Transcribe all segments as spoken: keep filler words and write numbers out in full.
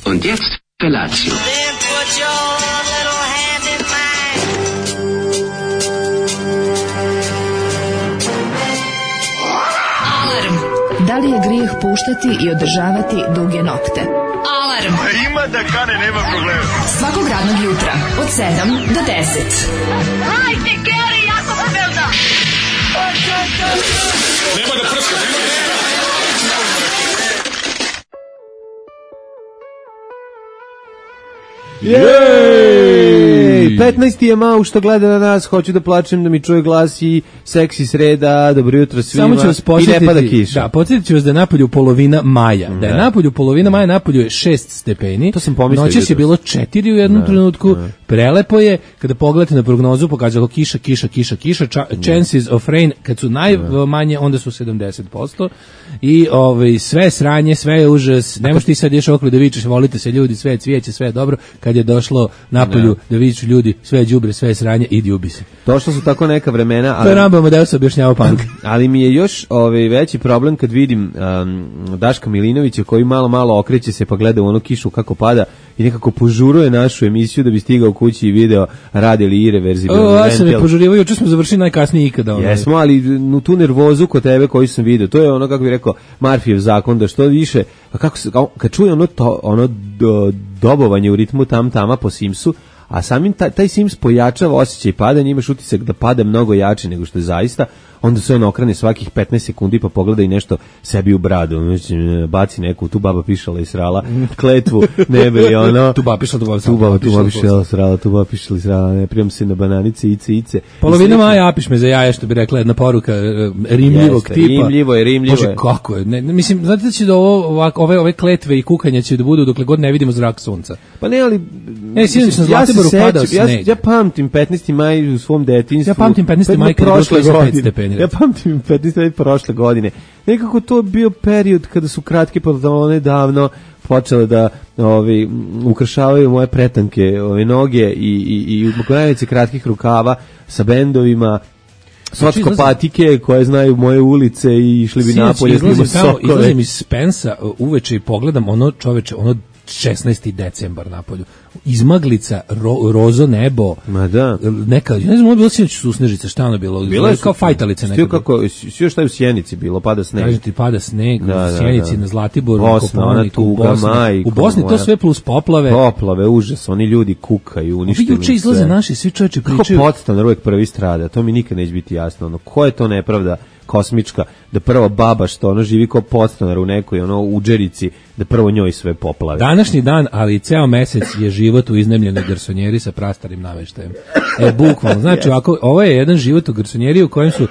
Und jetzt Felatio. Then put your little hand in mine. Alarm. Da li je grijeh puštati i održavati duge nokte? Alarm. Ima da kane, nema problema. Svakog radnog jutra od sedam do deset. Hajde, Geri, jako se velda. Nema da prska, nema da prska. Jej! petnaesti je Mau što gleda na nas, hoću da plačem da mi čuje glas i seksi sreda, dobro jutro svima. Samo ću vas i ne pada podsjetiti, kiša. da, podsjetit ću vas da je napolju polovina maja. Da je Da. napolju polovina maja, napolju je šest stepeni. To sam pomislio Noćas je jutros. bilo četiri u jednom trenutku. Prelepo je, kada pogledate na prognozu, pokazalo kiša, kiša, kiša, kiša, ča- chances of rain, kad su najmanje, onda su sedamdeset posto. I ovaj, sve sranje, sve je užas. Ne možeš ti sad ješ okolo da vičeš, volite se ljudi, sve je cvijeće, sve je dobro. Kad je došlo napolju da viču ljudi, sve je đubre, sve je sranje, idi ubi se. Došla su tako neka vremena, To je ali, Rambamo da se objašnjava punk. ali mi je još ovaj, veći problem kad vidim um, Daška Milinovića koji malo malo okreće se pa gleda u ono kišu kako pada i nekako požuruje našu emisiju da bi stigao kući i video radi li irreverzibilni O, ja sam je ventil. požurivao, juče smo završili najkasnije ikada. Ono. Jesmo, ali nu, tu nervozu kod tebe koju sam vidio, to je ono, kako bih rekao, Marfijev zakon, da što više, a kako se, kao- kad čuje ono, to, ono do, dobovanje u ritmu tam tama po Simsu, a samim taj, taj Sims pojačava osjećaj padanja, imaš utisak da pada mnogo jače nego što je zaista, onda se on okrene svakih petnaest sekundi pa pogleda i nešto sebi u bradu, znači, baci neku, tu baba pišala i srala, kletvu, nebe i ono, Tu baba pišala, tu baba tu baba, tu baba pišala, pišala, srala, tu baba pišala i srala, ne prijam se na bananice, ice, ice. Polovina I sve- maja apiš me za jaje, što bi rekla jedna poruka e, rimljivog Jeste, tipa. rimljivo je, rimljivo Bože, je. kako je. Ne, ne, mislim, znate da će da ovo, ovak, ove, ove kletve i kukanja će da budu dokle god ne vidimo zrak sunca. Pa ne, ali... E, sinoć na ja se Zlatiboru sećam, padao ja, sneg. ja pamtim petnaesti maj u svom detinjstvu. Ja pamtim petnaesti maj kad je bilo prošle trideset pet godine. stepeni, Ja recimo. pamtim petnaesti maj prošle godine. Nekako to je bio period kada su kratke pantalone davno počele da ovi, ukrašavaju moje pretanke ove noge i, i, i najveće kratkih rukava sa bendovima, socko patike koje znaju moje ulice i išli bi Sinoć napolje, izlazim snimo tamo, sokove. izlazim iz Spensa uh, uveče i pogledam ono, čoveče, ono šesnaesti decembar napolju. Izmaglica, ro, rozo nebo, Ma da. neka, ja ne znam, ono je bilo sinoć susnežica, šta ono bilo? Bilo je kao fajtalice Stio neka. kako, svi šta je u Sjenici bilo, pada sneg. Kažem ti, pada sneg, Da, da, u Sjenici, da. na Zlatiboru, Bosna, u ona Kopaoniku, u tuga, Bosni. majko U Bosni to moja. sve plus poplave. Poplave, užas, oni ljudi kukaju, Ovi uništili juče izlaze sve. naši, svi čoveče Kako pričaju. podstanar uvek prvi strada, to mi nikad neće biti jasno. Ono, ko je to nepravda kosmička, da prva baba što ono živi kao podstanar u nekoj ono uđerici, da prvo njoj sve poplave. Današnji dan, ali i ceo mesec je život u iznajmljenoj garsonjeri sa prastarim naveštajem. E, bukvalno. Znači, ovako, ovo je jedan život u garsonjeri u kojem su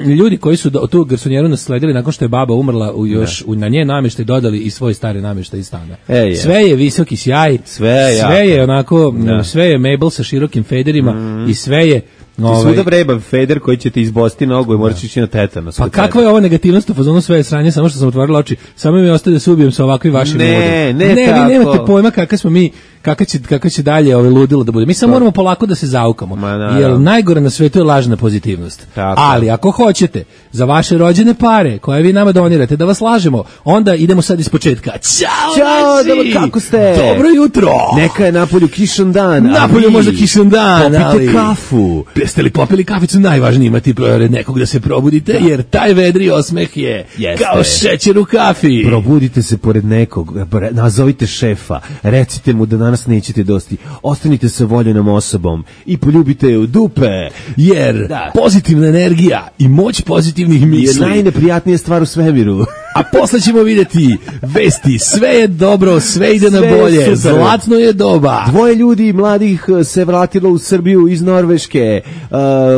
ljudi koji su do, tu garsonjeru nasledili nakon što je baba umrla u još u, na nje namještaj dodali i svoj stari namještaj iz stana. E, je. Sve je visoki sjaj, Sve je jako. sve je onako, Da. sve je Mabel sa širokim federima i sve je Ti ovaj, svuda vreba feder koji će ti izbosti nogu i moraš ići na tetanos. pa kod kakva sebe. je ovo negativnost u fazonu sve je sranje, samo što sam otvorila oči, samo mi ostaje da se ubijem sa ovakvim vašim Ne, ludom. ne ne, vi tako. nemate pojma kakva smo mi, kakva će, kakva će dalje ove ludilo da bude. Mi samo moramo polako da se zaukamo, Ma, naravno. jer najgore na svetu je lažna pozitivnost. Tako. Ali ako hoćete za vaše rođene pare koje vi nama donirate da vas lažemo, onda idemo sad iz početka. Ćao, Ćao, naši! dobro, kako ste? Dobro jutro! Neka je napolju kišan dan. a Napolju vi možda kišan dan, popite ali... kafu. Jeste li popili kaficu? Najvažnije imati pored nekog da se probudite, jer taj vedri osmeh je Jeste. kao šećer u kafi. Probudite se pored nekog, bre- nazovite šefa, recite mu da danas nećete dosti, ostanite sa voljenom osobom i poljubite je u dupe, Jer Da. pozitivna energija i moć pozitivnih je misli. najneprijatnija stvar u svemiru. A posle ćemo vidjeti vesti, sve je dobro, sve ide na Sve je bolje, super. zlatno je doba. Dvoje ljudi mladih eh, se vratilo u Srbiju iz Norveške, uh,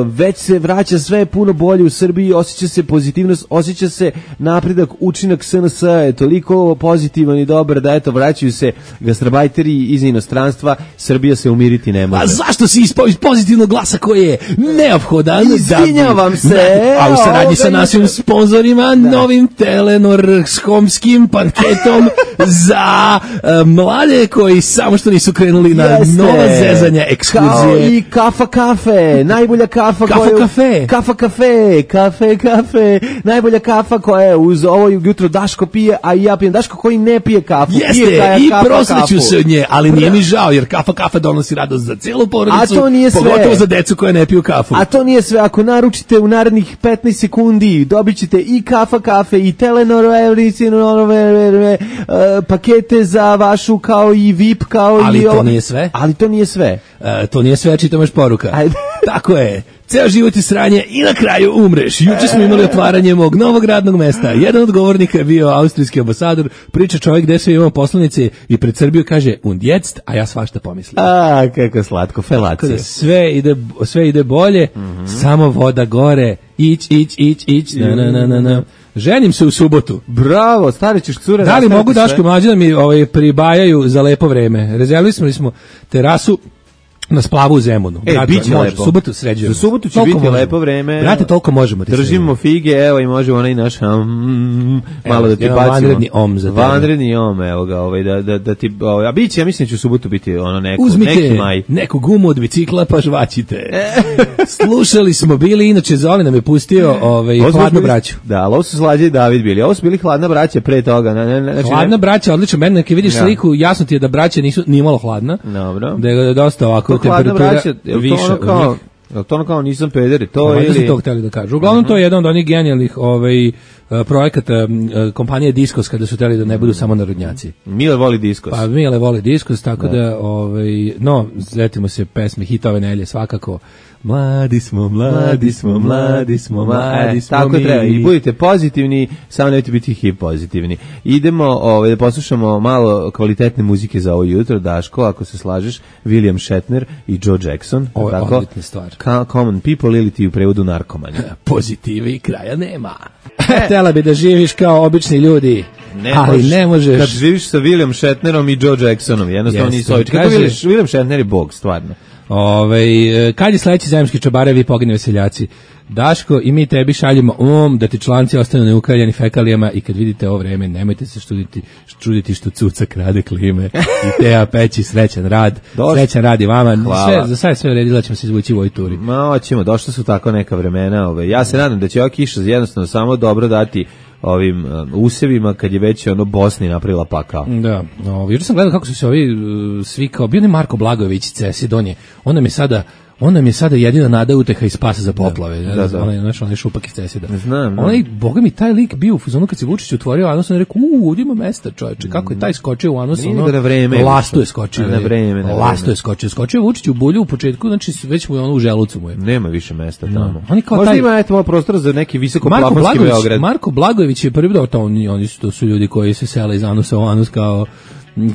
već se vraća sve puno bolje u Srbiji, osjeća se pozitivnost, osjeća se napredak, učinak S N S je toliko pozitivan i dobar da eto vraćaju se gastrobajteri iz inostranstva, Srbija se umiriti ne može. A zašto si ispao iz pozitivnog glasa koji je neophodan? Izvinjavam da bi- se. A u saradnji sa Ovoga našim je- sponzorima, novim Telenor telenorskomskim panketom za uh, mlade koji samo što nisu krenuli na Jeste. nova zezanja ekskluzije. Kao i kafa kafe, najbolja kafa Kafa koja... kafe. Kafa kafe, kafe kafe, najbolja kafa koja je uz ovo jutro Daško pije, a i ja pijem. Daško koji ne pije kafu. Jeste, pije kaja, i kafa, prosreću kafu. se od nje, ali nije mi žao, jer kafa kafa donosi radost za celu porodicu, A to nije sve. pogotovo za decu koja ne piju kafu. A to nije sve, ako naručite u narednih petnaest sekundi, dobit ćete i kafa kafe i telenorove, pakete za vašu kao i V I P, kao Ali i to ovo. nije sve. Ali to nije sve. E, to nije sve, čitam još poruka. Ajde. Tako je. Ceo život je sranje i na kraju umreš. Juče smo imali otvaranje mog novog radnog mesta. Jedan od govornika je bio austrijski ambasador. Priča čovjek gde sve imamo poslanice i pred Srbiju kaže und jetzt, a ja svašta pomislim. A, kako slatko, Tako felacija. da sve ide, sve ide bolje, Mhm. samo voda gore, ić, ić, ić, ić, na, na, na, na, na. Ženim se u subotu. Bravo, stari ćeš cure. Da li nastaviti mogu sve. Daško i Mlađa da mi ovaj, pribajaju za lepo vreme? Rezervisali smo terasu na splavu u Zemunu. E, Brate, biće može, lepo. Subotu sređujemo. Za subotu će Toliko biti možemo. lepo vreme. Brate, toliko možemo. ti Držimo fige, evo i možemo onaj naš um, malo da ti jedan bacimo. vanredni om za tebe. Vanredni om, evo ga, ovaj, da, da, da ti, ovaj, a biće, ja mislim da će u subotu biti ono neko, neki Uzmite maj. neku gumu od bicikla pa žvaćite. Slušali smo bili, inače Zoli nam je pustio ovaj, Ovo su Hladnu bili- braću. Da, ali ovo su Slađe i David bili. Ovo su bili Hladna braća pre toga. Ne, ne, ne, znači, Hladna ne- braća, odlično, meni kad vidiš Ja. sliku, jasno ti je da braća nisu ni malo hladna. Dobro. Da je dosta ovako To Hladna temperatura braća, je li to viša ono od kao, njih. je li to ono kao nisam pederi, to Valjda su ili... to hteli da kažu. Uglavnom to je jedan od onih genijalnih ovaj, projekata m, kompanije Diskos kada su hteli da ne budu samo narodnjaci. Mile voli diskos. Pa Mile vole Diskos, tako da, ovaj, no, zetimo se pesme, hitove nelje, svakako. Mladi smo, mladi smo, mladi smo, mladi E, smo tako mi. treba. I budite pozitivni, samo nemojte biti hip pozitivni. Idemo ovaj, da poslušamo malo kvalitetne muzike za ovo jutro. Daško, ako se slažeš, William Shatner i Joe Jackson. Ovo je tako? odlična stvar. Ka- Common People ili ti u prevodu narkomani. Pozitive i kraja nema. Htela bi da živiš kao obični ljudi, ali možeš- ne možeš. Kad živiš sa William Shatnerom i Joe Jacksonom, jednostavno Jeste. nisu ovi. Kako Kaže- William, William Shatner je bog, stvarno. Ove, kad je sledeći zajemski čabarevi pogine veseljaci? Daško, i mi tebi šaljemo um da ti članci ostanu neukaljeni fekalijama i kad vidite ovo vreme, nemojte se čuditi, čuditi što cuca krade klime i Teja peći srećan rad. Došli. Srećan rad i vama. Hvala. Sve, za sad sve uredila ćemo se izvući u ovoj turi. Ma, hoćemo, došla su tako neka vremena. Ove. Ja se nadam da će ova kiša jednostavno samo dobro dati ovim um, usevima kad je već ono Bosni napravila pakao. Da, no, juče sam gledao kako su se ovi uh, svi kao, bio ne Marko Blagojević, Cesi Donje, on nam je sada on nam je sada jedina nada, uteha i spasa za poplave. Da, Da, da. Onaj, znaš, onaj šupak iz Cesida. Znam, da. Onaj, boga mi, taj lik bio u fazonu kad se Vučić otvorio, a sam rekao, uuu, ovdje ima mesta, čoveče, kako je taj skočio u anos, Nije ono, nego na vreme je lastu ušao. je skočio. A na vreme, na Lastu vreme. je skočio. Skočio je Vučić u bulju u početku, znači već mu je ono u želucu mu je. Nema više mesta tamo. Oni kao Možda taj- ima eto malo prostora za neki visoko Marko plafonski Blagojević, Beograd. Marko Blagojević je prvi dobro, to oni, oni su, to su ljudi koji se sele iz anusa u anus kao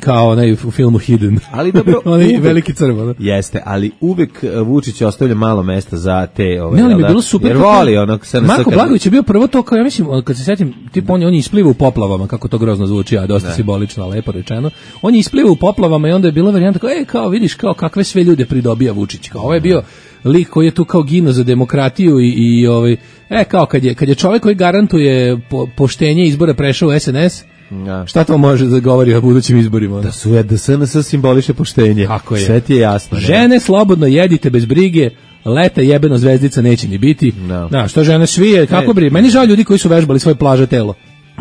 kao onaj u filmu Hidden. Ali dobro, onaj uvek- veliki crv, ono. Jeste, ali uvek uh, Vučić ostavlja malo mesta za te ove. Ne, ali jel mi je da? bilo super. Jer kako- voli onog S N S Marko kad- Blagojević je bio prvo to, kao ja mislim, kad se setim, tip on je, on je isplivao u poplavama, kako to grozno zvuči, a dosta simbolično, lepo rečeno. On je isplivao u poplavama i onda je bila varijanta kao, e, kao vidiš, kao kakve sve ljude pridobija Vučić. Kao, ovo je bio lik koji je tu kao gino za demokratiju i, i ovaj, e, kao kad je, kad je čovjek koji garantuje po, poštenje izbora prešao u S N S, Da. šta to može da govori o budućim izborima? ono? Da su da S N S simboliše poštenje. Tako je. Sve ti je jasno. ne? Žene, slobodno jedite bez brige, leta jebeno zvezdica neće ni biti. No. Da, što žene svije, kako Ne. bri? Meni žao ljudi koji su vežbali svoje plaže telo.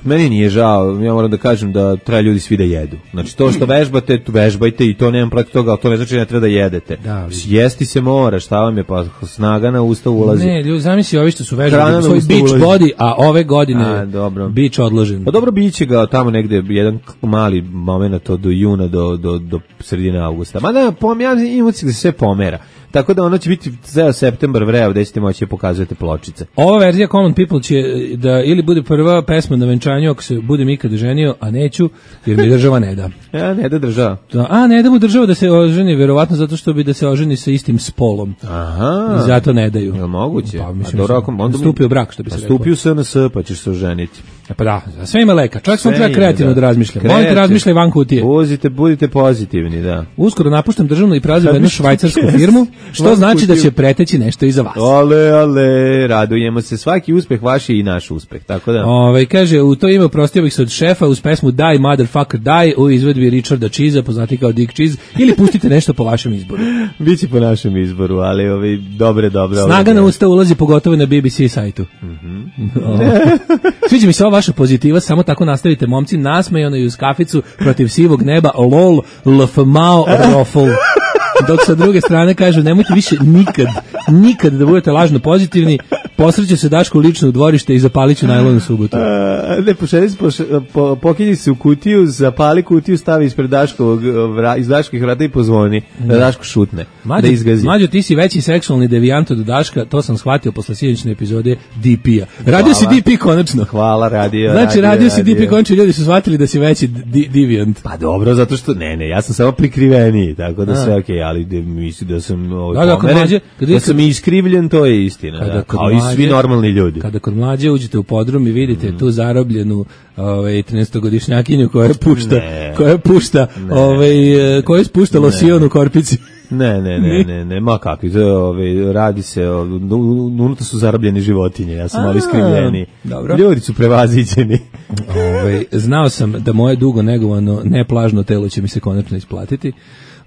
Meni nije žao, ja moram da kažem da treba ljudi svi da jedu. Znači to što vežbate, tu vežbajte i to nemam protiv toga, ali to ne znači da ne treba da jedete. Da, vidi. Jesti se mora, šta vam je, pa snaga na usta ulazi. Ne, ljudi, zamisli ovi što su Hrana vežbali na svoj usta beach ulazi. body, a ove godine A, dobro. beach odložen. Pa dobro, biće ga tamo negde jedan mali moment od do juna do, do, do sredine avgusta. Ma da, pom, ja imam utisak da se sve pomera. Tako da ono će biti ceo septembar vreo gde ćete moći da pokazujete pločice. Ova verzija Common People će da ili bude prva pesma na venčanju ako se budem ikad ženio, a neću, jer mi država ne da. Ja, ne da država. Da, a, ne da mu država da se oženi, verovatno zato što bi da se oženi sa istim spolom. Aha. I zato ne daju. Jel moguće? Pa, A mislim, dobro, ako- onda mi- stupio brak, što bi Pa se reklo. stupio S N S, pa ćeš se oženiti. E pa da, za sve ima leka. Čovjek sam Sve treba ide, kreativno da, da. razmišlja. Kreativ- Molim te, razmišljaj van kutije. Budite, budite pozitivni, da. Uskoro napuštam državnu i preuzimam jednu Razmišljaj švajcarsku kese. firmu. Što znači da će preteći nešto iza vas. Ale, ale, radujemo se. Svaki uspeh vaš je i naš uspeh, tako da. Ovaj kaže, u to ime oprostio bih se od šefa uz pesmu Die Motherfucker Die u izvedbi Richarda Cheese, poznati kao Dick Cheese, ili pustite nešto po vašem izboru. Biće po našem izboru, ali ovaj dobre, dobre. Snaga na usta ulazi pogotovo na B B C sajtu. Mhm. Sviđa mi se ova vaša pozitiva, samo tako nastavite, momci, nasmejano i uz kaficu protiv sivog neba, lol, lfmao, rofl. Dok sa druge strane kažu, nemojte više nikad, nikad da budete lažno pozitivni, posreće se Daško lično u dvorište i zapalit ću najlonu subotu. Uh, ne, pošalji se, po, pokinji se u kutiju, zapali kutiju, stavi ispred Daškovog, vra, iz Daških vrata i pozvoni, da Daško šutne, Mađo, da izgazi. Mađo, ti si veći seksualni devijant od Daška, to sam shvatio posle sinoćne epizode D P-a. Radio si D P konačno. Hvala, radio. Znači, radio, radio si D P konačno, ljudi su shvatili da si veći devijant. Pa dobro, zato što, ne, ne, ja sam samo prikriveniji, tako da sve okej, okay, ali de, mislim da sam ovaj, da, da, pomeren, mlađe, da kad, sam iskrivljen, to je istina, da, kao mlađe, i svi normalni ljudi. Kada kod mlađe uđete u podrum i vidite mm. tu zarobljenu ovaj trinaestogodišnjakinju koja pušta, ne. koja pušta, ne. ovaj koja spušta losion u korpici. Ne, ne, ne, ne, ne, ma kakvi, ovaj radi se, unutra su zarobljeni životinje, ja sam malo iskrivljeni. Ljudi su prevaziđeni. Ovaj znao sam da moje dugo negovano neplažno telo će mi se konačno isplatiti.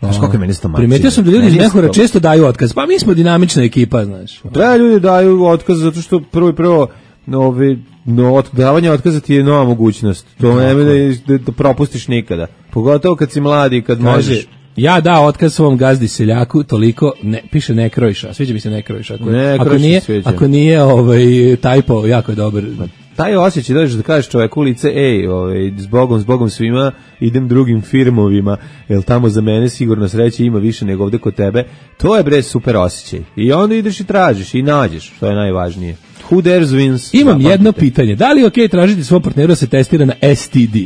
Znaš kako je meni stomačina. Primetio sam da ljudi iz Mehura često daju otkaz. Pa mi smo dinamična ekipa, znaš. Da, ljudi daju otkaz zato što prvo i prvo ove, no, davanje otkaza ti je nova mogućnost. To ne da, da propustiš nikada. Pogotovo kad si mladi, kad kaže, možeš. Ja dao otkaz svom gazdi seljaku, toliko, ne, piše ne krojiša, sviđa mi se ne krojiša. Ako, ne, ako nije, ako nije ovaj, tajpo, jako je dobar. Taj osjećaj dođeš da kažeš čoveku u lice, ej, ovaj, zbogom, zbogom svima, idem drugim firmovima, jer tamo za mene sigurno sreće ima više nego ovde kod tebe, to je bre super osjećaj. I onda ideš i tražiš i nađeš, što je najvažnije. Who dares wins? Imam jedno pitanje, da li je okej okay tražiti svom partneru da se testira na S T D?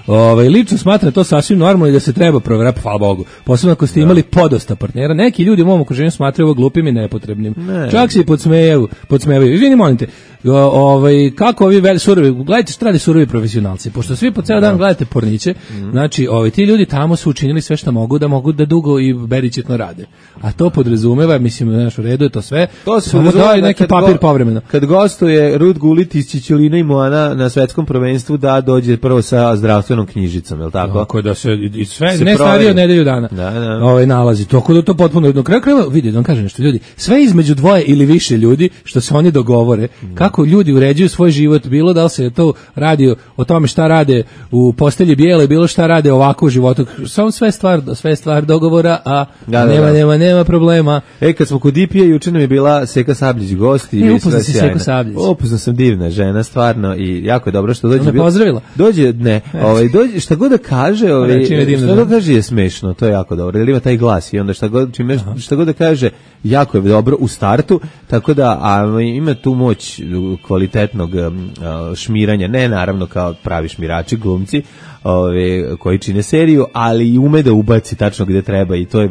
Ovaj lično smatram to sasvim normalno i da se treba proveriti, hvala Bogu. Posebno ako ste imali podosta partnera, neki ljudi u mom okruženju smatraju ovo glupim i nepotrebnim. Ne. Čak se i podsmejaju, podsmevaju. Izvini, molim te, ovaj kako ovi veli surovi, gledajte šta rade surovi profesionalci, pošto svi po ceo dan gledate porniće, mm. znači ovaj ti ljudi tamo su učinili sve što mogu da mogu da dugo i beričetno rade. A to podrazumeva, mislim, znaš, u redu je to sve. To se samo da neki papir go, povremeno. Kad gostuje Rud Gulit iz Čičulina i Moana na svetskom prvenstvu da dođe prvo sa zdravstvenom knjižicom, je l' tako? Tako da se i sve se ne starije od nedelju dana. Da, da. Ovaj nalazi. Tako da to potpuno jedno kraj krajeva vidi, da vam kažem nešto, ljudi, sve između dvoje ili više ljudi što se oni dogovore, mm. kako ljudi uređuju svoj život, bilo da li se to radi o tome šta rade u postelji bijele, bilo šta rade ovako u životu. Samo sve stvar, sve stvar dogovora, a da, nema, da, da. nema, nema problema. E, kad smo kod D P-a, juče nam je bila Seka Sabljić gost i e, upoznao si Seku Sabljić. Upoznao sam, divna žena, stvarno, i jako je dobro što dođe. Ona me pozdravila. Dođe, ne, ovaj, dođe, šta god da kaže, ovaj, šta god da kaže je smešno, to je jako dobro, jer ima taj glas i onda šta god, čime, šta god da kaže, jako je dobro u startu, tako da a, ima tu moć kvalitetnog a, šmiranja, ne naravno kao pravi šmirači, glumci, ove, koji čine seriju, ali i ume da ubaci tačno gde treba i to je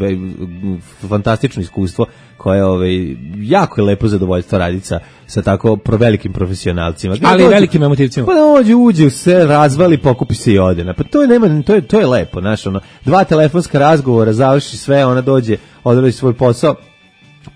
fantastično iskustvo koje ove, jako je lepo zadovoljstvo raditi sa, sa tako pro velikim profesionalcima. Gde ali dođe, velikim emotivcima. Pa dođe, uđe, se razvali, pokupi se i ode. Pa to je, nema, to je, to je lepo, znaš, ono, dva telefonska razgovora, završi sve, ona dođe, odradi svoj posao,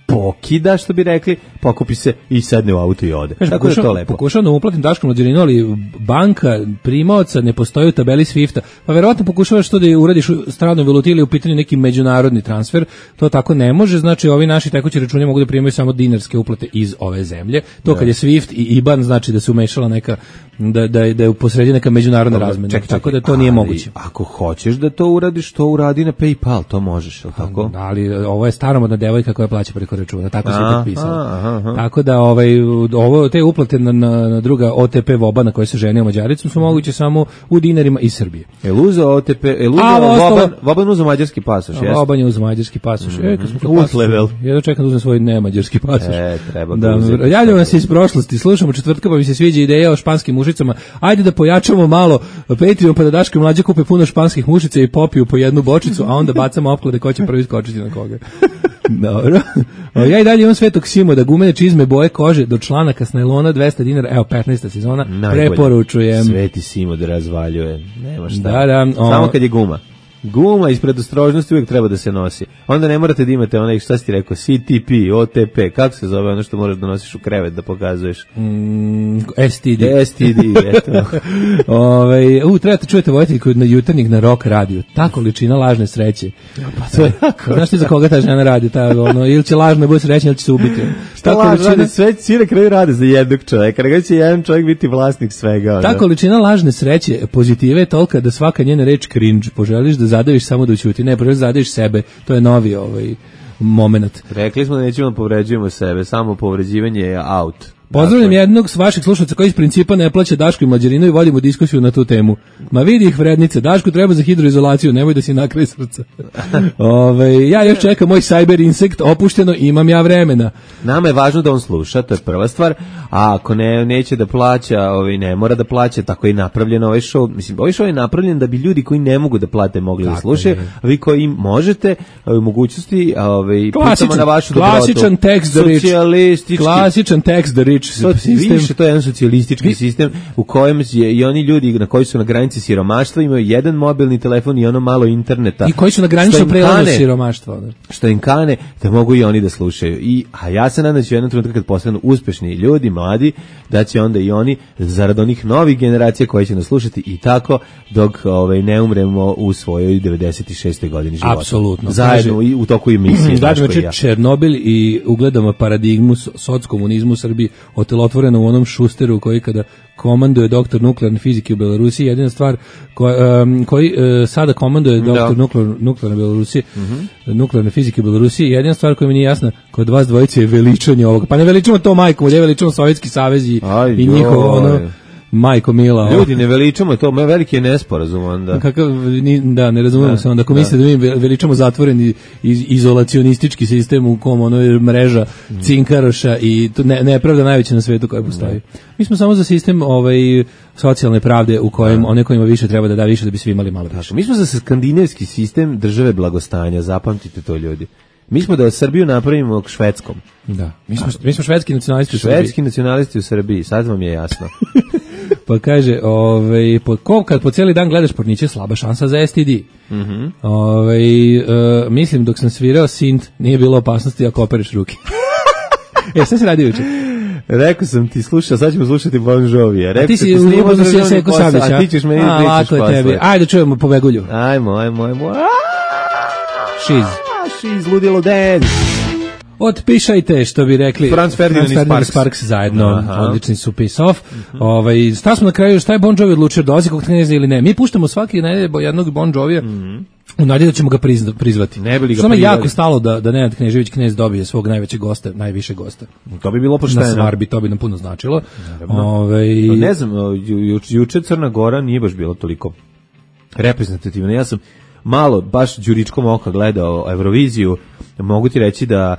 pokida, što bi rekli, pokupi se i sedne u auto i ode. Tako pokušam, da to lepo. Pokušao da uplatim Daškom Mlađaninu, ali banka primaoca ne postoji u tabeli Swifta. Pa verovatno pokušavaš to da uradiš u stranoj valuti ili u pitanju neki međunarodni transfer. To tako ne može, znači ovi naši tekući računi mogu da primaju samo dinarske uplate iz ove zemlje. To kad je Swift i I B A N znači da se umešala neka da da da je posredi neka međunarodna razmena. Ček, ček, tako da to ali, nije moguće. Ako hoćeš da to uradiš, to uradi na PayPal, to možeš, al tako? Ali ovo je staromodna devojka koja plaća preko računa, tako se potpisala. Tako da ovaj ovo te uplate na, na, na druga O T P Voba na koje se ženio Mađaricom su moguće samo u dinarima iz Srbije. El uzeo O T P, el uzeo Voban, Voban uzeo mađarski pasoš, jeste? Voban je uzeo mađarski pasoš. Mm -hmm. E, kad smo kod level. Ja da čekam da uzmem svoj nemađarski pasoš. E, treba da uzeti. Javljamo nas iz prošlosti, slušamo četvrtka pa mi se sviđa ideja o španskim mušicama. Ajde da pojačamo malo Patreon pa da Daško i mlađe kupe puno španskih mušica i popiju po jednu bočicu, a onda bacamo opklade ko će prvi skočiti na koga. Dobro. Ja i dalje imam Svetog Simo da gumene čizme boje kože do članaka s najlona dvesta dinara, evo petnaesta sezona, najbolje. Preporučujem. Sveti Simo da razvaljuje, nema šta. Da, da, o, samo kad je guma. Guma ispred ostrožnosti uvijek treba da se nosi. Onda ne morate da imate onaj, šta si ti rekao, C T P, O T P, kako se zove ono što moraš da nosiš u krevet da pokazuješ? Mm, S T D. S T D, eto. Ove, u, trebate čujete vojiteljku na jutarnjeg na rock radiju. Ta količina lažne sreće. Pa to je jako. Znaš ti za koga ta žena radi? Ta, ono, ili će lažno bude srećna, ili će se ubiti. Šta lažno radi? Sve svi na kraju rade za jednog čovjeka. Nego će jedan čovjek biti vlasnik svega. Ono. Ta količina lažne sreće, pozitive je tolika da svaka njena reč cringe. Poželiš da zadaviš samo da ućuti. Ne, poželiš da zadaviš sebe. To je novi ovaj moment. Rekli smo da nećemo da povređujemo sebe. Samo povređivanje je out. Pozdravljam jednog s vaših slušalaca koji iz principa ne plaća Daško i Mlađarinu i vodimo diskusiju na tu temu. Ma vidi ih vrednice, Daško treba za hidroizolaciju, nemoj da si nakraj srca. Ove, ja još čekam moj Cyber Insect opušteno, imam ja vremena. Nama je važno da on sluša, to je prva stvar, a ako ne, neće da plaća, ovaj, ne mora da plaća, tako je napravljen ovaj show. Mislim, ovaj show je napravljen da bi ljudi koji ne mogu da plate mogli tako da slušaju, a vi koji im možete, u mogućnosti, ovaj, pitamo na vašu dobrotu. Klasičan tekst da rič. Klasičan tekst da rič. To, više, to je jedan socijalistički Vi... sistem u kojem je i oni ljudi na koji su na granici siromaštva imaju jedan mobilni telefon i ono malo interneta. I koji su na graničnom prelazu siromaštva. Da. Što im kane, da mogu i oni da slušaju. I, a ja se nadam da će jednom trenutku kad postanu uspešni ljudi, mladi, da će onda i oni, zarad onih novih generacija koje će nas slušati i tako, dok ovaj, ne umremo u svojoj devedeset šestoj godini života. Apsolutno. Zajedno kaže, u toku emisije. Dađemo ja. Černobil i ugledamo paradigmu sockomunizmu u Srbiji otelotvoreno u onom Šusteru koji kada komanduje doktor nuklearne fizike u Belorusiji, jedina stvar koja, um, koji uh, sada komanduje doktor nuklear, nuklearne Belorusije, mm-hmm. nuklearne fizike u Belorusiji, jedina stvar koja mi nije jasna kod vas dvojice je veličanje ovoga. Pa ne veličamo to majkom, ovdje veličamo Sovjetski savez i, i njihovo ono majko mila. Ljudi ne veličamo to, me veliki je nesporazum onda. Kakav ni, da ne razumemo se onda ako misle da mi veličamo zatvoreni iz, izolacionistički sistem u kom ono je mreža mm. cinkaroša i to ne nepravda najveća na svetu koja postoji. Mm. Mi smo samo za sistem ovaj socijalne pravde u kojem mm. one kojima više treba da da više da bi svi imali malo više. Mi smo za skandinavski sistem države blagostanja, zapamtite to ljudi. Mi smo da Srbiju napravimo švedskom. Da. Mi smo, mi smo švedski nacionalisti u Srbiji. Švedski nacionalisti u Srbiji, sad vam je jasno. Pa kaže, ovaj, po, ko, kad po cijeli dan gledaš porniće, slaba šansa za S T D. Mm-hmm. Ovaj, uh, mislim, dok sam svirao sint, nije bilo opasnosti ako opereš ruke. E, šta si radio juče? Rekao sam ti, slušao, sad ćemo slušati Bon Jovija. A ti si uzljubo se Seko Savića. A ti ćeš meni pričaš posle. Ajde, čujemo po Begulju. Ajmo, ajmo, ajmo. Šiz. Šiz, ludilo dance. Otpišajte, što bi rekli Franz Ferdinand i Sparks. Sparks zajedno, aha. Odlični su piss off. Mm-hmm. Ovaj, šta smo na kraju, šta je Bon Jovi odlučio, dolazi kog kneza ili ne? Mi puštamo svaki nedelje jednog Bon Jovija, mm-hmm. u nadi da ćemo ga prizna, prizvati. Ne bi li ga Samo jako stalo da, da Nenad Knežević knez dobije svog najvećeg gosta, najviše gosta. To bi bilo pošteno. Na Svarbi, to bi nam puno značilo. Ove... No, ne znam, ju, juče Crna Gora nije baš bilo toliko reprezentativna. Ja sam malo, baš đuričkom oka gledao Euroviziju, mogu ti reći da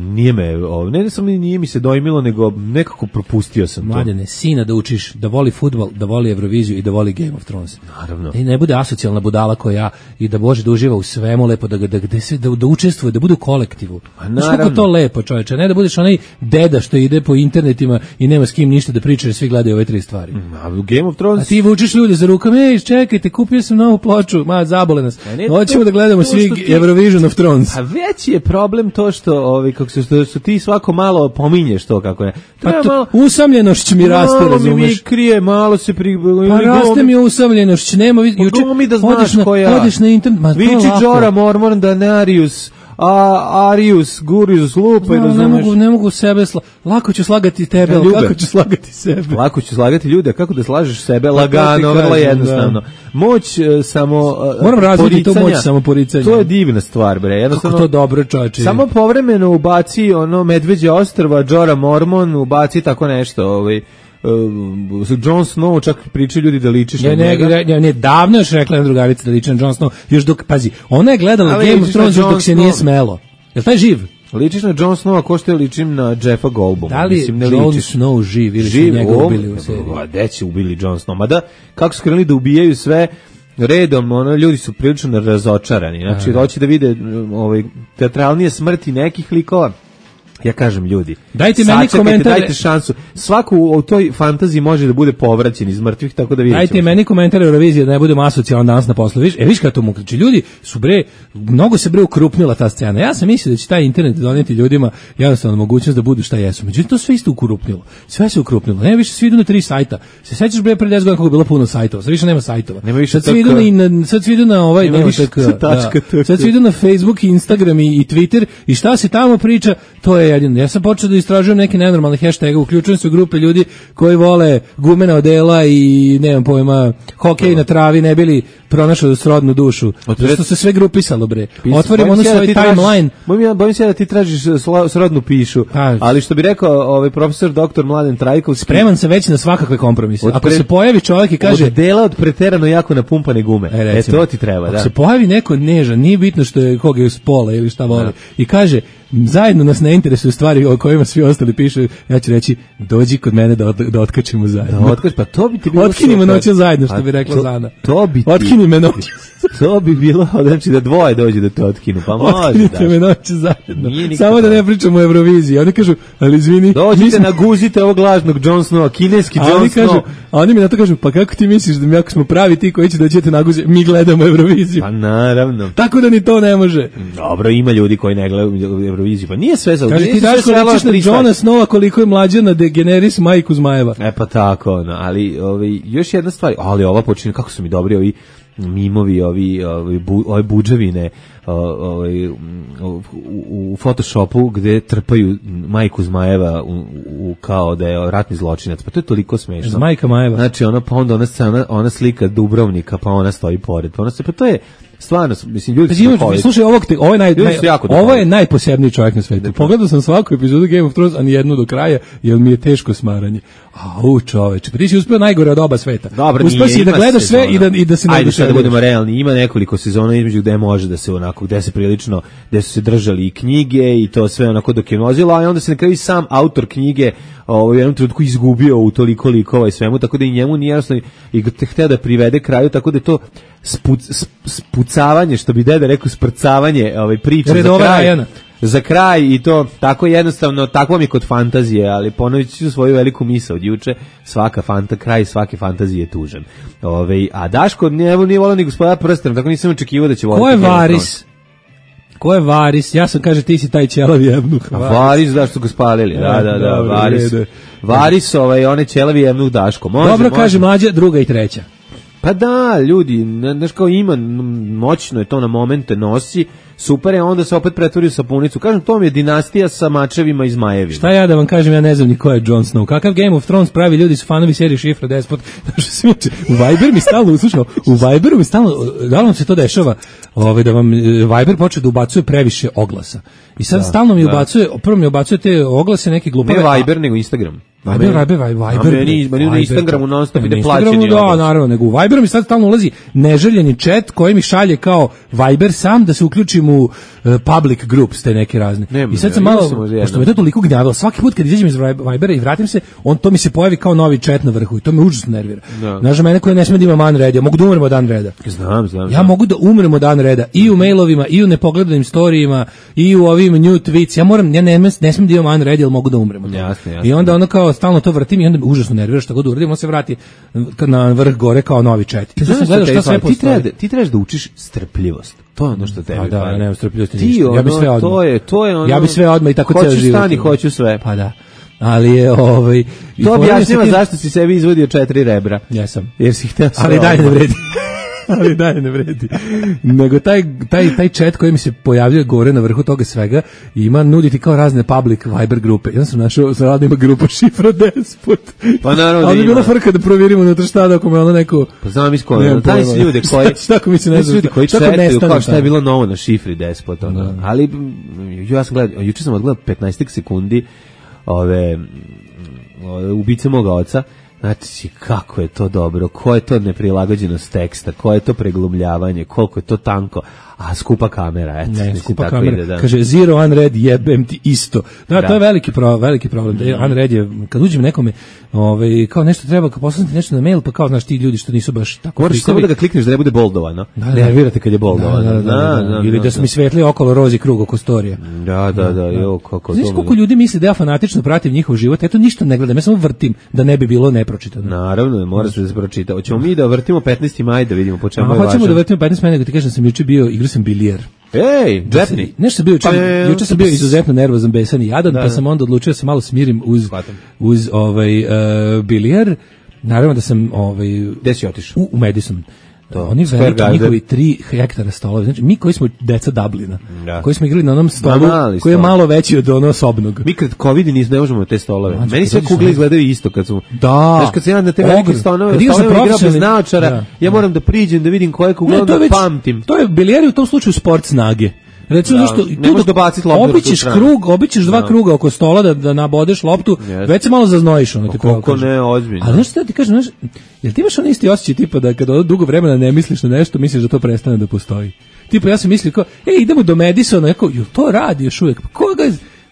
nije me, ne samo nije mi se dojmilo, nego nekako propustio sam to. Mladene, sina da učiš da voli fudbal, da voli Euroviziju i da voli Game of Thrones. Naravno. Da ne bude asocijalna budala koja i da Bože da uživa u svemu lepo, da, da, da, se, da, da učestvuje, da bude u kolektivu. Znaš kako to lepo, čoveče, ne da budeš onaj deda što ide po internetima i nema s kim ništa da priča jer svi gledaju ove tri stvari. A u Game of Thrones... A ti vučeš ljude za rukama, ej, čekajte, kupio sam novu ploču, ma, zabole nas. Hoćemo da gledamo svi ti... Eurovision of Thrones. A već je problem to što ovi kako se što, što ti svako malo pominješ to kako je. Pa to, malo, usamljenošć mi raste, razumeš? Mi krije, malo se pri... Pa raste mi usamljenošć, nema... Juče, mi da znaš na, koja... Odiš na internet, ma Viči Džora Mormon Danarius, a Arius, Gurius, Lupa, no, ne mogu, ne mogu sebe sla... Lako ću slagati tebe, ali kako ću slagati sebe? Lako ću slagati ljude, kako da slažeš sebe? Lagano, vrlo jednostavno. Da. Moć uh, samo uh, moram razviti tu moć samo poricanja. To je divna stvar, bre. Jednostavno, kako to dobro, čoveče. Samo povremeno ubaci ono Medveđe ostrva, Džora Mormon, ubaci tako nešto, ovaj Uh, Jon Snow, čak pričaju ljudi da ličiš na njega. Ne, ne, ne, davno još rekla jedna drugarica da liči na Jon Snow, još dok, pazi, ona je gledala ali Game of Thrones dok se nije smelo. Jel taj živ? Ličiš na Jon Snow, ako što je ličim na Jeffa Goldbluma. Da li mislim, ne Jon ličiš. Snow živ ili živ, su njega o, ubili u seriji? A gde će ubili Jon Snow? Ma da, kako su krenuli da ubijaju sve redom, ono, ljudi su prilično razočarani. Znači, hoće da vide ovaj, teatralnije smrti nekih likova. Ja kažem ljudi, Dajte meni sačekajte, komentar. dajte šansu. Svaku u toj fantaziji može da bude povraćen iz mrtvih, tako da vidjet ćemo. Dajte meni komentar Eurovizije da ne budemo asocijalan danas na poslu. Viš, e viš kako to muka. Znači ljudi su bre, mnogo se bre ukrupnila ta scena. Ja sam mislio da će taj internet doneti ljudima jednostavno mogućnost da budu šta jesu. Međutim to sve isto ukrupnilo. Sve se ukrupnilo. Ne više svi idu na tri sajta. Se sećaš bre pre deset godina kako je bilo puno sajtova. Sad više nema sajtova. Nema više sad svi idu na, na sad svi idu na ovaj nema nema više tako. tačka, Da. Sad svi idu na Facebook, Instagram i, i Twitter i šta se tamo priča, to je jedino. Ja sam počeo da istražujem neke nenormalne hashtage, uključujem se u grupe ljudi koji vole gumena odela i nemam pojma, hokej na travi, ne bili pronašao srodnu dušu. Zato se sve grupisalo bre. Otvorim ono svoj timeline. Bojim ja, bojim se da ti tražiš sla- srodnu pišu, A, ali što bi rekao ovaj profesor doktor Mladen Trajkovski, spreman sam već na svakakve kompromise. Od Ako pre- se pojavi čovjek i kaže od dela od preterano jako napumpane gume. E, E, recimo, to ti treba, ako da. se pojavi neko nežan, nije bitno što je koga je s pola ili šta voli, i kaže, zajedno nas ne interesuju stvari o kojima svi ostali pišu, ja ću reći, dođi kod mene da, od, da otkačimo zajedno. Da otkač, pa to bi ti bilo Otkinimo super. noću zajedno, što Pa bi rekla to- Zana. To bi ti, Otkini me noću. to bi bilo, znači da dvoje dođe da te otkinu, pa može. Otkinite me Da. noću zajedno. Nije nikako Samo da to. ne pričamo o Euroviziji. Oni kažu, ali izvini, mi Dođite, smo- naguzite ovog lažnog Jon Snowa, kineski a Jon oni kažu, Snow. a oni mi na to kažu, pa kako ti misliš da mi ako smo pravi ti koji će da ćete naguze, mi gledamo Euroviziju. Pa naravno. Tako da ni to ne može. Dobro, ima ljudi koji ne gledaju Euroviziju, pa nije sve za Kaže nije ti sve daš svelo na ličiš na tri sata. Jona Snowa koliko je mlađa na Degeneris majku Zmajeva. E pa tako, no, ali ovaj, još jedna stvar, ali ova počinje, kako su mi dobri ovi mimovi, ovi, ovi, bu, ove buđavine o, ovaj, u, u, u Photoshopu gde trpaju majku Zmajeva u, u, kao da je ratni zločinac, pa to je toliko smešno. Zmajka Majeva. Znači, ona, pa onda ona, scena, ona slika Dubrovnika, pa ona stoji pored, pa ona se, pa to je stvarno, mislim, ljudi su Imaš, duhoviti. slušaj, ovog te, ovo je naj, Ljudi naj su jako ovo je duhoviti. najposebniji čovjek na svetu. Pogledao sam svaku epizodu Game of Thrones, a ni jednu do kraja, jer mi je teško smaranje. Au, čoveče, pa ti si uspeo najgore od oba sveta. Dobro, uspeo nije, si da ima gledaš sve sezona. i da i da se ne Ajde sad da oduševljuješ. budemo realni, ima nekoliko sezona između gde može da se onako, gde se prilično, gde su se držali i knjige i to sve onako dok je vozilo, a onda se na kraju i sam autor knjige ovaj, u jednom trenutku izgubio u toliko likova i svemu, tako da i njemu nije jasno i te hteo da privede kraju, tako da je to spuc, sp- spucavanje, što bi deda rekao, sprcavanje ovaj, priče za Redova kraj. Rajana. Za kraj i to tako jednostavno, tako mi je kod fantazije, ali ponovit ću svoju veliku misao od juče, svaka fanta, kraj svake fantazije je tužan. Ove, a Daško nije, nije volao ni gospoda prsten, tako nisam očekivao da će voliti. Ko je Game of Varis? Ko je Varis? Ja sam, kaže, ti si taj ćelavi jebnuh. Thrones. A Varis, da, što ga spalili, da, da, da, Dobro, Varis. u redu. Varis, ovaj, onaj ćelavi jevnuh Daško. Može, Dobro, može. kaže mlađa, druga i treća. Pa da, ljudi, ne- znaš kao ima, m, moćno je to na momente nosi, super je, onda se opet pretvori u sapunicu. Kažem, to mi je dinastija sa mačevima i zmajevima. Šta ja da vam kažem, ja ne znam ni ko je Jon Snow. Kakav Game of Thrones pravi ljudi su fanovi serije Šifra Despot. Znaš, smiče, u Viber mi stalno uslušao, u Viberu mi stalno, da li vam se to dešava, ovaj, da vam e, Viber počne da ubacuje previše oglasa. I sad stalno mi ubacuje, prvo mi ubacuje te oglase neke glupave. Ne Viber, nego Instagram. Viber, Viber, Viber, A meni- meni na Instagramu non stop Ne, ide na Instagramu, plaćeni da, oglas. naravno, nego u Viberu mi sad stalno ulazi neželjeni chat koji mi šalje kao Viber sam da se uključim u uh, public groups te neke razne. Nema, I sad ne, sam ima malo, sam možda pošto jedno. me to toliko gnjavilo, svaki put kad izađem iz Vibera i vratim se, on to mi se pojavi kao novi chat na vrhu i to me užasno nervira. Da. Znaš, da mene koji ne sme da imam man reda, ja mogu da umrem od dan reda. Znam, znam. Ja znam. mogu da umrem od dan reda i u mailovima, i u nepogledanim storijima, i u ovim new tweets. Ja moram, ja ne, ne smijem da imam man red, jer mogu da umrem od toga. Jasno, jasno. I onda ono kao stalno to vrtim i onda me užasno nervira šta god uradim, on se vrati na vrh gore kao novi chat. I sad sam gledao šta sve ti, treba, postoji. da- ti trebaš da učiš strpljivost. To je ono što tebi Pa da, fali. ja nemam strpljivosti Ti ništa. Ja bi ono, sve odmah. To je, to je ono, Ja bi sve odmah i tako hoću ceo život. stani, hoću sve. Pa da. Ali je ovaj i To fora objašnjava sa tim- zašto si sebi izvodio četiri rebra. Jesam. Jer si hteo sve Ali dalje ne odmah. vredi. Ali dalje ne vredi. Nego taj, taj, taj chat koji mi se pojavljuje gore na vrhu toga svega ima nuditi kao razne public Viber grupe. Ja sam našao, sad da ima grupa Šifra Despot. Pa naravno da Ali je bila ima. frka da provjerimo unutra šta da ako me ono neko... Pa znam iz koje, Nemam daj pojma. si ljude koji... Šta ako mi se ne daj si zna ljudi šta- koji šta ako četaju nestane kao šta je tamo? bilo novo na šifri Despot. Ono. Ali m, ja sam gledao, juče sam odgledao petnaest sekundi ove, m, ove ubice moga oca. Znači, kako je to dobro, ko je to neprilagođenost teksta, ko je to preglumljavanje, koliko je to tanko. a skupa kamera, eto. Ne, mislim, skupa tako kamera. ide, da. Kaže zero unread jebem ti isto. Da, Da. to je veliki pro, veliki problem. Da unread je kad uđem nekome, ovaj kao nešto treba, kao poslati nešto na mail, pa kao znaš ti ljudi što nisu baš tako Moraš samo da ga klikneš da ne bude boldovano. Da, da. Nervirate kad je Da, boldovano. da, da, da, da. Ili da su mi svetli okolo rozi krug oko storija. Da, da, da, jo, kako Znaš to. koliko ljudi misli da ja fanatično pratim njihov život, eto ništa ne gledam, ja samo vrtim da ne bi bilo nepročitano. Naravno, mora se da se pročita. Hoćemo mi da vrtimo petnaesti maj da vidimo po čemu A je hoćemo važan. da vrtimo petnaest mene, nego ti kažem da sam juče bio, igrao sam bilijer. Ej, džepni. Nešto sam bio juče, Pa je- juče sam bio izuzetno nervozan, besan i jadan, Da, pa da. sam onda odlučio da se malo smirim uz Shvatam. uz ovaj uh, bilijer. Naravno da sam ovaj Gde si otišao? u, u Madison. To, Oni Square veliki Garden. njihovi tri hektara stolova. Znači, mi koji smo deca Dublina, Da. koji smo igrali na onom stolu, mali koji je stol. malo veći od ono osobnog. Mi kad covid nis ne možemo te stolove. Mlađe, Meni kad sve dođeš kugle na- izgledaju isto kad su. Da. Znaš kad se ja na te velike Ogrom. stolove, Kad igraš na stolove igram bez profesionalni- naočara, Da. ja moram da priđem da vidim koje kugle, Ne, onda to je već, pamtim. to je bilijer u tom slučaju sport snage. Recimo Da, nešto, ne tu možeš dok dobaciti loptu na tu obićeš stranu. krug, obićeš dva Da. kruga oko stola da da nabodeš loptu, Jeste. već se malo zaznojiš ono ti pravo Koliko kažem. ne, ozbiljno. Ali znaš šta ti kažem, znaš, jel ti imaš onaj isti osjećaj tipa da kada od dugo vremena ne misliš na nešto, misliš da to prestane da postoji. Tipa ja sam mislio kao, ej idemo do Madisona, jako, jel to radi još uvijek? Pa koga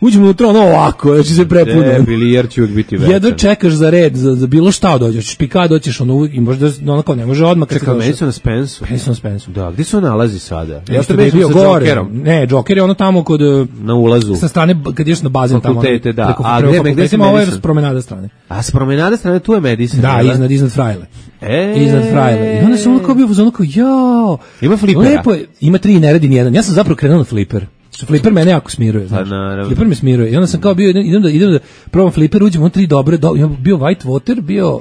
uđemo unutra ono ovako, znači se prepuno. E, bilijer će uvijek biti večan. Jedva čekaš za red, za, za bilo šta dođeš, hoćeš pika, doćeš ono uvijek i možda ono kao ne može odmah kad Čekaj, si meni došao. su na Spensu. Madison Spensu. Da, gdje se on nalazi sada? Ja Ja što što je bio gore. Jokerom Ne, Joker je ono tamo kod e, na ulazu. sa strane b- kad ideš na bazen tamo. Fakultete, da. Preko, A preko gde- gde fakultetima, si ovo je Madison? s promenade strane. A s promenade strane tu je Madison. Da, jel iznad iznad Frajle. E, Iznad Frajle. I onda sam ono kao bio ono kao jao. Ima flipera? Lepo je, ima tri, ne radi nijedan. Ja sam zapravo krenuo na fliper. Što fliper mene jako smiruje, znaš. naravno. Fliper me smiruje. I onda sam kao bio idem, idem da idem da probam fliper, uđem on tri dobre, do, ja bio white water, bio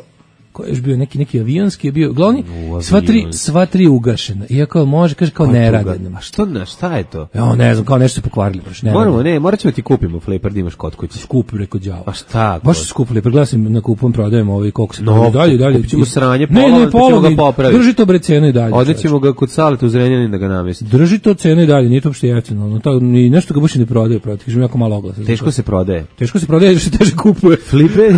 ko je još bio neki neki avionski je bio glavni U, sva tri avionski. sva tri ugašena. Iako može kaže kao ne rade. A što, na, šta je to? Ja ne znam, kao nešto se pokvarili baš. Ne Moramo, rade. ne, morat ćemo ti kupimo fliper da imaš kod kuće. Skup preko đava. Pa šta? Baš su skupili, pregledao sam na kupom, prodajem ovaj koliko se No, prodaje. dalje, dalje. kupit ćemo sranje, ne, polovan, ne, pa ćemo ga polovan, popraviti. drži to bre cenu i dalje. čoveče. Odnećemo ga kod Saleta u Zrenjanin da ga namesti. Drži to cenu i dalje, nije to uopšte jeftino. Ono, to, ni nešto ga baš i ne prodaje, protiv, kažem jako malo oglasa. Teško se prodaje. Teško se prodaje, jer se teže kupuje. Fliper,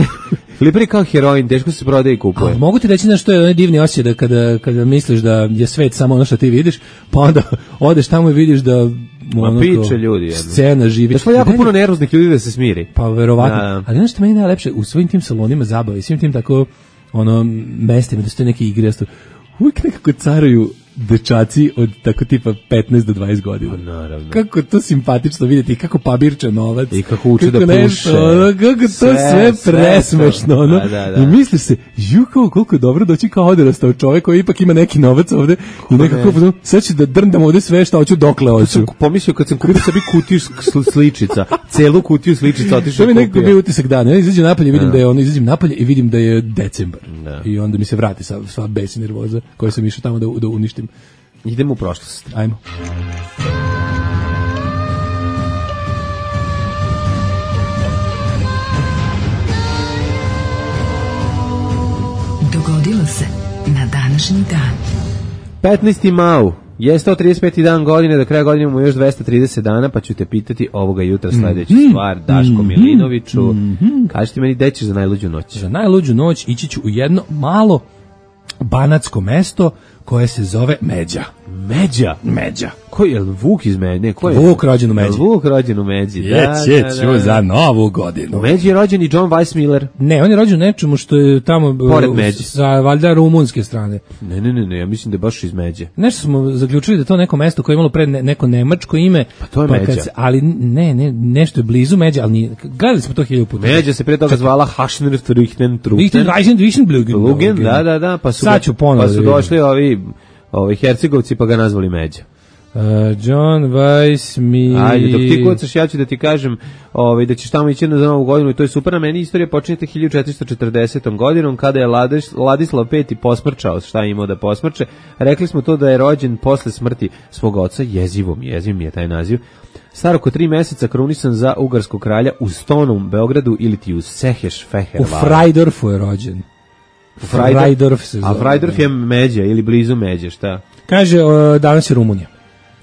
fliper je kao heroin, teško se prodaje i kupuje. A mogu ti reći nešto je onaj divni osjećaj da kada, kada misliš da je svet samo ono što ti vidiš, pa onda odeš tamo i vidiš da ono piče kao ljudi, jedno. scena živi. Došlo je jako Meni- puno nervoznih ljudi da se smiri. Pa verovatno. Da. Ali ono što meni najlepše u svojim tim salonima zabave, i svim tim tako ono mestima da su te neke igre, da su uvijek nekako caruju dečaci od tako tipa petnaest do dvadeset godina. Naravno. Kako je to simpatično vidjeti, kako pabirče novac. I kako uče da nešto, puše. ono, kako to sve, Sve, sve presmešno. to. Ono. Da, da, da. I misliš se, ju kao koliko je dobro doći kao odrastao čovjek koji ipak ima neki novac ovde i nekako, ne? sad ću da drndam ovde sve šta hoću dokle hoću. Sam pomislio kad sam kupio sebi kutiju sl- sličica, celu kutiju sličica otišao To mi i nekako kupio. bio utisak dana. Ja izađem napolje i vidim da je ono, izađem napolje i vidim da je decembar. Da. I onda mi se vrati sva, sva bes i nervoza koju sam išao tamo da, da uništim. Idemo u prošlost. Ajmo. Dogodilo se na današnji dan. petnaesti mau je sto trideset peti dan godine, do kraja godine imamo još dvesta trideset dana, pa ću te pitati ovoga jutra sledeću stvar, Daško Milinoviću. Kaži ti meni, gde ćeš za najluđu noć? Za najluđu noć ići ću u jedno malo banatsko mesto koje se zove Međa. Međa. Međa. Ko je, Vuk iz Međe? Ne, ko je? Vuk rođen u Međi. Vuk rođen u Međi, da, Jeće da, ću da, da. za novu godinu. U Međi je rođen i John Weissmiller. Ne, on je rođen u nečemu što je tamo Pored uh, Međe. sa valjda rumunske strane. Ne, ne, ne, ne, ja mislim da je baš iz Međe. Nešto smo zaključili da je to neko mesto koje je imalo pre ne, neko nemačko ime. Pa to je kad Međa. se- ali ne, ne, nešto je blizu Međa, ali nije, gledali smo to hiljadu puta. Međa se pre toga zvala Haschner-Trichten Lichten, Reisen, Duisenblügen. Lugen, da, da, da, pa su, Sad ću ponovo pa da su vidim. došli ovi, ovi Hercegovci pa ga nazvali Međa. Uh, John Weissmiller. Ajde, dok ti kucaš, ja ću da ti kažem ovaj, da ćeš tamo ići na novu godinu i to je super. Na meni istorija počinje hiljadu četiristo četrdesetom godinom kada je Ladiš, Ladislav peti posmrčao šta je imao da posmrče. Rekli smo to da je rođen posle smrti svog oca, jezivom, jeziv mi je taj naziv. Star oko tri meseca krunisan za ugarskog kralja u Stonom, Beogradu ili ti u Seheš Feher. U Freidorfu je rođen. Freidorf, Freidorf se a zove. Freidorf je Međa ili blizu Međe, šta? Kaže, uh, danas je Rumunija.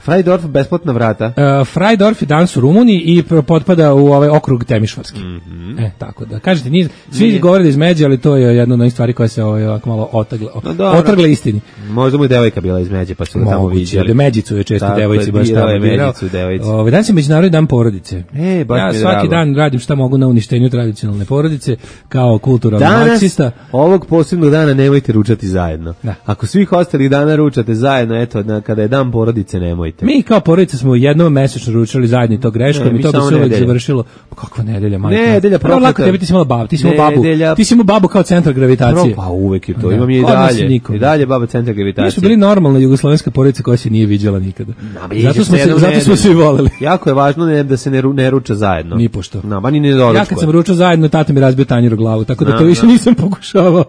Freidorf, besplatna vrata. Uh, Freidorf je danas u Rumuniji i pro- potpada u ovaj okrug Temišvarski. Mhm. E, tako da. Kažete, nije, svi govore da iz Međe, ali to je jedna od onih stvari koja se ovaj, ovako malo otagle, No, dobro. otrgle istini. Možda mu je devojka bila iz Međe, pa su ga tamo Moguće, viđali. da Međicu je često Tako devojci je, baš birao tamo je birao. Međicu devojci. Ovaj, danas je Međunarodni dan porodice. E, baš ja mi je svaki drago. dan radim šta mogu na uništenju tradicionalne porodice, kao kulturalni Danas, marksista. ovog posebnog dana nemojte ručati zajedno. Da. Ako svih ostalih dana ručate zajedno, eto, na, kada je dan porodice, nemojte. Mi kao porodica smo jednom mesečno ručali zajedno i to greškom Ne, i mi to bi samo se uvek nedelja. završilo. Pa kakva nedelja, majka? Nedelja Prvo lako prokleta. tebi, ti si imala babu, ti si imala babu. Nedelja- Ti si imala babu kao centar gravitacije. Pa uvek je to, Da. imam je i Kod nas dalje. nikom. I dalje baba centar gravitacije. Mi smo bili normalna jugoslovenska porodica koja se nije viđala nikada. Ma, viđa Zato smo se se jednom zato smo nedeljno. se i voleli. Jako je važno ne, da se ne, ru, ne ruča zajedno. Nipošto. No, ba ni ne doručkuje. Ja kad sam ručao zajedno, tata mi razbio tanjir u glavu, tako da Da, to više da. nisam pokušavao.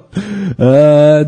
E,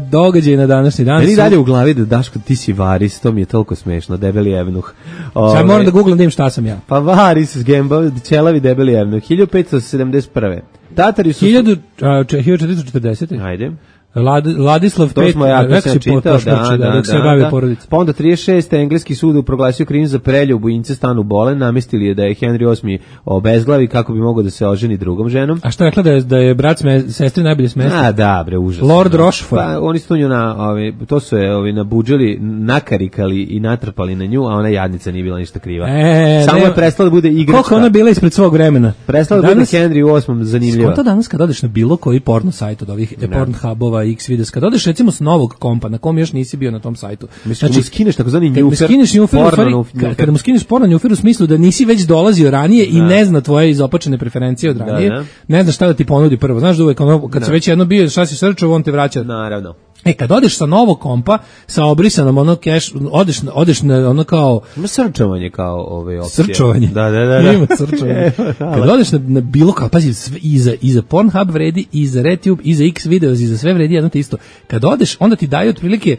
događaj na današnji dan. Meni su- dalje u glavi da Daško, ti si varis, to mi je toliko smešno, debeli evnuh. Sad moram da googlam da im šta sam ja. Pa varis s Gemba, ćelavi debeli evnuh, hiljadu petsto sedamdeset prve. Tatari su... hiljadu a, če- hiljadu četiristo četrdeset. Ajde. Lad, Ladislav To pet, smo ja, to rekao sam si čitao, po- da, pošnoći, da, dok se da, bavio da. porodica. Pa onda trideset šeste engleski sud proglasio krivim za preljubu Ince stanu Bolen, namestili je da je Henry osmi obezglavi kako bi mogao da se oženi drugom ženom. A što je rekla da je, da je brat sme, sestri najbolje smesti? A da, bre, užasno. Lord Rochefort. Pa oni su tu nju na, ovi, to su je ovi nabuđili, nakarikali i natrpali na nju, a ona jadnica nije bila ništa kriva. E, Samo nema- je prestala da bude igračka. Koliko ona bila ispred svog vremena? Prestala da bude Henry osmi zanimljiva. Skonto danas kad odeš na bilo koji porno sajt od ovih e, Pornhubova, Xvideos, kad odeš recimo s novog kompa na kom još nisi bio na tom sajtu. Mislim, mu skineš takozvani kad mu njufer, skineš njufer, u porno stvari, njufer. ka- kada mu skineš porno njufer u smislu da nisi već dolazio ranije i ne zna tvoje izopačene preferencije od ranije, da. ne znaš šta da ti ponudi prvo. Znaš da uvek ono, kad se već jedno bio, šta si srčao, on te vraća. Naravno. E, kad odeš sa novog kompa, sa obrisanom ono keš, odeš, na- odeš na ono kao Ima srčovanje kao ove opcije. srčovanje. Da, da, da. da. Ima srčovanje. Kad odeš na, na bilo kao, pazi, sve, i, za, i za Pornhub vredi, i za RedTube, i za Xvideos, i za sve vredi jedno te isto. Kad odeš, onda ti daje otprilike,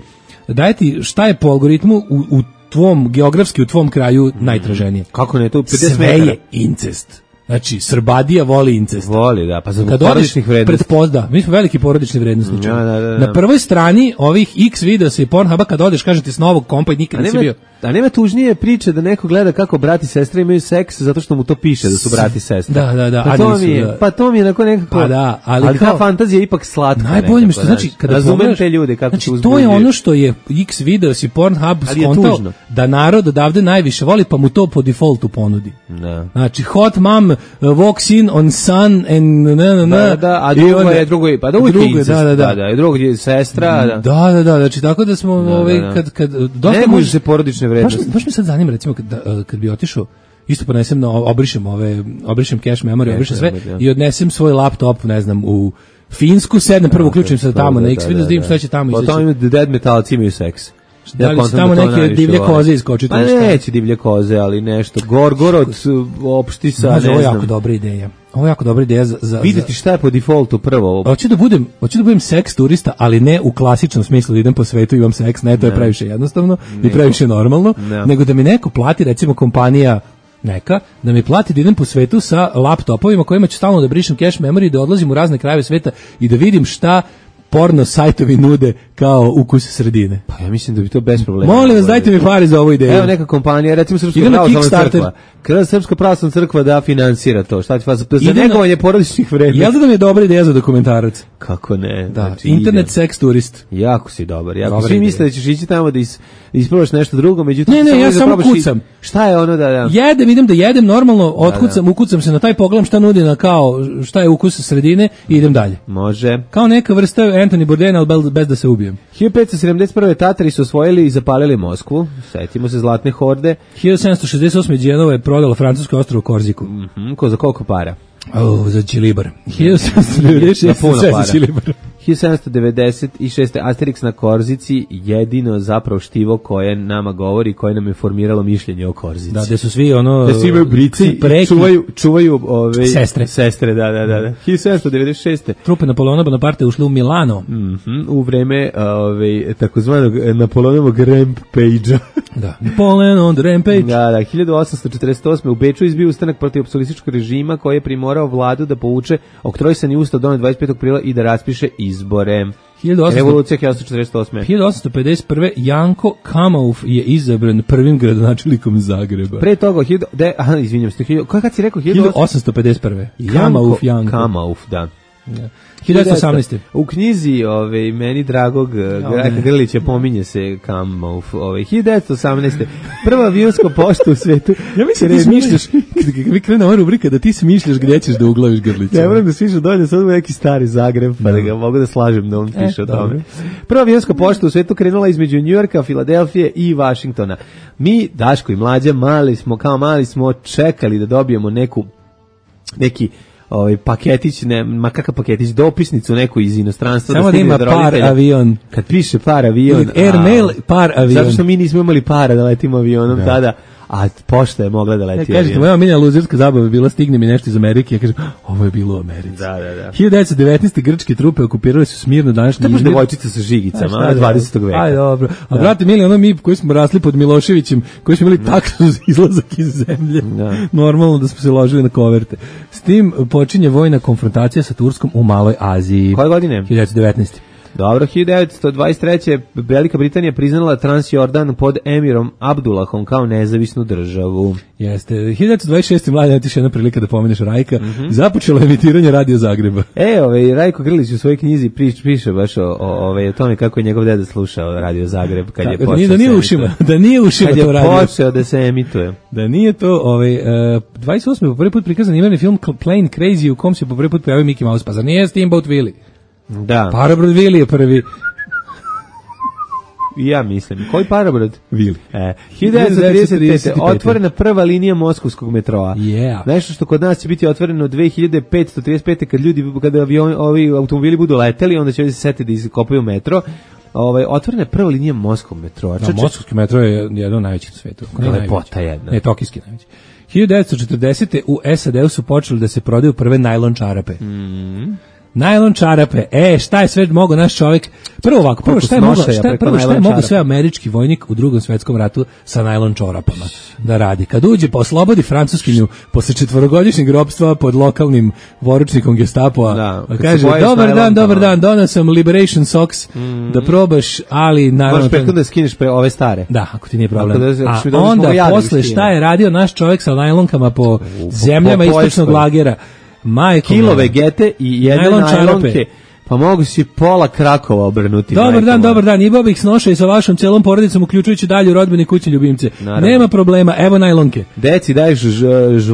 daje ti šta je po algoritmu u, u tvom, geografski u tvom kraju najtraženije. Kako ne, to pedeset Sve metara. je incest. Znači, Srbadija voli incest. Voli, da, pa za Kad odeš porodičnih vrednosti. pred pozda, mi smo veliki porodični vrednosnici. Da, da, da, da. Na prvoj strani ovih X videosa i Pornhuba kad odeš, kažete s novog kompa i nikad A nisi nema, bio. a nema tužnije priče da neko gleda kako brat i sestra imaju seks zato što mu to piše da su brat i sestra. Da, da, da, Pa a to nisu, mi je, da. pa to mi je onako nekako... Pa da, ali ali kao- ta fantazija je ipak slatka. Najbolje mi što nekako, znači znaš. kada Razumem pogledaš- te ljude kako znači, se to uzbuđuju. je ono što je X videos i Pornhub Ali je skontao tužno. da narod odavde najviše voli pa mu to po defaultu ponudi. Da. Znači hot mom uh, walks in on sun and na na na. Da, da, a i drugo onda- je, drugo je, pa drugo je drugo je, incest, da, da, da. da, i drugo je sestra, da. Da, da, da, znači tako da smo ovaj da. kad kad dosta Ne može može se porodične baš, vrednosti. baš me sad zanima recimo kad, da, kad bi otišao isto ponesem na obrišem ove obrišem cache memory, Cache obrišem sve memory, da. i odnesem svoj laptop, ne znam, u Finsku, sednem prvo uključim se tamo na X video, da vidim šta će tamo Po izaći. tome dead metalci imaju seks. Da li će kontam tamo to neke najviše divlje vole. koze iskočiti Pa ili šta? neće divlje koze, ali nešto. Gorgorod, opšti sa, Može, ovo ne je jako znam. dobra ideja. Ovo je jako dobra ideja za, za, Videti za- šta je po defaultu prvo. Hoću da budem, hoću da budem seks turista, ali ne u klasičnom smislu da idem po svetu i imam seks, ne, to je previše jednostavno i previše normalno, Ne. nego da mi neko plati, recimo kompanija neka, da mi plati da idem po svetu sa laptopovima kojima ću stalno da brišem cache memory, da odlazim u razne krajeve sveta i da vidim šta porno sajtovi nude kao ukus sredine. Pa ja mislim da bi to bez problema. Molim vas, dajte mi pare za ovu ideju. Evo neka kompanija, recimo Srpska Idem na pravoslavna Kickstarter. crkva. Kada Srpska pravoslavna crkva da finansira to, šta će vas za Idem na- negovanje porodičnih vrednosti? Jel da mi je dobra ideja za dokumentarac? Kako ne? Da, znači, internet idem. seks turist. Jako si dobar. Jako Dobra svi ideja. misle da ćeš ići tamo da is, da isprobaš nešto drugo, međutim Ne, ne, samo ja da samo probaš i- kucam. Šta je ono da da? Jedem, idem da jedem normalno, otkucam, ukucam se na taj pogledam šta nudi na kao, šta je ukus sredine i idem dalje. Može. Kao neka vrsta Anthony Bourdain, ali bez, bez da se ubijem. hiljadu petsto sedamdeset prve. Tatari su osvojili i zapalili Moskvu. Setimo se zlatne horde. hiljadu sedamsto šezdeset osme. Đenova je prodala francusko ostrvo Korziku. Mhm, ko za koliko para? Oh, za Čilibar. hiljadu sedamsto devedeset Na šeste. puno sve za para. Čilibar. hiljadu sedamsto devedeset šeste. Asterix na Korzici, jedino zapravo štivo koje nama govori, koje nam je formiralo mišljenje o Korzici. Da, gde su svi ono... Da svi imaju brici i preki, čuvaju, čuvaju ove, Sestre. Sestre, da, da, da. da. hiljadu sedamsto devedeset šeste. Trupe Napoleona Bonaparte ušli u Milano. Mhm, u vreme ove, takozvanog Napoleonovog rampage-a. Da. Napoleon on the rampage. Da, da, hiljadu osamsto četrdeset osme. u Beču izbio ustanak protiv apsolutističkog režima koji je primorao vladu da povuče oktrojsani ustav donet dvadeset petog aprila i da raspiše izbore. hiljadu osamsto Revolucija hiljadu osamsto četrdeset osme. hiljadu osamsto pedeset prve. Janko Kamauf je izabran prvim gradonačelnikom Zagreba. Pre toga, hiljadu, de, aha, izvinjam se, hiljadu, kad si rekao? hiljadu osamsto pedeset prve. Kamauf Janko. Kamauf, da. Ja. hiljadu devetsto osamnaeste. U knjizi ove, meni dragog Graka Grlića pominje se Kamauf. Ove, hiljadu devetsto osamnaeste. Prva avionska pošta u svetu. Ja mislim da ti smišljaš, kad vi krene ova rubrika, da ti smišljaš gdje ćeš da uglaviš Grlića. Ne moram da smišljaš dolje, sad u neki stari Zagreb, pa da ga mogu da slažem da on piše e, o tome. Prva avionska pošta u svetu krenula između Njujorka, Filadelfije i Vašingtona. Mi, Daško i Mlađa, mali smo, kao mali smo čekali da dobijemo neku, neki ovaj paketić, ne, ma kakav paketić, dopisnicu neku iz inostranstva. Samo da, da ima par avion. Kad piše par avion. Airmail par avion. Zato što mi nismo imali para da letimo avionom da. tada, a pošta je mogla da leti ja, kažete, avion. Moja minja luzerska zabava bila stigne mi nešto iz Amerike, ja kažem, ovo je bilo u Americi. Da, da, da. hiljadu devetsto devetnaeste. grčke trupe okupirali su Smirnu današnji Izmir. To je devojčica sa žigicama, a dvadesetog veka. Aj, dobro. A brate, mili, ono mi koji smo rasli pod Miloševićem, koji smo imali taksu za izlazak iz zemlje, da. Normalno da smo se ložili na koverte. S tim počinje vojna konfrontacija sa Turskom u Maloj Aziji. Koje godine? hiljadu devetsto devetnaeste. Dobro, hiljadu devetsto dvadeset treće. Velika Britanija priznala Transjordan pod emirom Abdullahom kao nezavisnu državu. Jeste. hiljadu devetsto dvadeset šeste. Mladen, ti još jedna prilika da pomeneš Rajka. Mm-hmm. Započelo emitiranje Radio Zagreba. E, ovaj, Rajko Grlić u svojoj knjizi prič, piše baš o, o, ovaj, o tome kako je njegov deda slušao Radio Zagreb kad je počeo da nije ušima, da nije ušima kad to radio. Kad je počeo da se emituje. Da nije to, ovaj, uh, dvadeset osme. po prvi put prikazan imerni film Plane Crazy u kom se po prvi put pojavio Mickey Mouse, pa za nije Steamboat Willie. Da. Parabrod Willie je prvi. Ja mislim. Koji Parabrod? Willie. E, hiljadu devetsto trideset pete. otvorena prva linija moskovskog metroa. Yeah. Nešto što kod nas će biti otvoreno dve hiljade petsto trideset pete. kad ljudi, kada avion, ovi automobili budu leteli, onda će ovdje se setiti da iskopaju metro. Ovaj, otvorena je prva linija Moskvog metroa. Da, moskovski metro je jedan od najvećih na svetu. Lepota jedna. Ne, tokijski najveći. hiljadu devetsto četrdesete. u S A D-u su počeli da se prodaju prve najlon čarape. Mhm. Najlon čarape, e, šta je sve mogao naš čovjek, prvo ovako, prvo šta je mogao, šta je, prvo šta je mogao sve američki vojnik u drugom svetskom ratu sa najlon čorapama da radi. Kad uđe po oslobodi Francuskinju posle četvorogodišnjeg ropstva pod lokalnim poručnikom Gestapoa, da, kaže, dobar dan, dobar dan, donao sam Liberation Socks, mm-hmm. da probaš, ali naravno... Možeš prethodno da skineš pre ove stare. Da, ako ti nije problem. Da, a onda, posle, šta je radio naš čovjek sa najlonkama po u, zemljama po, po istočnog lagera, Majko, kilo vegete i jedne najlon najlonke, pa mogu si pola Krakova obrnuti. Dobar majko, dan, moja. Dobar dan, imao bih snoša i sa vašom celom porodicom, uključujući dalje rodbine kuće ljubimce. Naravno. Nema problema, evo najlonke. Deci daješ ž, ž,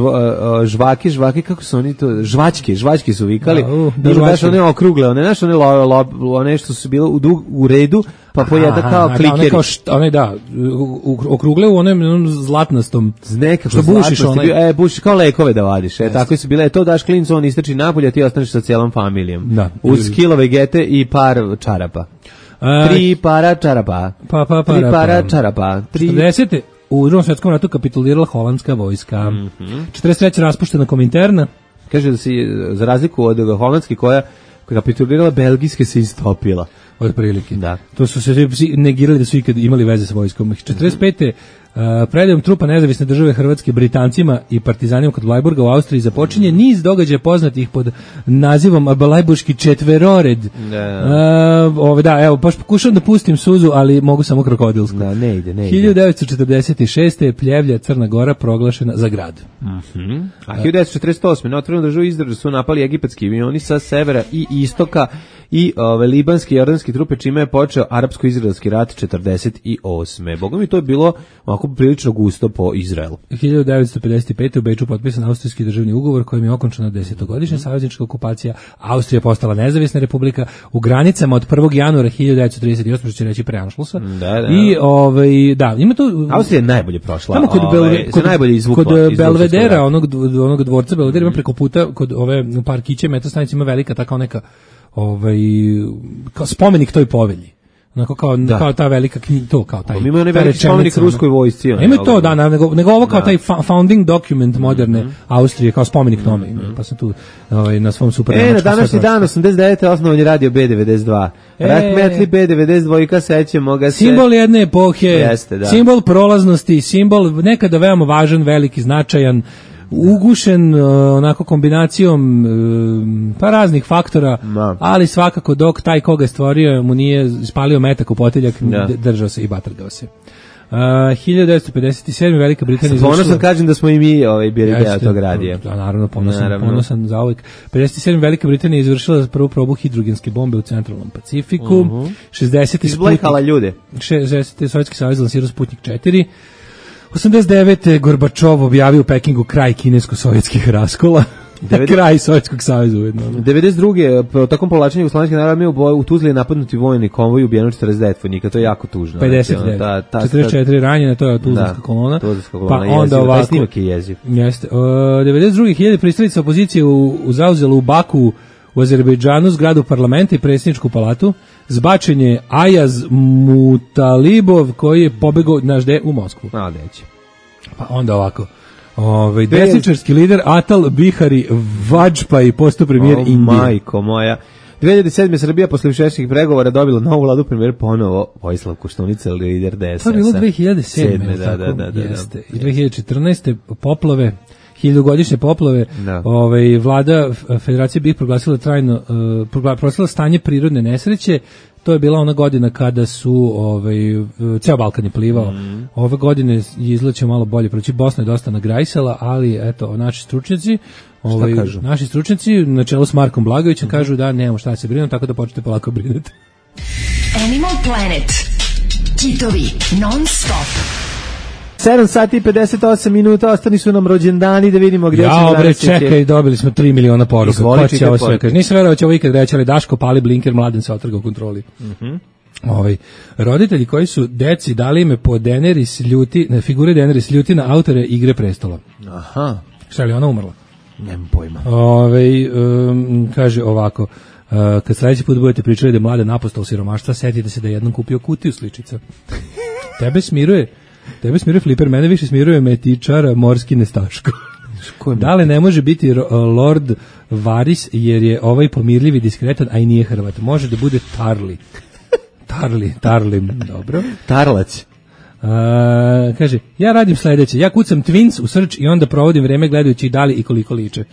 žvake, žvake, kako su oni to, žvačke, žvačke su vikali. Da, uh, da daš one okrugle, one, znaš, one, lo, lo, one što su bile u, u redu, pa pojeda kao klikeri. One kao št, one da, okrugle u onem zlatnastom. Nekako što bušiš onaj. E, bušiš kao lekove da vadiš. E, tako su bile. E, to daš klincu, on istrači napolje, a ti ostaneš sa cijelom familijom. Da. Uz kilo vegete i par čarapa. A, tri para čarapa. Pa, pa, para, tri para čarapa. Tri... četrdesete. U drugom svjetskom ratu kapitulirala holandska vojska. Mm-hmm. četrdeset treće raspuštena Kominterna. Kaže da si, za razliku od holandske koja kapitulirala, belgijske se istopila. Od prilike. Da. To su se negirali da su ikad imali veze sa vojskom. četrdeset pete. Uh, predajom trupa nezavisne države Hrvatske Britancima i partizanima kod Blajburga u Austriji započinje niz događaja poznatih pod nazivom Blajburški četverored. Da. Uh, ove, da, evo, baš pokušam da pustim suzu, ali mogu samo krokodilsku. Da, ne ide, ne ide. hiljadu devetsto četrdeset šeste. Pljevlja Crna Gora proglašena za grad. Mm-hmm. A hiljadu devetsto četrdeset osme. na otvorenu državu Izrael su napali egipatski avioni sa severa i istoka i ove, libanske i jordanske trupe, čime je počeo arapsko-izraelski rat četrdeset osme. Boga mi to je bilo ovako prilično gusto po Izraelu. hiljadu devetsto pedeset pete. u Beču potpisan austrijski državni ugovor kojim je okončana desetogodišnja mm. saveznička okupacija. Austrija postala nezavisna republika u granicama od prvog januara hiljadu devetsto trideset osme. što će reći pre Anšlusa. Da, da. I ovaj da, ima to Austrija je najbolje prošla. Tamo kod, ove, Belve, kod, najbolje izvukla, kod Belvedera, onog onog dvorca Belvedera, ima preko puta kod ove parkiće metrostanice ima velika tako neka ovaj kao spomenik toj povelji. Onako kao, kao ta velika knjiga, to kao taj. Ima onaj veliki spomenik ruskoj vojsci. Ima to, da, nego, nego ovo kao da. taj founding document moderne mm-hmm. Austrije, kao spomenik tome. Mm-hmm. Pa sam tu ovaj, na svom super... E, na današnji dan, osamdeset devete. osnovan je radio B devedeset dva. E, Rahmetli B devedeset dva, sećamo ga se. Simbol jedne epohe, jeste, da. Simbol prolaznosti, simbol nekada veoma važan, veliki, značajan, ugušen uh, onako kombinacijom uh, pa raznih faktora, Da. ali svakako dok taj koga je stvorio mu nije spalio metak u potiljak, Da. d- držao se i batrgao se. Uh, hiljadu devetsto pedeset sedme Velika Britanija izvršila... Ponosan kažem da smo i mi ovaj, bili deo Jeste, tog radija. Da, naravno, ponosan, Naravno. ponosan za uvijek. pedeset sedme Velika Britanija izvršila prvu probu hidrogenske bombe u centralnom Pacifiku. Uh-huh. šezdesete Izblejhala ljude. šezdesete Sovjetski savez lansirao Sputnik četiri. osamdeset devete Gorbačov objavio u Pekingu kraj kinesko-sovjetskih raskola. devedeset Kraj Sovjetskog saveza ujedno. devedeset druge po takom povlačenju Jugoslovenske narodne armije u, boj- u Tuzli je napadnuti vojni konvoj, ubijeno četrdeset devet vojnika, to je jako tužno. pedeset Znači, devet. ono, ta- ta- četrdeset četiri ranjene, to je Tuzlanska Da, kolona. Tuzlanska kolona, Pa onda jezivo. Taj ovako. snimak je jeziv. Jeste. Uh, devedeset druge hiljade pristalica opozicije u, u zauzelo u Baku u Azerbejdžanu zgradu parlamenta i predsjedničku palatu. Zbačen je Ajaz Mutalibov koji je pobegao naš de u Moskvu. A, deće. Pa onda ovako. Ovaj desničarski lider Atal Bihari Vajpayee postao premijer O, Indije. majko moja. dve hiljade sedme Srbija posle višegodišnjih pregovora dobila novu vladu, premijer ponovo Vojislav Koštunica, lider D S S-a. To je bilo dve hiljade sedme, Sedme, da, tako? da, da, da, Jeste. da. I dve hiljade četrnaeste poplave, hiljadugodišnje poplave, Da. ovaj, vlada F- Federacije BiH proglasila trajno, uh, progla- proglasila stanje prirodne nesreće. To je bila ona godina kada su ovaj ceo Balkan je plivao. Mhm. Ove godine je izleće malo bolje proći. Bosna je dosta nagrajsala, ali eto naši stručnjaci, ovaj kažu? naši stručnjaci na čelu s Markom Blagovićem kažu da nemamo šta se brinuti, tako da počnete polako brinuti. Animal Planet. Kitovi non stop. sedam sati i pedeset osam minuta, ostani su nam rođendani, da vidimo gdje Ja, ćemo bre, danas ići. čekaj, dobili smo tri miliona poruka. Izvoli, Ko će čitaj ovo sve poruke. kaže? Nisam verovao će ovo ikad reći, ali Daško pali blinker, Mladen se otrga u kontroli. Mhm. Ovaj, roditelji koji su deci dali ime po Daenerys ljuti, ne, figure Daenerys ljuti na autore Igre prestola. Aha, Šta je li ona umrla? nemam pojma. Ovaj, um, kaže ovako, uh, kad sledeći put budete pričali da je Mladen apostol siromaštva, setite se da je jednom kupio kutiju sličica. Tebe smiruje, tebe smiruje Fliper, mene više smiruje metičara morski nestaško. Ko je Da li ne može biti ro- Lord Varys jer je ovaj pomirljiv i diskretan, a i nije Hrvat. Može da bude Tarli. Tarli, Tarlim, dobro. Tarlac. A, kaže, ja radim sledeće. Ja kucam Twins u search i onda provodim vreme gledajući da li i koliko liče.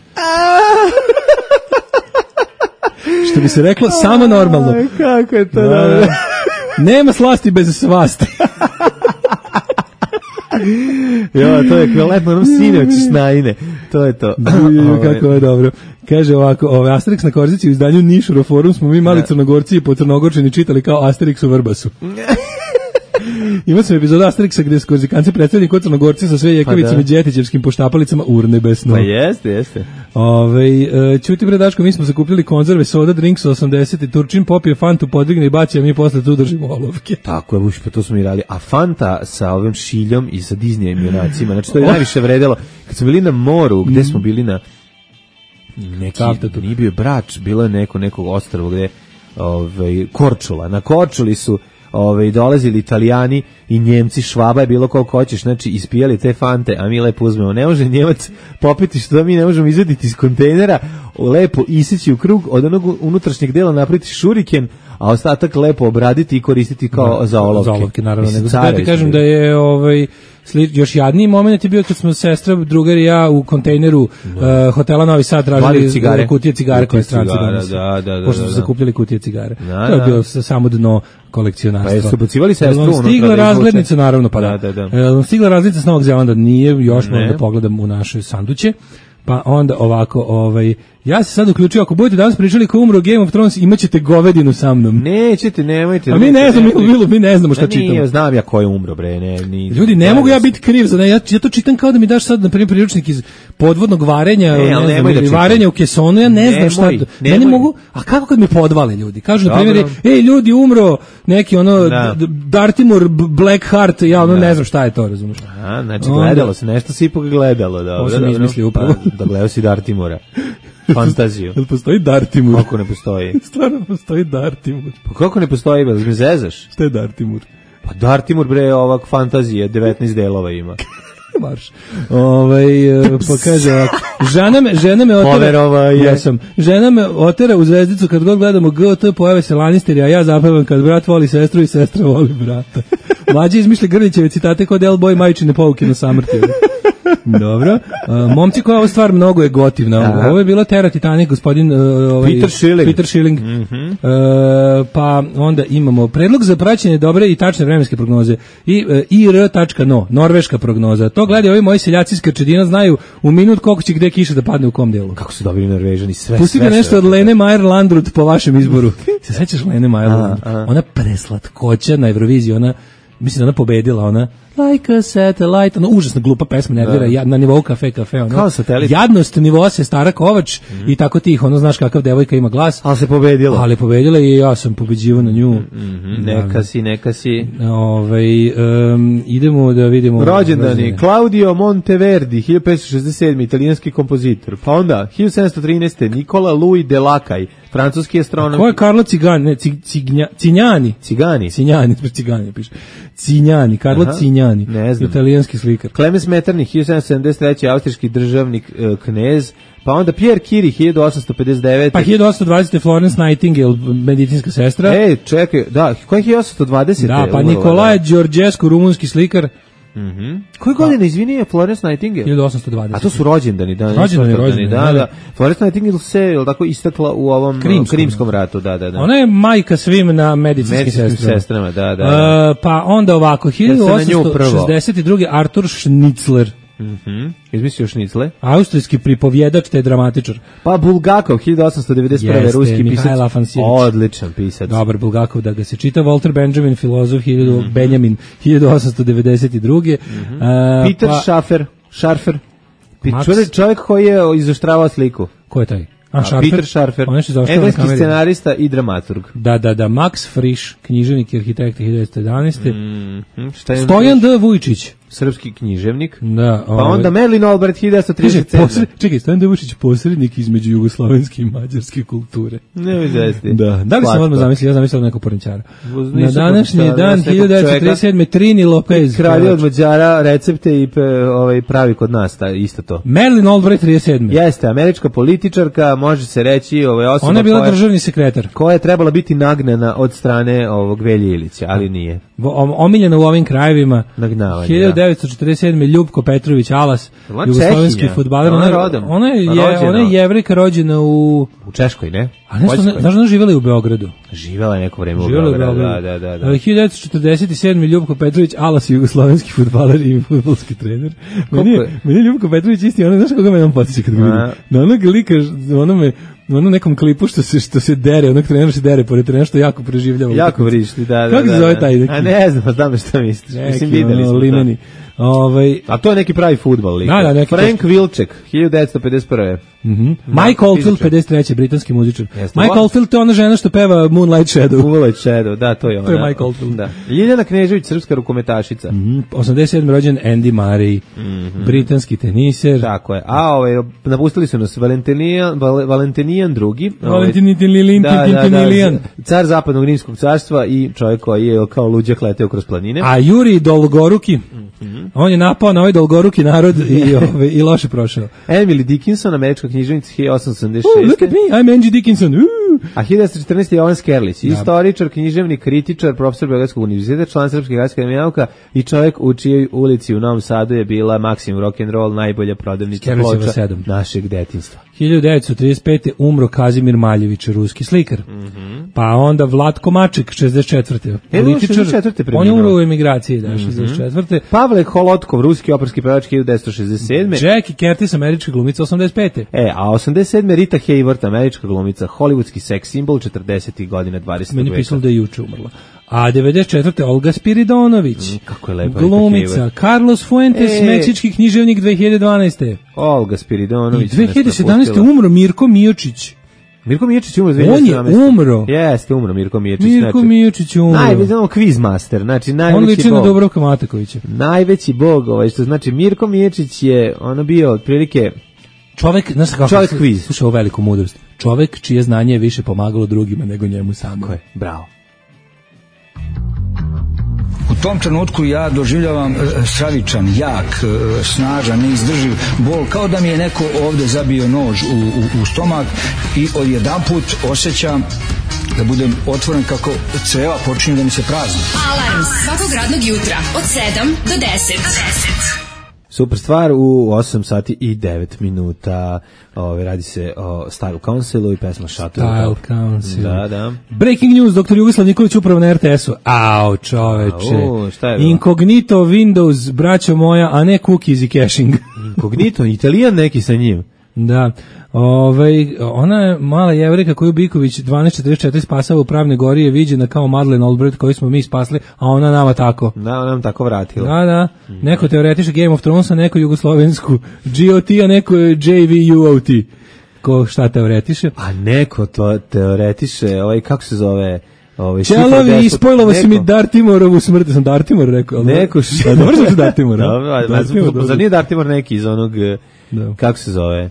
Što bi se reklo, samo normalno. Aj, kako je to Da, dobro. da. Nema slasti bez svasti. Jo, to je ekvivalentno onom sinoć snajine. To je to. Ovaj, Kako je dobro. Kaže ovako, ovaj Asterix na Korzici u izdanju Nišuro forum smo mi mali crnogorci i po crnogorčini čitali kao Asterix u Vrbasu. Ima sam epizoda Asterixa gde su Korzikanci predstavljeni kod crnogorci sa sve jekavicama Pa i da. džetićevskim poštapalicama urnebesno. Pa jeste, jeste. Ove, e, čuti bre Daško, mi smo zakupljali konzerve, soda, drinks osamdeset i Turčin popije Fantu, podigne i baci, a mi posle tu držimo olovke. Tako je, uš, pa to smo i radili. A Fanta sa ovim šiljom i sa Disneyevim junacima, znači to je najviše vredelo. Kad smo bili na moru, gde smo bili na neki, Tavtatu. nije bio Brač, bilo je neko, nekog ostrvo gde, ovaj, Korčula. Na Korčuli su ovaj, dolazili Italijani i Njemci, Švaba je bilo koliko hoćeš, znači ispijali te Fante, a mi lepo uzmemo. Ne može Njemac popiti što mi ne možemo izvediti iz kontejnera, lepo isići u krug, od onog unutrašnjeg dela napraviti šuriken, a ostatak lepo obraditi i koristiti kao za olovke. Za olovke, naravno. Mislim, Nego sad carevi ti smo kažem da bili. je ovaj, sli, još jadniji moment je bio kad smo sestra, drugar i ja u kontejneru uh, hotela Novi Sad tražili Vadili cigare. kutije cigare koje Kutije stranci cigara, donose. da, da, da, Pošto da, su da. zakupljali kutije cigare. Da, to je da. bilo sa- samo dno kolekcionarstva. Pa jesu bacivali sestru Jel vam unutra stigla da izvuče? razglednica, naravno, pa da. Da, da, da. Jel vam stigla razglednica s Novog Zelanda? Nije, još moram Ne. da pogledam u naše sanduće. Pa onda ovako, ovaj, ja se sad uključio, ako budete danas pričali ko je umro Game of Thrones, imaćete govedinu sa mnom. Nećete, nemojte. A mi ne nemojte, znamo, nemojte. Milo, mi ne znamo šta A nije, čitamo. znam ja ko je umro, bre, ne, ni. Ljudi, ne mogu ja biti kriv za ne, ja, ja to čitam kao da mi daš sad na primjer priručnik iz podvodnog varenja, Ne, ne, ali znam, nemoj da ili čitam. varenja u kesonu, ja ne znam šta. Nemoj, Meni nemoj. mogu, a kako kad mi podvale ljudi? Kažu na Dobro. primjer, ej ljudi umro neki ono Da. D- Dartimur B- Blackheart, ja ono ne znam šta je to, razumiješ? A, znači Onda- gledalo se, nešto si ipak gledalo, dobro. Ovo sam dobro. izmislio upravo. Pa, da gledao si Dartimura. Fantaziju. Jel postoji Dartimur? Kako ne postoji? Stvarno postoji Dartimur. Pa kako ne postoji, bre, me zezaš? Šta je Dartimur? Pa Dartimur, bre, ovak fantazije, devetnaest delova ima. Marš. Ovaj e, pa kaže ovako, žena me, žena me otera. Poverova je. Jesam. Žena me otera u zvezdicu kad god gledamo G T, pojave se Lannisteri, a ja zapevam kad brat voli sestru i sestra voli brata. Mlađi izmišlja Grlićeve citate kod L Boy majčine pouke na samrti. Dobro. Uh, momci koja ova stvar mnogo je gotivna. Aha. Ovo je bilo Terra Titanic, gospodin uh, ovaj, Peter Schilling. Peter Schilling. Mm-hmm. Uh, pa onda imamo predlog za praćenje dobre i tačne vremenske prognoze. I uh, I R tačka no, norveška prognoza. To gledaju ovi moji seljaci iz Krčedina, znaju u minut koliko će gde kiša da padne u kom delu. Kako su dobili Norvežani sve. Pusti sve mi nešto sve. od Lene Meyer Landrut po vašem izboru. Se sećaš Lene Meyer Landrut? A, a. Ona preslatkoća na Euroviziji, ona mislim da ona pobedila, ona Like a Satellite, ona užasno glupa pesma, nervira, ja, na nivou kafe, kafe, ono. Kao Satelit. Jadnost nivoa se Stara Kovač mm. i tako tih, ono, znaš kakav devojka ima glas. Ali se pobedila. Ali pobedila i ja sam pobeđivao na nju. Mm-hmm. Neka si, neka si. Ove, um, idemo da vidimo... Rođendani, Claudio Monteverdi, hiljadu petsto šezdeset sedmi italijanski kompozitor. Pa onda, hiljadu sedamsto trinaeste Nikola Louis Delacaj, francuski astronom. Ko je Karlo Cigan, ne, cig, cignja, Cinjani. Cigani. Cinjani, Cigani piše. Cinjani, Karlo Aha, Cinjani, ne znam. italijanski slikar. Clemens Metternich, hiljadu sedamsto sedamdeset treći austrijski državnik, e, knez. Pa onda Pierre Curie, hiljadu osamsto pedeset devete Pa hiljadu osamsto dvadesete Florence Nightingale, medicinska sestra. Ej, čekaj, da, koji je hiljadu osamsto dvadesete Da, pa umrla, Nikolaje da. Đorđescu, rumunski slikar. Mhm. Koje godine, izvini, je Florence Nightingale? hiljadu osamsto dvadesete A to su rođendani, da. Rođendani, nisu rođendani, da, da. da. Florence Nightingale se, je li tako, istakla u ovom Krimskom, Krimskom ratu, da, da, da. Ona je majka svim na medicinskim Medicinskim sestrama. sestrama, da, da. da. Uh, pa onda ovako, hiljadu Ja sam na nju osamsto šezdeset druge Artur Schnitzler, Mhm. Izmislio šnicle. austrijski pripovjedač te dramatičar. Pa Bulgakov, hiljadu osamsto devedeset prve Jeste, ruski Mihajl pisac. Afanasjević. Odličan pisac. Dobar Bulgakov da ga se čita. Walter Benjamin, filozof, hiljadu, Benjamin, hiljadu osamsto devedeset druge Uh, Peter pa, Schaffer, Scharfer. Pi- Max- čovjek- Čovjek koji je izoštravao sliku. ko je taj? A, A, Scharfer? Peter Scharfer, On je što zaoštrava na engleski kameri. scenarista i dramaturg. Da, da, da, Max Frisch, književnik i arhitekt hiljadu devetsto jedanaeste Mhm. Šta je Stojan D. Vujčić. srpski književnik. Da, Pa onda Merlin Albright, hiljadu devetsto trideset sedme. posred, čekaj, Stojan D. Vujčić posrednik između jugoslovenske i mađarske kulture. Ne mi zesti. Da, da li sam odmah zamislio, ja zamislio nekog porničara. Uz- Na nisu današnji porničara, dan nekog hiljadu devetsto trideset sedme Trini Lopez. Kralje od Mađara recepte i pe, ovaj, pravi kod nas, ta, isto to. Merlin Albright trideset sedme Jeste, američka političarka, može se reći, ovaj, osoba Ona je bila koja, državni sekretar. koja je trebala biti nagnana od strane ovog Velje Ilića, ali nije. Vo- om- Omiljena u ovim krajevima. Nagnavanje, hiljadu devetsto četrdeset sedme Ljubko Petrović Alas, Ona jugoslovenski Čehinja. fudbaler. Ona Ona, je rodom. ona je, je, Rođena. ona je jevrejka rođena u... U Češkoj, ne? A nešto, Poljskoj. znaš da ona živjela i u Beogradu? Živela je neko vreme u Živjela u Beogradu. Beogradu. Da, da, da. da. Uh, hiljadu devetsto četrdeset sedme Ljubko Petrović Alas, jugoslovenski fudbaler i fudbalski trener. Meni, je- je? meni je Ljubko Petrović isti, ono, znaš koga me on potiče kad ga vidim? A. Na onog lika, onome, u onom nekom klipu što se, što se dere, onog trenera se dere pored trenera što jako preživljava. Jako vrišti, da, da. Kako se da, zove da. taj neki? A ne znam, znam šta misliš. Mislim, Neki, videli ono, smo limeni. Ovaj, to. A to je neki pravi fudbal lik. Da, da, neki Frank Wilczek, hiljadu devetsto pedeset prve. mhm. Mike Oldfield, fizičar. pedeset treći britanski muzičar. Jeste. Mike Oldfield, to je ona žena što peva Moonlight Shadow. Moonlight Shadow, da, to je ona. To je Mike Oldfield. Da. Ljiljana Knežević, srpska rukometašica. Mhm. osamdeset sedme rođen Andy Murray, britanski teniser. Tako je. A ovaj napustili su nas Valentinijan Val, Valentinijan drugi. Valentinijan, Valentinijan. Car zapadnog rimskog carstva i čovjek koji je kao luđak leteo kroz planine. A Juri Dolgoruki, on je napao na ovaj Dolgoruki narod i, ove, i loše prošao. Emily Dickinson, američka književnica hiljadu osamsto sedamdeset Oh, look šeste. at me, I'm Angie Dickinson. Uh. A hiljadu devetsto četrnaeste. Jovan Skerlić, istoričar, književnik, kritičar, profesor Beogradskog univerziteta, član Srpske akademije nauka i čovjek u čijoj ulici u Novom Sadu je bila Maximum Rock'n'Roll, najbolja prodavnica Skerlićeva ploča sedam. našeg detinjstva. hiljadu devetsto trideset pete umro Kazimir Maljević, ruski slikar. Pa onda Vlatko Maček, šezdeset četvrte E, on je šezdeset četvrte On je preminuo. umro u emigraciji, da, šezdeset četvrte Pavle Holotkov, ruski operski pevač hiljadu devetsto šezdeset sedme. Jackie Curtis, američka glumica, osamdeset pete E, a osamdeset sedme. Rita Hayworth, američka glumica, hollywoodski seks simbol četrdesetih godina dvadesetog Meni veka. pisalo da je juče umrla. A devedeset četvrte Olga Spiridonović. Mm, kako je lepa Glumica. Rita Hayworth. Carlos Fuentes, E. meksički književnik dve hiljade dvanaeste. Olga I Spiridonović. dve hiljade sedamnaeste umro Mirko Mijočić. Mirko Miječić umro dve On hiljade je sedamnaeste. umro. Jeste, umro Mirko Miječić. Mirko znači, Mijočić umro. Najveći, znamo, quiz master, znači On najveći liči na bog. Dubravka Matakovića. Najveći bog, ovaj, što znači Mirko Miječić je ono bio otprilike Čovek, znaš kako? Čovek kviz. Slušaj, ovo veliku mudrost. Čovek čije znanje je više pomagalo drugima nego njemu samom. ko je, bravo. U tom trenutku ja doživljavam e, stravičan, jak, e, snažan, neizdrživ bol, kao da mi je neko ovde zabio nož u, u, u stomak i odjedanput osjećam da budem otvoren kako creva počinju da mi se prazni. Alarm svakog radnog jutra od sedam do deset. Super stvar u osam sati i devet minuta. Ove, radi se o Style Councilu i pesma Shuttle. Style Council. Da, da. Breaking news, doktor Jugoslav Nikolić upravo na er te esu. Au, čoveče. Au, šta je bilo? Incognito Windows, braćo moja, a ne cookies i caching. Incognito, Italijan neki sa njim. Da. Ovaj, ona je mala Jevrika koju Biković dvanaest četrdeset četiri spasava u Pravne Gori je viđena kao Madeleine Albright koju smo mi spasli, a ona nama tako. Da, ona nam tako vratila. Da, da. Neko teoretiše Game of Thrones, a neko jugoslovensku G O T, a neko je J V U O T. Ko šta teoretiše? A neko to teoretiše, ovaj, kako se zove... Ovaj Čelovi, ispojlovo si mi Dartimorovu smrt, sam Dartimor rekao. Neko š... Da, dobro znači Dartimor. Dobro, zar nije Dartimor neki iz onog, da. Kako se zove?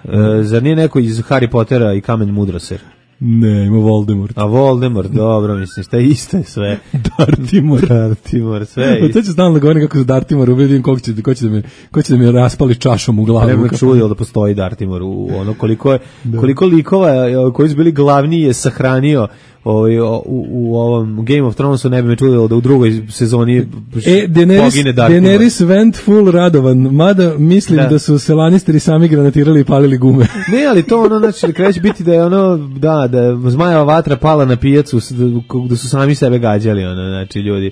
Uh, zar nije neko iz Harry Pottera i Kamen Mudroser? Ne, ima Voldemort. A Voldemort, dobro, mislim, šta je isto je sve. Dartimor. Dartimor, sve je isto. To će stalno da govorim kako za Dartimor, vidim ko će, ko će da me, ko će da me raspali čašom u glavu. Treba me čudio da postoji Dartimor u ono koliko je, koliko likova koji su bili glavni je sahranio ovaj u, u ovom Game of Thronesu, ne bi me čudilo da u drugoj sezoni e, Daenerys, pogine Dartimor. Daenerys went full radovan, mada mislim da, da su se Lannisteri sami granatirali i palili gume. Ne, ali to ono, znači, kreće biti da je ono, da, da je zmajeva vatra pala na pijacu, da su sami sebe gađali, ono, znači, ljudi.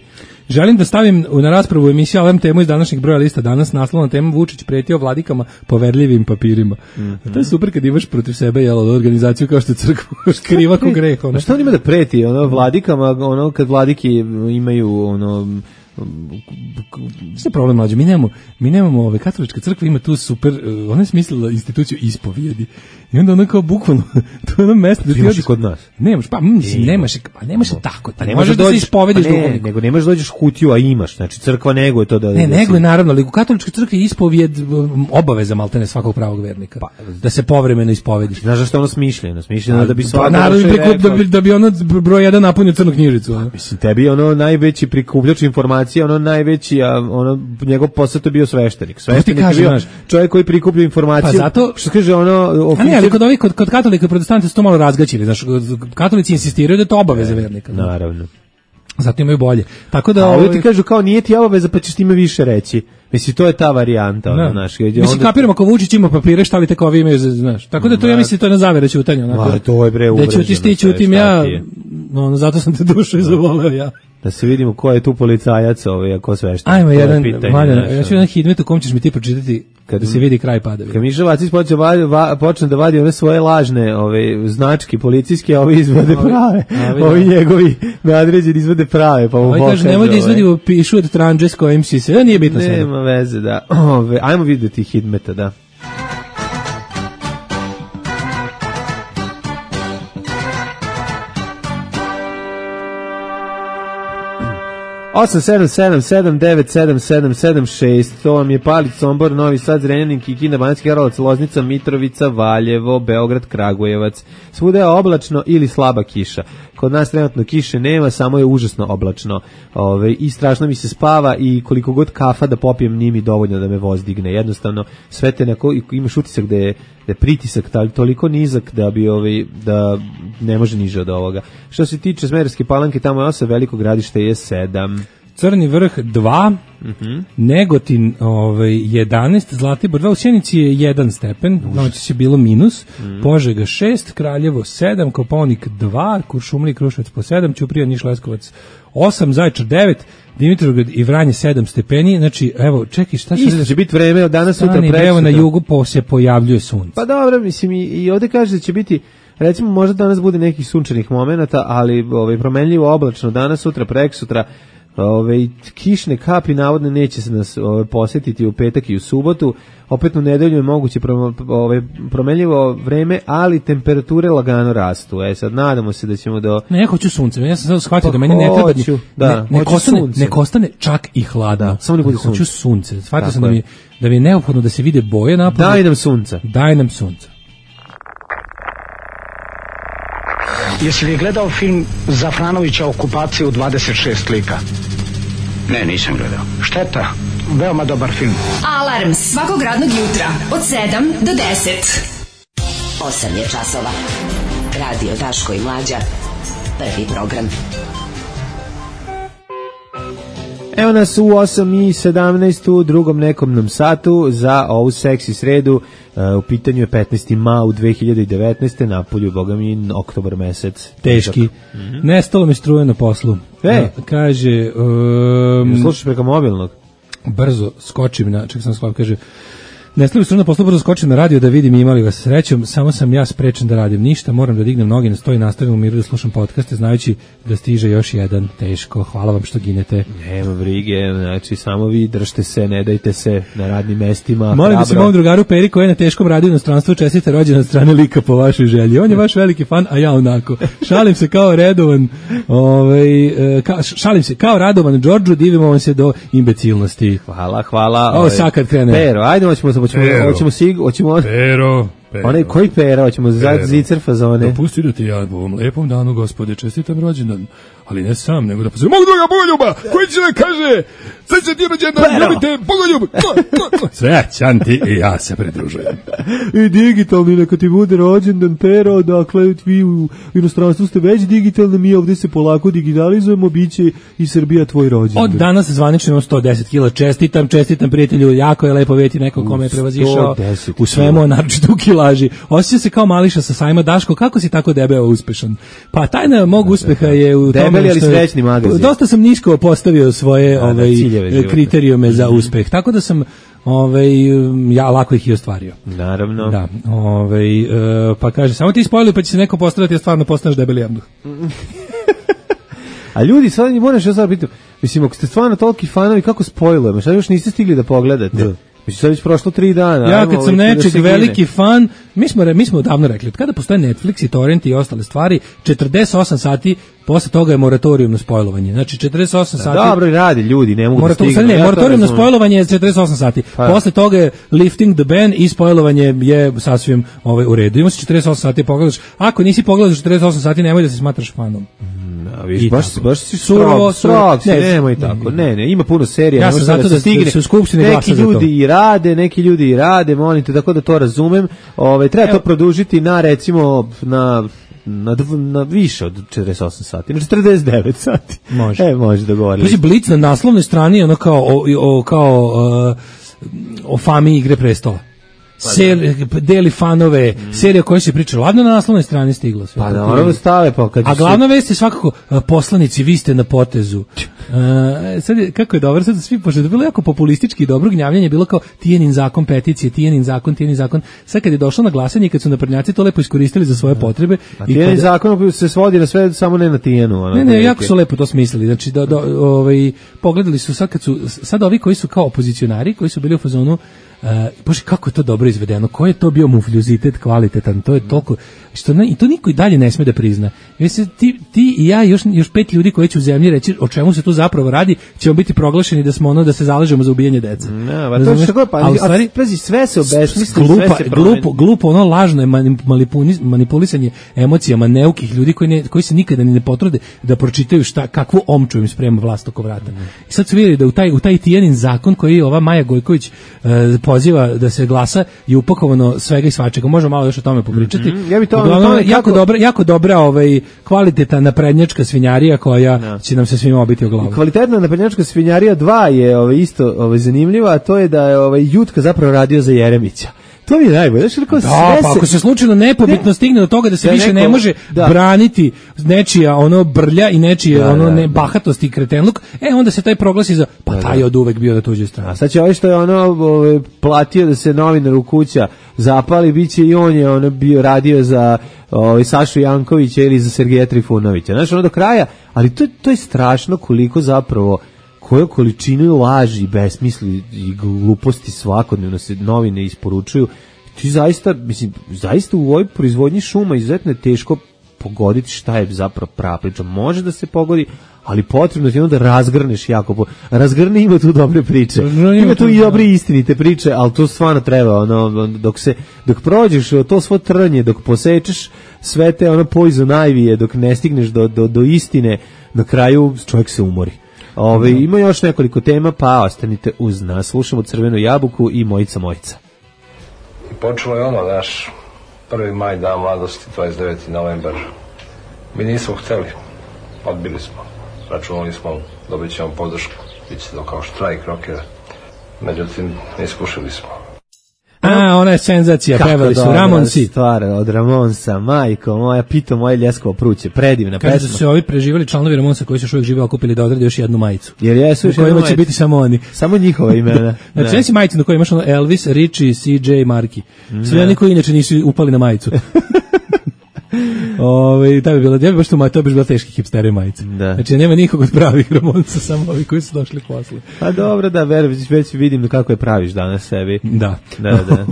Želim da stavim na raspravu emisiju Alarm temu iz današnjeg broja lista danas, naslovna tema Vučić pretio vladikama poverljivim papirima. Mm-hmm. To je super kad imaš protiv sebe jel, organizaciju kao što je crkva kriva ko greh. Ono. Šta on ima da preti ono, vladikama, ono, kad vladiki imaju ono... Sve problem mlađe, mi nemamo, mi nemamo ove, katolička crkva ima tu super, ona je smislila instituciju ispovijedi i onda ona kao bukvalno, to je ono mesto da ti imaš i kod nas. Nemaš, pa mislim, nemaš, pa nemaš tako, pa ne možeš da se ispovediš pa ne, duhovniku. Nego nemaš dođeš kutiju, a imaš, znači crkva nego je to da... Ne, da nego je si... naravno, ali u katoličkoj crkvi je ispovijed obaveza maltene svakog pravog vernika, pa, da se povremeno ispovediš. Znaš zašto ono smišljeno? Smišljeno da bi svako... Pa naravno, da bi, da bi ono broj jedan napunio crnu knjižicu. Pa, mislim, tebi ono najveći prikupljač informacija, ono najveći, a ono, njegov posao je bio sveštenik. Sveštenik je bio čovjek koji prikuplja informacije. Pa zato... Što kaže ono... Oficir... A ne, ali kod, ovih, kod, kod katolika i protestanta su to malo razgaćili. Znaš, katolici insistiraju da je to obaveza vernika. Naravno. Zato imaju bolje. Tako da... A ovi ti kažu kao nije ti obaveza pa ćeš time više reći. Mislim, to je ta varijanta. Ono, znaš, mislim, onda... kapiramo ako Vučić ima papire, šta li te kao vi imaju, znaš. Tako da to ja mislim, to je na zavere ćutanja. Ma, to je bre uvreženo. Da ćutiš ti, ćutim ja, ono, zato sam te dušu zavoleo ja. Da se vidimo ko je tu policajac, ovaj, ako svešten. Ajmo jedan, Maljana, ja ću jedan hidmet u kom ćeš mi ti pročitati kada se vidi kraj padavine. Kad Miša Vacić počne, va, počne da vadi one svoje lažne ove, značke policijske, a ovi izvode prave. A, ovi njegovi nadređeni izvode prave. Pa ovi kaže, nemoj da izvodi pišu od tranđe s kojim si se, nije bitno sve. Nema veze, da. Ove, ajmo vidjeti hidmeta, da. osam sedam sedam sedam devet sedam sedam sedam šest, to vam je Palić, Sombor, Novi Sad, Zrenjanin, Kikinda, Banatski Karlovac, Loznica, Mitrovica, Valjevo, Beograd, Kragujevac. Svuda je oblačno ili slaba kiša. Kod nas trenutno kiše nema, samo je užasno oblačno. Ove, i strašno mi se spava i koliko god kafa da popijem nije mi dovoljno da me voz digne. Jednostavno, sve te neko, imaš utisak da je, da je pritisak toliko nizak da bi ovaj, da ne može niže od ovoga. Što se tiče Smederevske Palanke, tamo je osam, Veliko Gradište je sedam. Crni vrh dva, uh-huh. Negotin ovaj, jedanaest, Zlatibor dva, u Sjenici je jedan stepen, noć je bilo minus, uh-huh. Požega šest, Kraljevo sedam, Kopaonik dva, Kuršumlija i Kruševac po sedam, Ćuprija, Niš, Leskovac osam, Zaječar devet, Dimitrovgrad i Vranje sedam stepeni, znači evo čekaj šta se... Isto će biti vreme od danas sutra presutra. Evo na jugu po, se pojavljuje sunce. Pa dobro, mislim i, i ovdje kaže da će biti, recimo možda danas bude nekih sunčanih momenata, ali ovaj, promenljivo oblačno danas, sutra, preksutra. Ove, kišne kapi navodno neće se nas ove, posjetiti u petak i u subotu. Opet u nedelju je moguće pro, ove, promenljivo vreme, ali temperature lagano rastu. E sad nadamo se da ćemo do... Ne, ja hoću sunce. Ja sam sad shvatio pa da meni ne treba ni, da, ne, nek ostane, nek ostane čak i hladno. Da, samo ne bude sunce. Hoću sunce. Shvatio sam da mi, da mi je neophodno da se vide boje napolju. Daj nam sunca. Daj nam sunca. Jesi li gledao film Zafranovića Okupacija u dvadeset šest lika? Ne, nisam gledao. Šteta, veoma dobar film. Alarm svakog radnog jutra od sedam do deset. osam je časova. Radio Daško i Mlađa. Prvi program. Evo nas u osam i sedamnaest u drugom nekom nam satu za ovu seksi sredu. Uh, u pitanju je petnaesti maj dve hiljade devetnaeste. napolju, boga mi, oktobar mesec. Teški. Mm-hmm. Nestalo mi struje na poslu. E. A, kaže... Um, slušaš preko mobilnog? Brzo skočim na... Ček sam sklav, kaže... Nestalo struje na poslu, brzo skočim na radio da vidim imali vas srećom, samo sam ja sprečen da radim ništa, moram da dignem noge na sto i nastavim u miru da slušam podcaste, znajući da stiže još jedan. Teško, hvala vam što ginete. Nema brige, znači samo vi držite se, ne dajte se na radnim mestima. Molim da se mom drugaru Peri koji je na teškom radu u inostranstvu čestite rođendan od strane lika po vašoj želji. On je vaš veliki fan, a ja onako. Šalim se kao redovan, ovaj, ka, šalim se kao radovan Đorđu, divimo vam se do imbecilnosti. Hvala, hvala. Ovo sad kad krene. Pero, ajde hoćemo hoćemo hoćemo sig, hoćemo Pero. Pero. Onaj koji pera, hoćemo za zicer fazone. Dopusti da ti ja u ovom lepom danu, Gospode, čestitam rođendan, ali ne sam, nego da pozovem mog druga Bogoljuba, koji će da kaže, sve će ti rođendan, ljubite Bogoljub. Srećan ti i ja se pridružujem. I digitalni, neka ti bude rođendan, Pero, dakle, vi u inostranstvu ste već digitalni, mi ovdje se polako digitalizujemo, bit će i Srbija tvoj rođendan. Od danas zvanično imam sto deset kila, čestitam, čestitam prijatelju, jako je lepo vidjeti neko kome je prevazišao u svemu, naročito u kilaži. Osjeća se kao Mališa sa sajma. Daško, kako si tako debeo uspešan? Pa tajna mog uspeha je u tome debeli, ali srećni magazin. Dosta sam nisko postavio svoje da, ovaj, kriterijume za uspeh, tako da sam ovaj, ja lako ih i ostvario. Naravno. Da, ovaj, uh, pa kaže, samo ti spojili pa će se neko postaviti, ja stvarno postaneš debeli jabduh. A ljudi, sad ne moraš ja sad pitam, mislim, ako ste stvarno toliki fanovi, kako spojilujemo? Šta još niste stigli da pogledate? Da. Mislim, sad već prošlo tri dana. Ja kad sam nečeg veliki fan, mi smo, mi smo davno rekli, od kada postoje Netflix i torrent i ostale stvari, četrdeset osam sati posle toga je moratorijum na spojlovanje. Znači četrdeset osam da, sati. Dobro radi ljudi, ne mogu Morator, da stignu. Ne, ja moratorijum na spojlovanje je četrdeset osam sati. Pa. Posle toga je lifting the ban i spojlovanje je sasvim ovaj u redu. Ima se četrdeset osam sati pogledaš. Ako nisi pogledao četrdeset osam sati, nemoj da se smatraš fanom. A viš, baš, baš si surovo, surovo, ne, nemoj tako, ne, ne, ima puno serija, ja sam zato da stigne, se u skupštini glasa za to. Neki ljudi i rade, neki ljudi i rade, molim te, tako da to razumem, ove, treba Evo. to produžiti na, recimo, na, na, na više od četrdeset osam sati, na četrdeset devet sati. Može. E, može dogovoriti. Pazi, Blic na naslovnoj strani, ono kao, o, o, kao, uh, o fami Igre prestola. Ser, deli fanove, mm. serija koja se priča, ladno na naslovnoj strani stiglo sve. Pa naravno stave, pa kad a glavna vest je svakako, poslanici, vi ste na potezu. Uh, sad je, kako je dobro, sad svi, pošto je bilo jako populistički i dobro gnjavljanje, bilo kao Tijanin zakon, peticije, Tijanin zakon, Tijanin zakon. Sad kad je došlo na glasanje, kad su naprednjaci to lepo iskoristili za svoje potrebe. A Tijanin zakon se svodi na sve, samo ne na Tijanu. Ne, ne, jako su lepo to smislili. Znači, do, do, ovaj, pogledali su sad kad su, sad ovi koji su kao opozicionari, koji su bili u fazonu, Uh, bože, kako je to dobro izvedeno, koji je to bio mufljuzitet kvalitetan, to je toliko, što ne, i to niko i dalje ne sme da prizna. Mislim, ti, ti i ja, još, još pet ljudi koji će u zemlji reći o čemu se tu zapravo radi, ćemo biti proglašeni da smo ono, da se zalažemo za ubijanje dece. Ne, ba, to što pa, ali stvari, prezi, sve se obesmisli, glupa, sve se promeni. Glupo, glupo, ono lažno je manipulisanje emocijama neukih ljudi koji, ne, koji se nikada ni ne potrude da pročitaju šta, kakvu omču im sprema vlast oko vrata. Mm. I sad su vidjeli da u taj, u taj Tijanin zakon koji ova Maja Gojković uh, poziva da se glasa je upakovano svega i svačega. Možemo malo još o tome popričati. Mm-hmm. Ja bi to, Uglavnom, to jako kako... dobra, jako dobra ovaj kvalitetna naprednjačka svinjarija koja no. će nam se svima obiti o glavu. Kvalitetna naprednjačka svinjarija dva je ovaj isto ovaj zanimljiva, a to je da je ovaj Jutka zapravo radio za Jeremića. To mi je najbolje. Znači, da, sve pa ako se slučajno nepobitno ne, stigne do toga da se da više neko, ne može da. braniti nečija ono brlja i nečije da, ono da, ne, bahatost i kretenluk, e onda se taj proglasi za, pa da, taj je od uvek bio na tuđoj strani. A sad će ovaj što je ono ove, platio da se novinar u kuća zapali, bit će i on je ono bio radio za ovaj Sašu Jankovića ili za Sergeja Trifunovića. Znači ono do kraja, ali to, to je strašno koliko zapravo koju količinu laži, besmisli i gluposti svakodnevno se novine isporučuju. Ti zaista, mislim, zaista u ovoj proizvodnji šuma izuzetno je teško pogoditi šta je zapravo prava priča. Može da se pogodi, ali potrebno ti onda razgrneš jako. Po... Razgrni, ima tu dobre priče. No, ima tu i dobre istinite priče, ali to stvarno treba, ono, dok se, dok prođeš to svo trnje, dok posečeš sve te ono poison ivy, dok ne stigneš do, do, do istine, na kraju čovjek se umori. Ove, no. Ima još nekoliko tema, pa ostanite uz nas. Slušamo Crvenu jabuku i Mojica Mojica. I počelo je ono, naš prvi maj, dan mladosti, dvadeset deveti novembar. Mi nismo hteli, odbili smo. Računali smo, dobit ćemo podršku bit će to kao štrajk rockera. Međutim, iskušali smo. A, ona je senzacija, pevali su Ramonsi. Stvar od Ramonsa, majko moja, pito moje ljeskovo pruće, predivna pesma. Kaže da su se ovi preživali članovi Ramonsa koji su još uvijek žive okupili da odrade još jednu majicu. Jer jesu još jednu majicu. U kojima će biti samo oni. Samo njihova imena. Znači, ne si majicu na kojoj imaš ono Elvis, Richie, C J, Marky. Svi oni koji inače nisu upali na majicu. Ove, ta bi bila, ja bi baš to, to bi bila teški hipstere majice. Da. Znači, nema nikog od pravih Ramonca, samo ovi koji su došli posle. Pa dobro, da, već, već vidim kako je praviš danas sebi. Da. Da, da.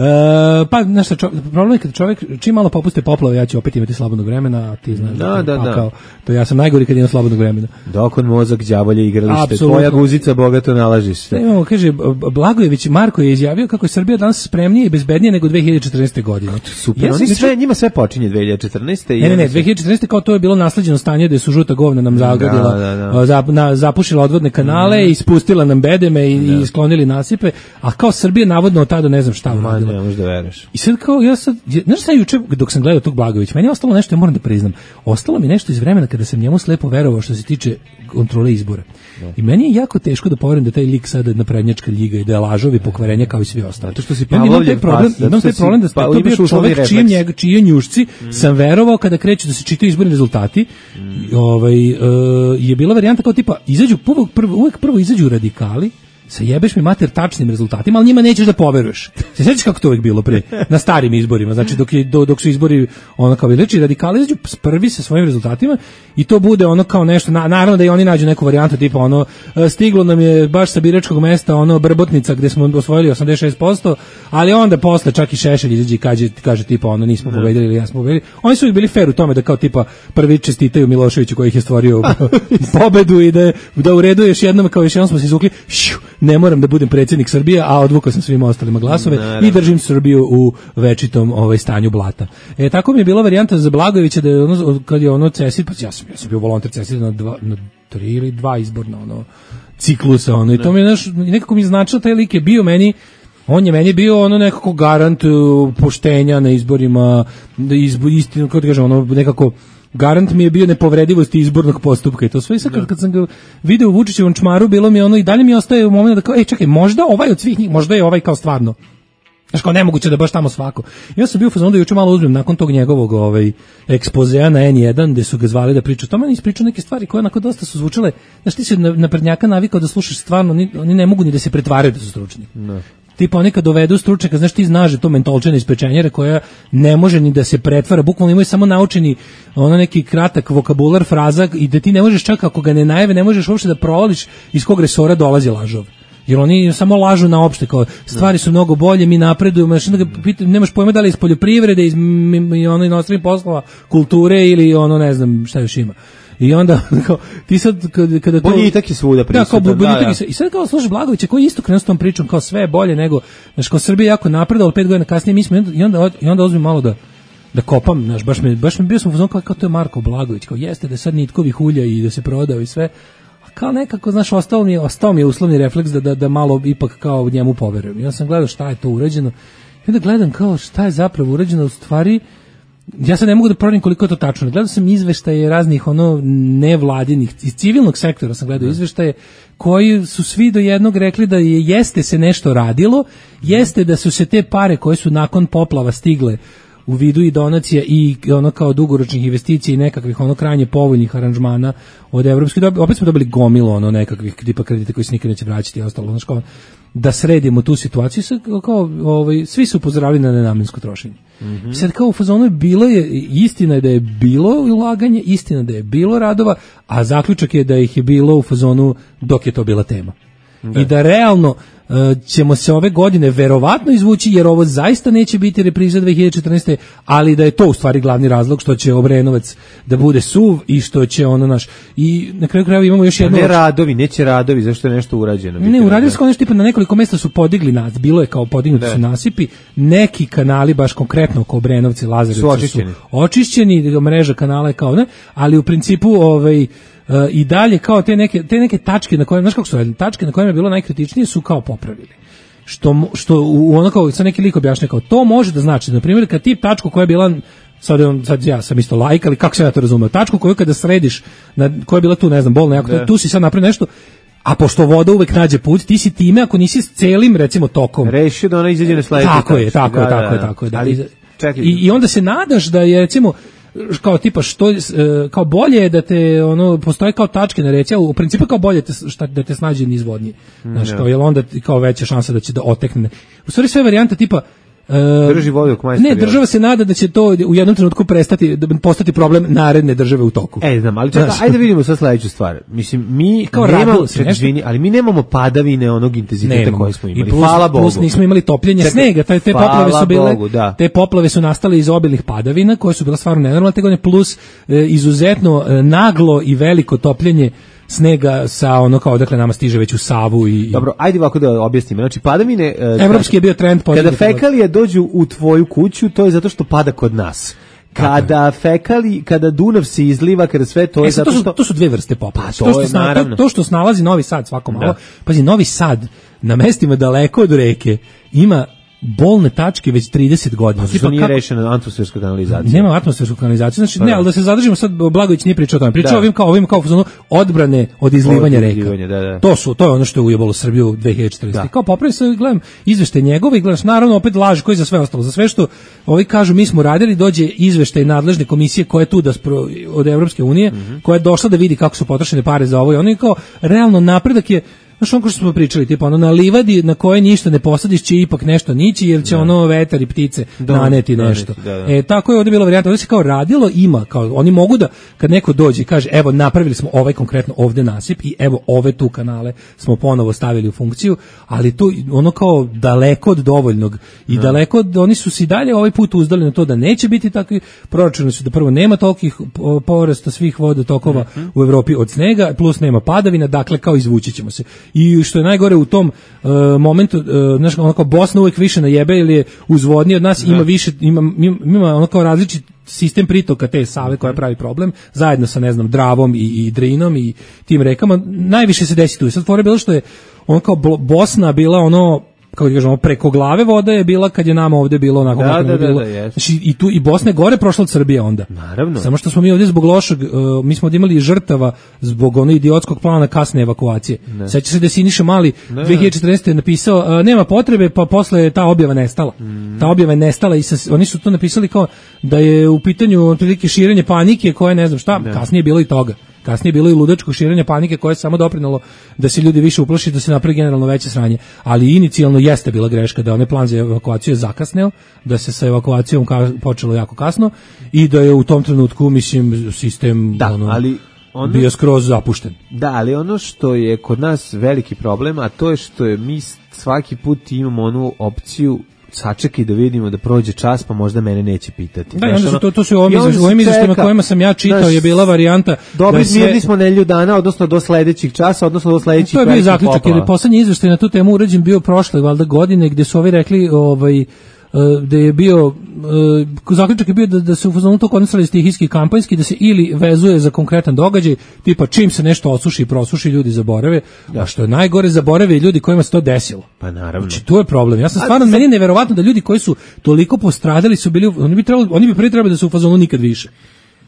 e, pa, znaš šta, problem je kada čovjek, čim malo popuste poplave, ja ću opet imati slobodnog vremena, a ti znaš, da, da, pa, da. Kao, to ja sam najgori kad imam slobodnog vremena. Dok on mozak, đavolje igralište, Apsolutno. Tvoja guzica bogato nalažiš se. Imamo, kaže, Blagojević Marko je izjavio kako je Srbija danas spremnije i bezbednije nego dve hiljade četrnaeste. godine. Super, ja oni sve, njima sve počinje dve hiljade četrnaeste. Ne, ne, ne, dve hiljade četrnaeste. kao to je bilo nasleđeno stanje gde su žuta govna nam zagadila, da, da, da. Zap, na, zapušila odvodne kanale mm. i spustila nam bedeme i, i sklonili nasipe, a kao Srbija navodno od tada ne znam šta uradila. Ne možeš da veruješ. I sad kao, ja sad, znaš šta juče dok sam gledao tog Blagojevića, meni je ostalo nešto, ja moram da priznam, ostalo mi nešto iz vremena kada sam njemu slepo verovao što se tiče kontrole izbora. Ne. I meni je jako teško da poverujem da taj lik sada naprednjačka ljiga i da je lažov i pokvarenje kao i svi ostali. To što si ja imam taj problem, pas, imam taj problem da pa, to bio čovjek čijem njega, čije njušci mm. sam verovao kada kreću da se čitaju izborni rezultati. Mm. Ovaj, uh, je bila varijanta kao tipa, izađu, uvek prvo, uvek prvo izađu radikali, sa jebeš mi mater tačnim rezultatima, ali njima nećeš da poveruješ. Se sjećaš kako to uvijek bilo pre, na starim izborima, znači dok, je, do, dok su izbori ono kao znači radikali izađu prvi sa svojim rezultatima i to bude ono kao nešto, na, naravno da i oni nađu neku varijantu tipa ono, stiglo nam je baš sa biračkog mesta ono Brbotnica gde smo osvojili osamdeset šest posto, ali onda posle čak i Šešelj izađe i kaže, kaže tipa ono nismo pobedili ili ja smo pobedili. Oni su uvijek bili fair u tome da kao tipa prvi čestitaju Miloševiću koji ih je stvorio pobedu i da, da u redu još jednom kao još jednom smo se izvukli šiu, ne moram da budem predsjednik Srbije, a odvukao sam svima ostalima glasove Naravno. I držim Srbiju u večitom ovaj stanju blata. E tako mi je bila varijanta za Blagojevića da je ono kad je ono Cesid, pa ja sam ja sam bio volonter Cesid na dva na tri ili dva izborna ono ciklusa ono i to mi je naš nekako mi značilo taj lik je bio meni on je meni bio ono nekako garant poštenja na izborima, izbor istinu kako da kažem ono nekako garant mi je bio nepovredivosti izbornog postupka i to sve i sad kad, kad sam ga video u Vučićevom čmaru bilo mi ono i dalje mi ostaje u momentu da kao ej čekaj možda ovaj od svih njih možda je ovaj kao stvarno znaš kao nemoguće da baš tamo svako. Ja sam bio u fazonu da juče malo uzmem nakon tog njegovog ovaj, ekspozea na en jedan gde su ga zvali da priča o tome, on ispričao neke stvari koje onako dosta su zvučale, znaš ti si naprednjaka navikao da slušaš stvarno, oni, oni ne mogu ni da se pretvaraju da su stručni. Ne. Tipa oni kad dovedu stručnjaka, znaš ti znaš to mentolčene iz pečenjere koja ne može ni da se pretvara, bukvalno imaju samo naučeni ono neki kratak vokabular, fraza i da ti ne možeš čak ako ga ne najave, ne možeš uopšte da provališ iz kog resora dolazi lažov. Jer oni samo lažu na opšte, kao stvari su mnogo bolje, mi napredujemo, znači da ga pita, nemaš pojma da li iz poljoprivrede, iz ono inostranih poslova, kulture ili ono ne znam šta još ima. I onda kao, ti sad kada, kada to boljitak je svuda prisutan. Da, kao boljitak da, ja. I sad kao slušaš Blagojevića koji isto krenuo s tom pričom kao sve je bolje nego znači kao Srbija jako napredovala pet godina kasnije mi smo i onda i onda uzmem malo da da kopam, znaš, baš me baš me bio sam u fazonu kao, kao to je Marko Blagojević, kao jeste da sad nitkovi hulja i da se prodao i sve. Kao nekako, znaš, ostao mi je, ostao mi je uslovni refleks da, da, da malo ipak kao njemu poverujem. Ja sam gledao šta je to urađeno i onda gledam kao šta je zapravo urađeno u stvari. Ja sad ne mogu da proverim koliko je to tačno. Gledao sam izveštaje raznih ono nevladinih, iz civilnog sektora sam gledao izveštaje koji su svi do jednog rekli da je jeste se nešto radilo, jeste da su se te pare koje su nakon poplava stigle u vidu i donacija i ono kao dugoročnih investicija i nekakvih ono krajnje povoljnih aranžmana od evropskih, opet smo dobili gomilu ono nekakvih tipa kredita koji se nikad neće vraćati i ostalo, znači kao da sredimo tu situaciju, sad kao ovaj svi su upozoravali na nenamensko trošenje. Mm-hmm. Sad kao u fazonu je bilo je istina je da je bilo ulaganje, istina da je bilo radova, a zaključak je da ih je bilo u fazonu dok je to bila tema. Da. I da realno uh, ćemo se ove godine verovatno izvući jer ovo zaista neće biti repriza dve hiljade četrnaeste. ali da je to u stvari glavni razlog što će Obrenovac da bude suv i što će ono naš i na kraju krajeva imamo još jedno ne radovi, neće radovi zašto je nešto urađeno. Ne, uradili su nešto tipa na nekoliko mesta su podigli nas, bilo je kao podignuti su nasipi, neki kanali baš konkretno oko Obrenovci, Lazarevci su očišćeni, su očišćeni mreža kanala je kao ne, ali u principu ovaj Uh, i dalje kao te neke te neke tačke na kojima znaš kako su tačke na kojima je bilo najkritičnije su kao popravili. Što što u ono kao sa neki lik objašnjava kao to može da znači na primjer kad tip tačku koja je bila sad on sad ja sam isto lajk ali kako se ja to razumeo tačku koju kada središ na koja je bila tu ne znam bolna jako tu si sad napravio nešto A pošto voda uvek nađe put, ti si time, ako nisi s celim, recimo, tokom. Rešio da ona izađe na sledeći. Tako je, tako je, tako je, tako je. Ali, čekaj. I, I onda se nadaš da je, recimo, kao tipa što kao bolje je da te ono postoji kao tačke na reci, a u principu kao bolje te, šta, da te snađe nizvodnije. Znaš, kao jel onda kao veća šansa da će da otekne. U stvari sve varijante tipa Uh, drži vodu dok majstor. Ne, država se nada da će to u jednom trenutku prestati, da postati problem naredne države u toku. E, znam, ali čekaj, ajde vidimo sad sledeću stvar. Mislim, mi kao nemamo, čekaj, ali mi nemamo padavine onog intenziteta koji smo imali. I plus, hvala Bogu. Plus nismo imali topljenje čekaj, snega, te, te poplave su bile, Bogu, da. te poplave su nastale iz obilnih padavina, koje su bile stvarno nenormalne, te godine, plus e, izuzetno e, naglo i veliko topljenje snega sa ono kao odakle nama stiže već u Savu i dobro, ajde ovako da objasnimo. Znači padavine uh, evropski je bio trend kada fekalije dođu u tvoju kuću, to je zato što pada kod nas. Kada fekali, kada Dunav se izliva, kada sve to je e, zato to su, što to su dve vrste poplava. Pa, to, to, što je, sna, to, to što snalazi Novi Sad svako malo. Da. Pazi, Novi Sad na mestima daleko od reke ima bolne tačke već trideset godina. Znači, to nije rešena atmosferska kanalizacija. Nema atmosfersku kanalizaciju. Znači, ne, ali da se zadržimo sad, Blagović nije pričao o tome. Pričao ovim kao, ovim kao ono, odbrane od izlivanja reka. Da, da. To su, to je ono što je ujebalo Srbiju dve hiljade četrnaeste. Da. Kao popravi se, gledam izveštaj njegove i gledaš, naravno, opet laž koji za sve ostalo. Za sve što ovi kažu, mi smo radili, dođe izveštaj nadležne komisije koja je tu da spro, od Evropske unije, mm-hmm. koja je došla da vidi kako su potrošene pare za ovo i ono je kao, realno napredak je. Znaš, ono što smo pričali, tipa ono na livadi na koje ništa ne posadiš će ipak nešto nići, jer će da. ono vetar i ptice da, naneti nešto. Da, da. E, tako je ovdje bila varijanta, ovdje se kao radilo, ima, kao, oni mogu da, kad neko dođe i kaže, evo, napravili smo ovaj konkretno ovdje nasip i evo, ove tu kanale smo ponovo stavili u funkciju, ali to ono kao daleko od dovoljnog i da. daleko od, oni su si dalje ovaj put uzdali na to da neće biti takvi, proračuni su da prvo nema tolikih porasta svih vodotokova mm-hmm. u Evropi od snega, plus nema padavina, dakle kao izvući ćemo se. I što je najgore u tom uh, momentu, uh, znaš, onako Bosna uvijek više najebe ili je uzvodniji od nas, da. ima više, ima, ima ono kao različit sistem pritoka te Save koja pravi problem, zajedno sa, ne znam, Dravom i, i Drinom i tim rekama, najviše se desi tu. I sad fora je bilo što je ono kao Bosna bila ono, kako kažemo, preko glave voda je bila kad je nama ovdje bilo onako da, da, bilo. Da, da, znači, i tu i Bosna je gore prošla od Srbije onda. Naravno. Samo što smo mi ovdje zbog lošeg, uh, mi smo ovdje imali žrtava zbog onog idiotskog plana kasne evakuacije. Seća se da je Siniša Mali ne. dve hiljade četrnaeste napisao uh, nema potrebe, pa posle je ta objava nestala. Mm. Ta objava je nestala i sa, oni su to napisali kao da je u pitanju otprilike širenje panike koje ne znam šta, ne. kasnije je bilo i toga. Kasnije je bilo i ludačko širenje panike koje je samo doprinalo da se ljudi više uplaši, da se napravi generalno veće sranje. Ali inicijalno jeste bila greška da onaj plan za evakuaciju je zakasneo, da se sa evakuacijom ka- počelo jako kasno i da je u tom trenutku, mislim, sistem da, ono, ali ono, bio skroz zapušten. Da, ali ono što je kod nas veliki problem, a to je što je mi svaki put imamo onu opciju sačekaj da vidimo da prođe čas, pa možda mene neće pitati. Da, onda su to, to su ovim izveštajima kojima sam ja čitao naš, je bila varijanta. Dobri sve... mirni smo nedelju dana, odnosno do sledećih časa, odnosno do sledećih. To je bio zaključak, jer je poslednji izveštaj na tu temu urađen bio prošle valjda godine, gde su ovi rekli ovaj da je bio zaključak je bio da, da se u fazonu to kondensali stihijski kampanjski, da se ili vezuje za konkretan događaj, tipa čim se nešto osuši i prosuši, ljudi zaborave, da. A što je najgore, zaborave i ljudi kojima se to desilo. Pa naravno. Znači, to je problem. Ja sam stvarno, meni je neverovatno da ljudi koji su toliko postradali su bili, oni bi trebali, oni bi prvi trebali da su u fazonu nikad više.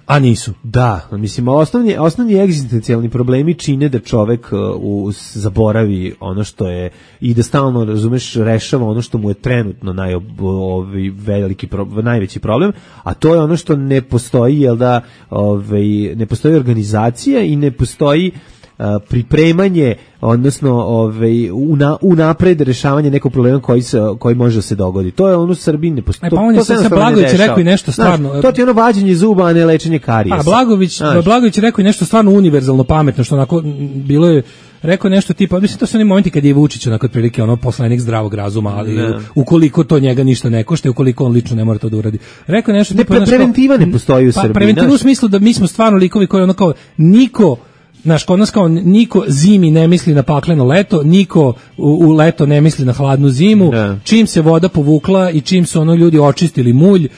A nisu. Da, mislim, osnovni, osnovni egzistencijalni problemi čine da čovek uh, u, zaboravi ono što je i da stalno, razumeš, rešava ono što mu je trenutno naj, ovaj, veliki pro, najveći problem, a to je ono što ne postoji, jel da, ovaj, ne postoji organizacija i ne postoji Uh, pripremanje, odnosno ovaj una, unapred rešavanje nekog problema koji se koji može da se dogodi. To je ono u Srbiji ne postoji. E, pa on je sad Blagović rekao i nešto stvarno. Znaš, to ti je ono vađenje zuba, a ne lečenje karijesa. A Blagović, Blagović je rekao i nešto stvarno univerzalno pametno, što onako bilo je rekao nešto tipa, mislim to su oni momenti kad je Vučić onako otprilike ono poslanik zdravog razuma, ali ne. ukoliko to njega ništa ne košta, ukoliko on lično ne mora to da uradi. Rekao nešto ne, tipa, pre, preventiva ne postoji u pa, Srbiji. Preventiva u smislu da mi smo stvarno likovi koji ono kao niko Znaš, kod nas kao niko zimi ne misli na pakleno leto, niko u, u leto ne misli na hladnu zimu, ne. Čim se voda povukla i čim su ono ljudi očistili mulj,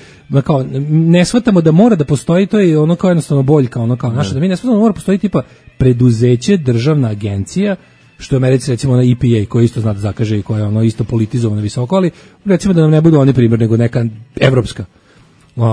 kao, ne shvatamo da mora da postoji, to je ono kao jednostavno boljka, ono kao naša, da mi ne shvatamo da mora postoji tipa preduzeće, državna agencija, što je u Americi recimo na E P A koji isto zna da zakaže i koja je ono isto politizovana visoko, ali recimo da nam ne budu oni primjer, nego neka evropska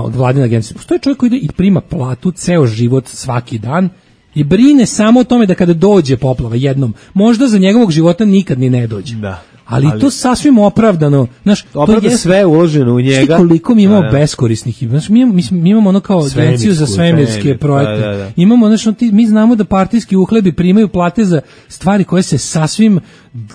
vladina agencija. Postoji čovjek koji ide i prima platu ceo život svaki dan I brine samo o tome da kada dođe poplava jednom, možda za njegovog života nikad ni ne dođe. Da. Ali, Ali to sasvim opravdano, znaš, opravda to je sve uloženo u njega. Šti koliko mi imamo da, da. beskorisnih, znaš, mi, mi, mi imamo ono kao agenciju za svemirske svemir, projekte. da, da, da. Imamo, znaš, ono ti, mi znamo da partijski uhlebi primaju plate za stvari koje se sasvim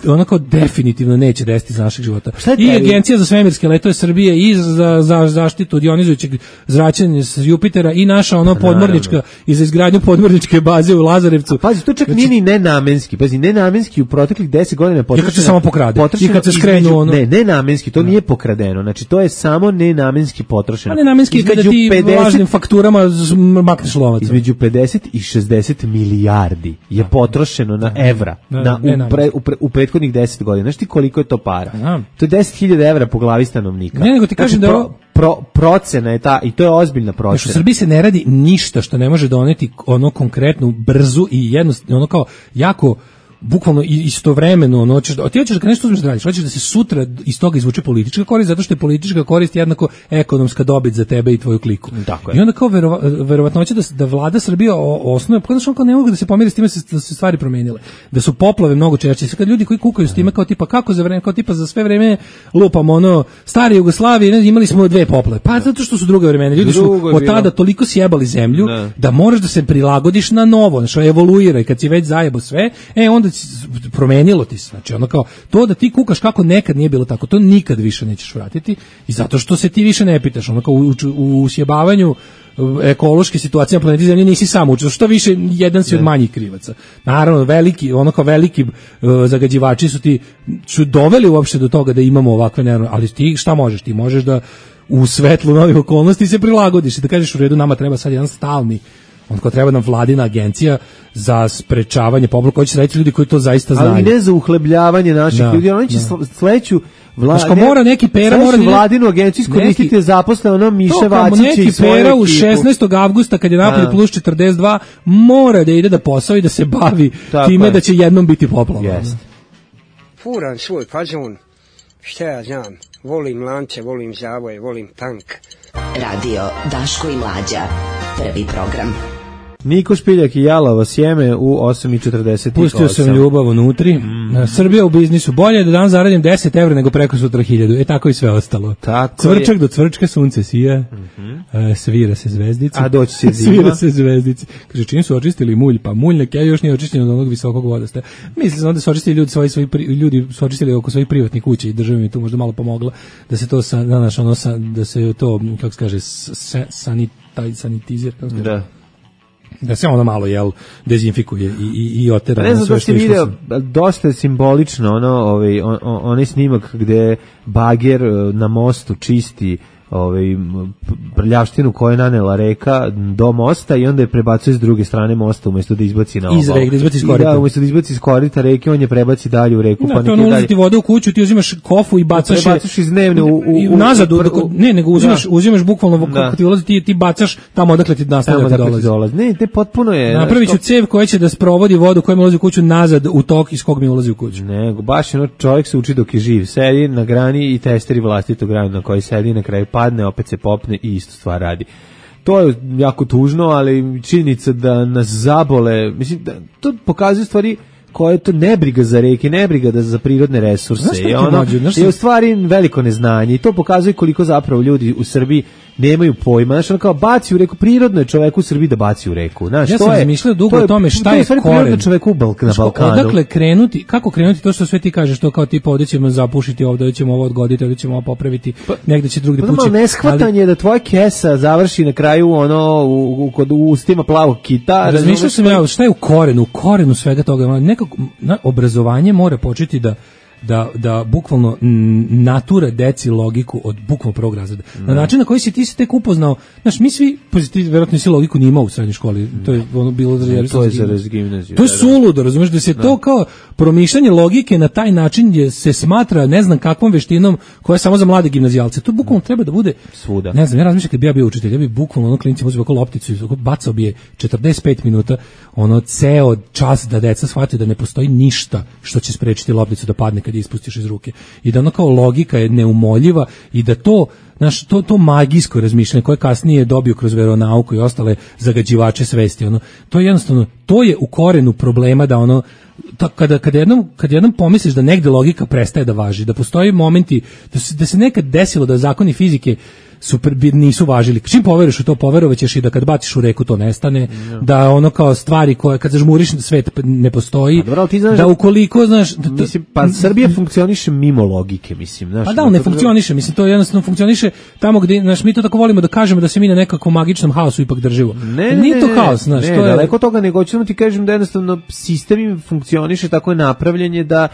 ono kao definitivno neće desiti za našeg života. I agencija za svemirske letove Srbije i za, za zaštitu od ionizujućeg zračenja s Jupitera i naša ono podmornička i za izgradnju podmorničke baze u Lazarevcu. A pazi, to čak znači, nije ni nenamenski. Pazi, nenamenski u proteklih deset godina potrošeno. I kad se samo pokrade. I kad se skrenu ono. Ne, nenamenski, to nije pokradeno. Znači, to je samo nenamenski potrošeno. A nenamenski je kada ti pedeset lažnim fakturama makneš lovac. Između pedeset i šezdeset milijardi je potrošeno na evra. Da, na, ne, u, pre, u, pre, u prethodnih deset godina. Znaš ti koliko je to para? Da. To je deset hiljada evra po glavi stanovnika. Ne, nego ti kažem znači, da pro, pro, procena je ta, i to je ozbiljna procena. Znači, u Srbiji se ne radi ništa što ne može doneti ono konkretnu, brzu i jednostavno, ono kao jako bukvalno istovremeno, ono, hoćeš da, ti hoćeš da nešto uzmeš da radiš, hoćeš da se sutra iz toga izvuče politička korist, zato što je politička korist jednako ekonomska dobit za tebe i tvoju kliku. Tako I onda kao verova, verovatnoće da, da vlada Srbija osnuje, pa znači kao ne mogu da se pomiri s time da se stvari promenile, da su poplave mnogo češće. Kad ljudi koji kukaju s time kao tipa kako za vreme, kao tipa za sve vreme lupamo ono stare Jugoslavije, imali smo dve poplave. Pa zato što su druga vremena. Ljudi su od tada toliko sjebali zemlju ne. da moraš da se prilagodiš na novo, znači evoluira i kad si već zajebo sve, e onda promenilo ti se, znači ono kao to da ti kukaš kako nekad nije bilo tako, to nikad više nećeš vratiti i zato što se ti više ne pitaš, ono kao u, u usjebavanju ekološke situacije na planeti Zemlji nisi sam učio, što više jedan si od manjih krivaca. Naravno, veliki, ono kao veliki uh, zagađivači su ti su doveli uopšte do toga da imamo ovakve nervne, ali ti šta možeš? Ti možeš da u svetlu novih okolnosti se prilagodiš i da kažeš u redu, nama treba sad jedan stalni on ko treba nam vladina agencija za sprečavanje poplava, koji će raditi ljudi koji to zaista znaju. Ali ne za uhlebljavanje naših da, ljudi, oni će da. sledeću Vlada, mora neki pera mora da vladinu agenciju iskoristiti zaposle ono Miše Vacića i svoje pera u šesnaestog avgusta kad je napolje plus četrdeset dva mora da ide da posao i da se bavi tako time je. Da će jednom biti poplava. Yes. Furan svoj fazon, šta ja znam, volim lance, volim zavoje, volim tank. Radio Daško i Mlađa, prvi program. Niko Špiljak i Jalavo sjeme u osam i četrdeset osam. Pustio sam ljubav unutri. Mm. Srbija u biznisu. Bolje je da dan zaradim deset evra nego preko sutra hiljadu. E tako i sve ostalo. Tako Cvrčak je. Do cvrčka sunce sija. Mm-hmm. E, svira se zvezdica. A doći se zima. Svira se zvezdica. Kaže, čim su očistili mulj? Pa mulj neke još nije očišćen od onog visokog vodostaja. Mislim se onda su očistili ljudi svoji, svoji pri, ljudi su očistili oko svojih privatnih kuća i država mi tu možda malo pomogla da se to sa, znaš, ono, sa, da se to, kako se kaže, sanit, taj sanitizir, kako se kaže. Da. Da se ono malo jel dezinfikuje i i i otera. Ne znam da ste video, dosta je simbolično ono, ovaj on, onaj snimak gde bager na mostu čisti ovaj prljavštinu koju je nanela reka do mosta i onda je prebacuje s druge strane mosta umesto da izbaci na obalu. Iz reke, da izbaci iz korita. Da, umesto da izbaci iz korita reke, on je prebaci dalje u reku. Da, pa to neki dalje. Vodu u kuću, ti uzimaš kofu i bacaš je. Bacaš iz dnevne u, u, u nazad, u, u, ne, nego uzimaš, da. uzimaš bukvalno kako ti ulazi, ti, ti bacaš tamo odakle ti nastavlja da dolazi. dolazi. Ne, te potpuno je. Napraviću cev koja će da sprovodi vodu koja mi ulazi u kuću nazad u tok iz kog mi ulazi u kuću. Nego, baš ono čovjek se uči dok je živ. Sedi na grani i testeri vlastitog grana na koji sedi, na kraju padne, opet se popne i istu stvar radi. To je jako tužno, ali činjenica da nas zabole, mislim, da, to pokazuje stvari koje je to nebriga za reke, nebriga da za prirodne resurse. I ono, je u stvari veliko neznanje i to pokazuje koliko zapravo ljudi u Srbiji nemaju pojma. Znaš, ono kao baci u reku, prirodno je čoveku u Srbiji da baci u reku. Znaš, ja to sam je, razmišljao dugo to o tome šta to je, je, to je koren. Čoveku u Balk, na Balkanu. Odakle krenuti, kako krenuti to što sve ti kažeš, to kao tipa ovdje ćemo zapušiti, ovdje ćemo ovo odgoditi, ovdje ćemo ovo popraviti, pa, negdje će drugdje pući. Pa neshvatanje ali, da tvoja kesa završi na kraju ono u, u, kod ustima plavog kita. Razmišljao sam ja šta je u korenu, u korenu svega toga. Nekako na, obrazovanje mora početi da da da bukvalno natura deci logiku od bukvalno prvog razreda. Na način na koji si ti se tek upoznao, znaš, mi svi pozitivno verovatno si logiku ni imao u srednjoj školi. To je ono bilo za jer to je za gimnaziju. To je suludo, razumeš da se da. to kao promišljanje logike na taj način je se smatra ne znam kakvom veštinom koja je samo za mlade gimnazijalce. To bukvalno treba da bude svuda. Ne znam, ja razmišljam kad bi ja bio učitelj, ja bi bukvalno ono klincima uzeo oko lopticu i bacao bi je četrdeset pet minuta, ono ceo čas da deca shvate da ne postoji ništa što će sprečiti lopticu da padne kad kad je ispustiš iz ruke. I da ono kao logika je neumoljiva i da to, znaš, to, to magijsko razmišljanje koje kasnije dobio kroz veronauku i ostale zagađivače svesti, ono, to je jednostavno, to je u korenu problema da ono, to, kada, kada, jednom, kada jednom pomisliš da negde logika prestaje da važi, da postoji momenti, da se, da se nekad desilo da zakoni fizike super nisu važili. Čim poveruješ u to, poverovaćeš i da kad baciš u reku to nestane, no. Da ono kao stvari koje kad zažmuriš svet ne postoji. A, dobro, ti znaš, da ukoliko znaš, da, mislim, pa Srbija funkcioniše mimo logike, mislim, znaš. Pa da, ne funkcioniše, mislim to jednostavno funkcioniše tamo gde, znaš, mi to tako volimo da kažemo da se mi na nekakvom magičnom haosu ipak držimo. Ne, ne, nije to ne, haos, znaš, ne, to je daleko toga, nego ćemo ti kažem da jednostavno sistem im funkcioniše, tako je napravljen da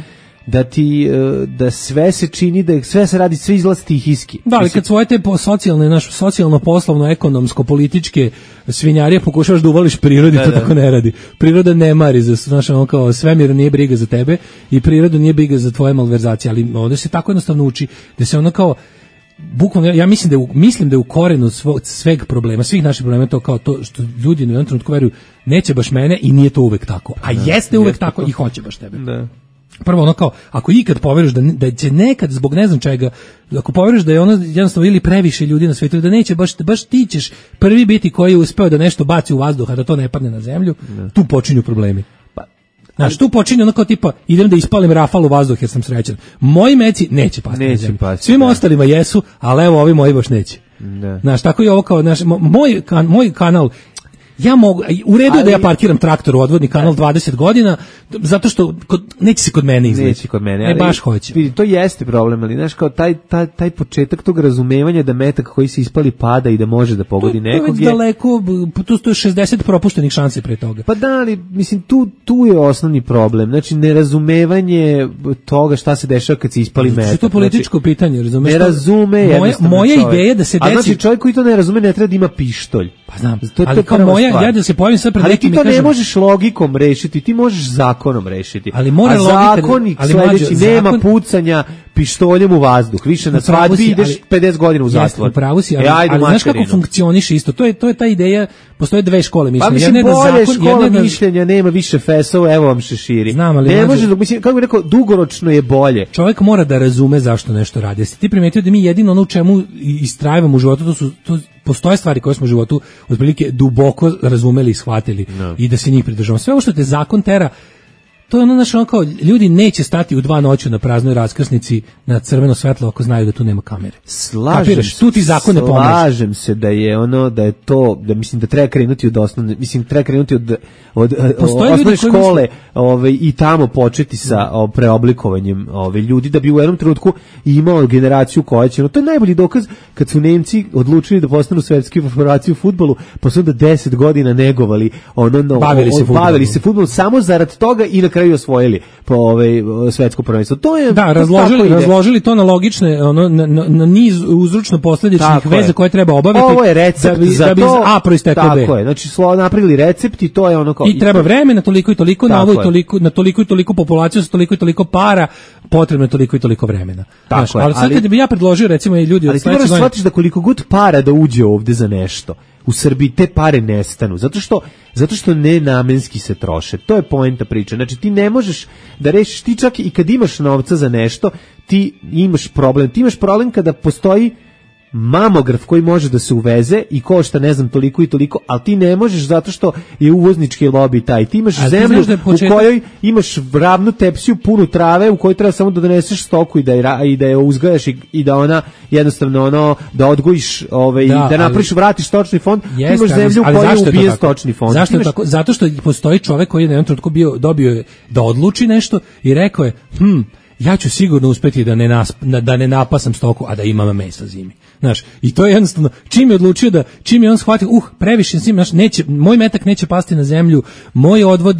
da ti da sve se čini, da sve se radi, sve izlazi stihijski. Da, ali kad svoje te po socijalne, naš socijalno, poslovno, ekonomsko, političke svinjarije pokušavaš da uvališ prirodi, da, to da. Tako ne radi. Priroda ne mari za, znaš, ono kao svemir nije briga za tebe i priroda nije briga za tvoje malverzacije, ali ovdje se tako jednostavno uči da se ono kao bukvalno, ja mislim da je u, mislim da je u korenu svo, sveg problema, svih naših problema to kao to što ljudi na jednom trenutku veruju neće baš mene i nije to uvek tako. A da, jeste uvek jeste tako i hoće baš tebe. Da. Prvo ono kao, ako ikad poveruješ da, da će nekad zbog ne znam čega, ako poveruješ da je ono jednostavno ili previše ljudi na svijetu, da neće baš, baš ti ćeš prvi biti koji je uspeo da nešto baci u vazduh, a da to ne padne na zemlju, ne. Tu počinju problemi. Pa, znaš, tu počinju ono kao tipa, idem da ispalim rafal u vazduh jer sam srećan. Moji meci neće pasti neće na zemlju. Pasti, svima da. Ostalima jesu, ali evo ovi moji baš neće. Ne. Znaš, tako je ovo kao, znaš, moj, kan, moj kanal, ja mogu, u redu je da ja parkiram traktor u odvodni kanal dvadeset godina, zato što kod, neće se kod mene izleći. Neće kod mene. E, baš hoće. Vidi, to jeste problem, ali znaš, kao taj, taj, taj početak tog razumevanja da metak koji se ispali pada i da može da pogodi nekog je... To je daleko, tu je šezdeset propuštenih šansi pre toga. Pa da, ali, mislim, tu, tu je osnovni problem. Znači, nerazumevanje toga šta se dešava kad se ispali metak. Što je to političko znači, pitanje, razumeš? Ne razume moja, moja ideja da se desi... A znači, čovjek koji to ne razume ne treba da ima pištolj. Pa znam, to, ali to kao moja, ja da se pojavim sad pred nekim i kažem... Ali ti to ne možeš logikom rešiti, ti možeš zakonom rešiti. Ali mora a logika... zakonik ali sledeći mađo, nema zakon... pucanja pištoljem u vazduh. Više na svadbi ideš ali, pedeset godina u zatvor. Jeste, upravo si, ali, e, ajde, ali znaš kako funkcioniše isto? To je, to je ta ideja, postoje dve škole mišljenja. Pa mislim, jedne bolje da zakon, škola jedne mišljenja, da... nema više fesova, evo vam šeširi. Znam, ali ne mađo... može, mislim, kako bih rekao, dugoročno je bolje. Čovjek mora da razume zašto nešto radi. Jesi ti primetio da mi jedino ono u čemu istrajavamo u životu, to su... To postoje stvari koje smo u životu otprilike duboko razumeli i shvatili no. I da se njih pridržavamo. Sve ovo što te zakon tera, to je ono naše ono kao, ljudi neće stati u dva noću na praznoj raskrsnici na crveno svetlo ako znaju da tu nema kamere. Slažem Kapiraš, tu ti zakon ne pomože. Slažem se da je ono, da je to, da mislim da treba krenuti od osnovne, mislim treba krenuti od, od, od osnovne škole misle... ovaj, i tamo početi sa o, preoblikovanjem ovaj, ljudi, da bi u jednom trenutku imao generaciju koja će, no, to je najbolji dokaz kad su Nemci odlučili da postanu svetski federacija u fudbalu, pa su onda deset godina negovali, ono, no, bavili, se bavili se fudbalom samo zarad toga i na kraju osvojili po ovaj svetsko prvenstvo. To je da, razložili, razložili to na logične, ono na, na, na niz uzročno-posledičnih veza koje treba obaviti. Ovo je recept da bi, za da bi to. A proisteklo B. Tako je. Znači slo napravili recept i to je ono kao i treba vremena toliko i toliko na ovo i toliko na toliko i toliko populaciju sa toliko i toliko para, potrebno je toliko i toliko vremena. Tako Znaš, je. Ali sad ali, kad bi ja predložio recimo i ljudi od sledeće godine, shvatiš da koliko god para da uđe ovde za nešto, u Srbiji te pare nestanu, zato što zato što nenamenski se troše. To je poenta priče. Znači ti ne možeš da rešiš, ti čak i kad imaš novca za nešto, ti imaš problem. Ti imaš problem kada postoji mamograf koji može da se uveze i košta ne znam toliko i toliko, ali ti ne možeš zato što je uvoznički lobi taj. Ti imaš ali zemlju da početak... u kojoj imaš ravnu tepsiju punu trave u kojoj treba samo da doneseš stoku i da je, i da je uzgajaš i, i da ona jednostavno ono da odgojiš ovaj, da, da napraviš, vratiš stočni fond. Jest, ti imaš zemlju u kojoj je ubije stočni fond. Zašto imaš... je tako? Zato što postoji čovek koji je na jednom trenutku bio, dobio da odluči nešto i rekao je, hm, ja ću sigurno uspeti da ne, nas, da ne napasam stoku, a da imam mesa zimi. Znaš, i to je jednostavno, čim je odlučio da, čim je on shvatio, uh, previše zim, znaš, neće, moj metak neće pasti na zemlju, moj odvod,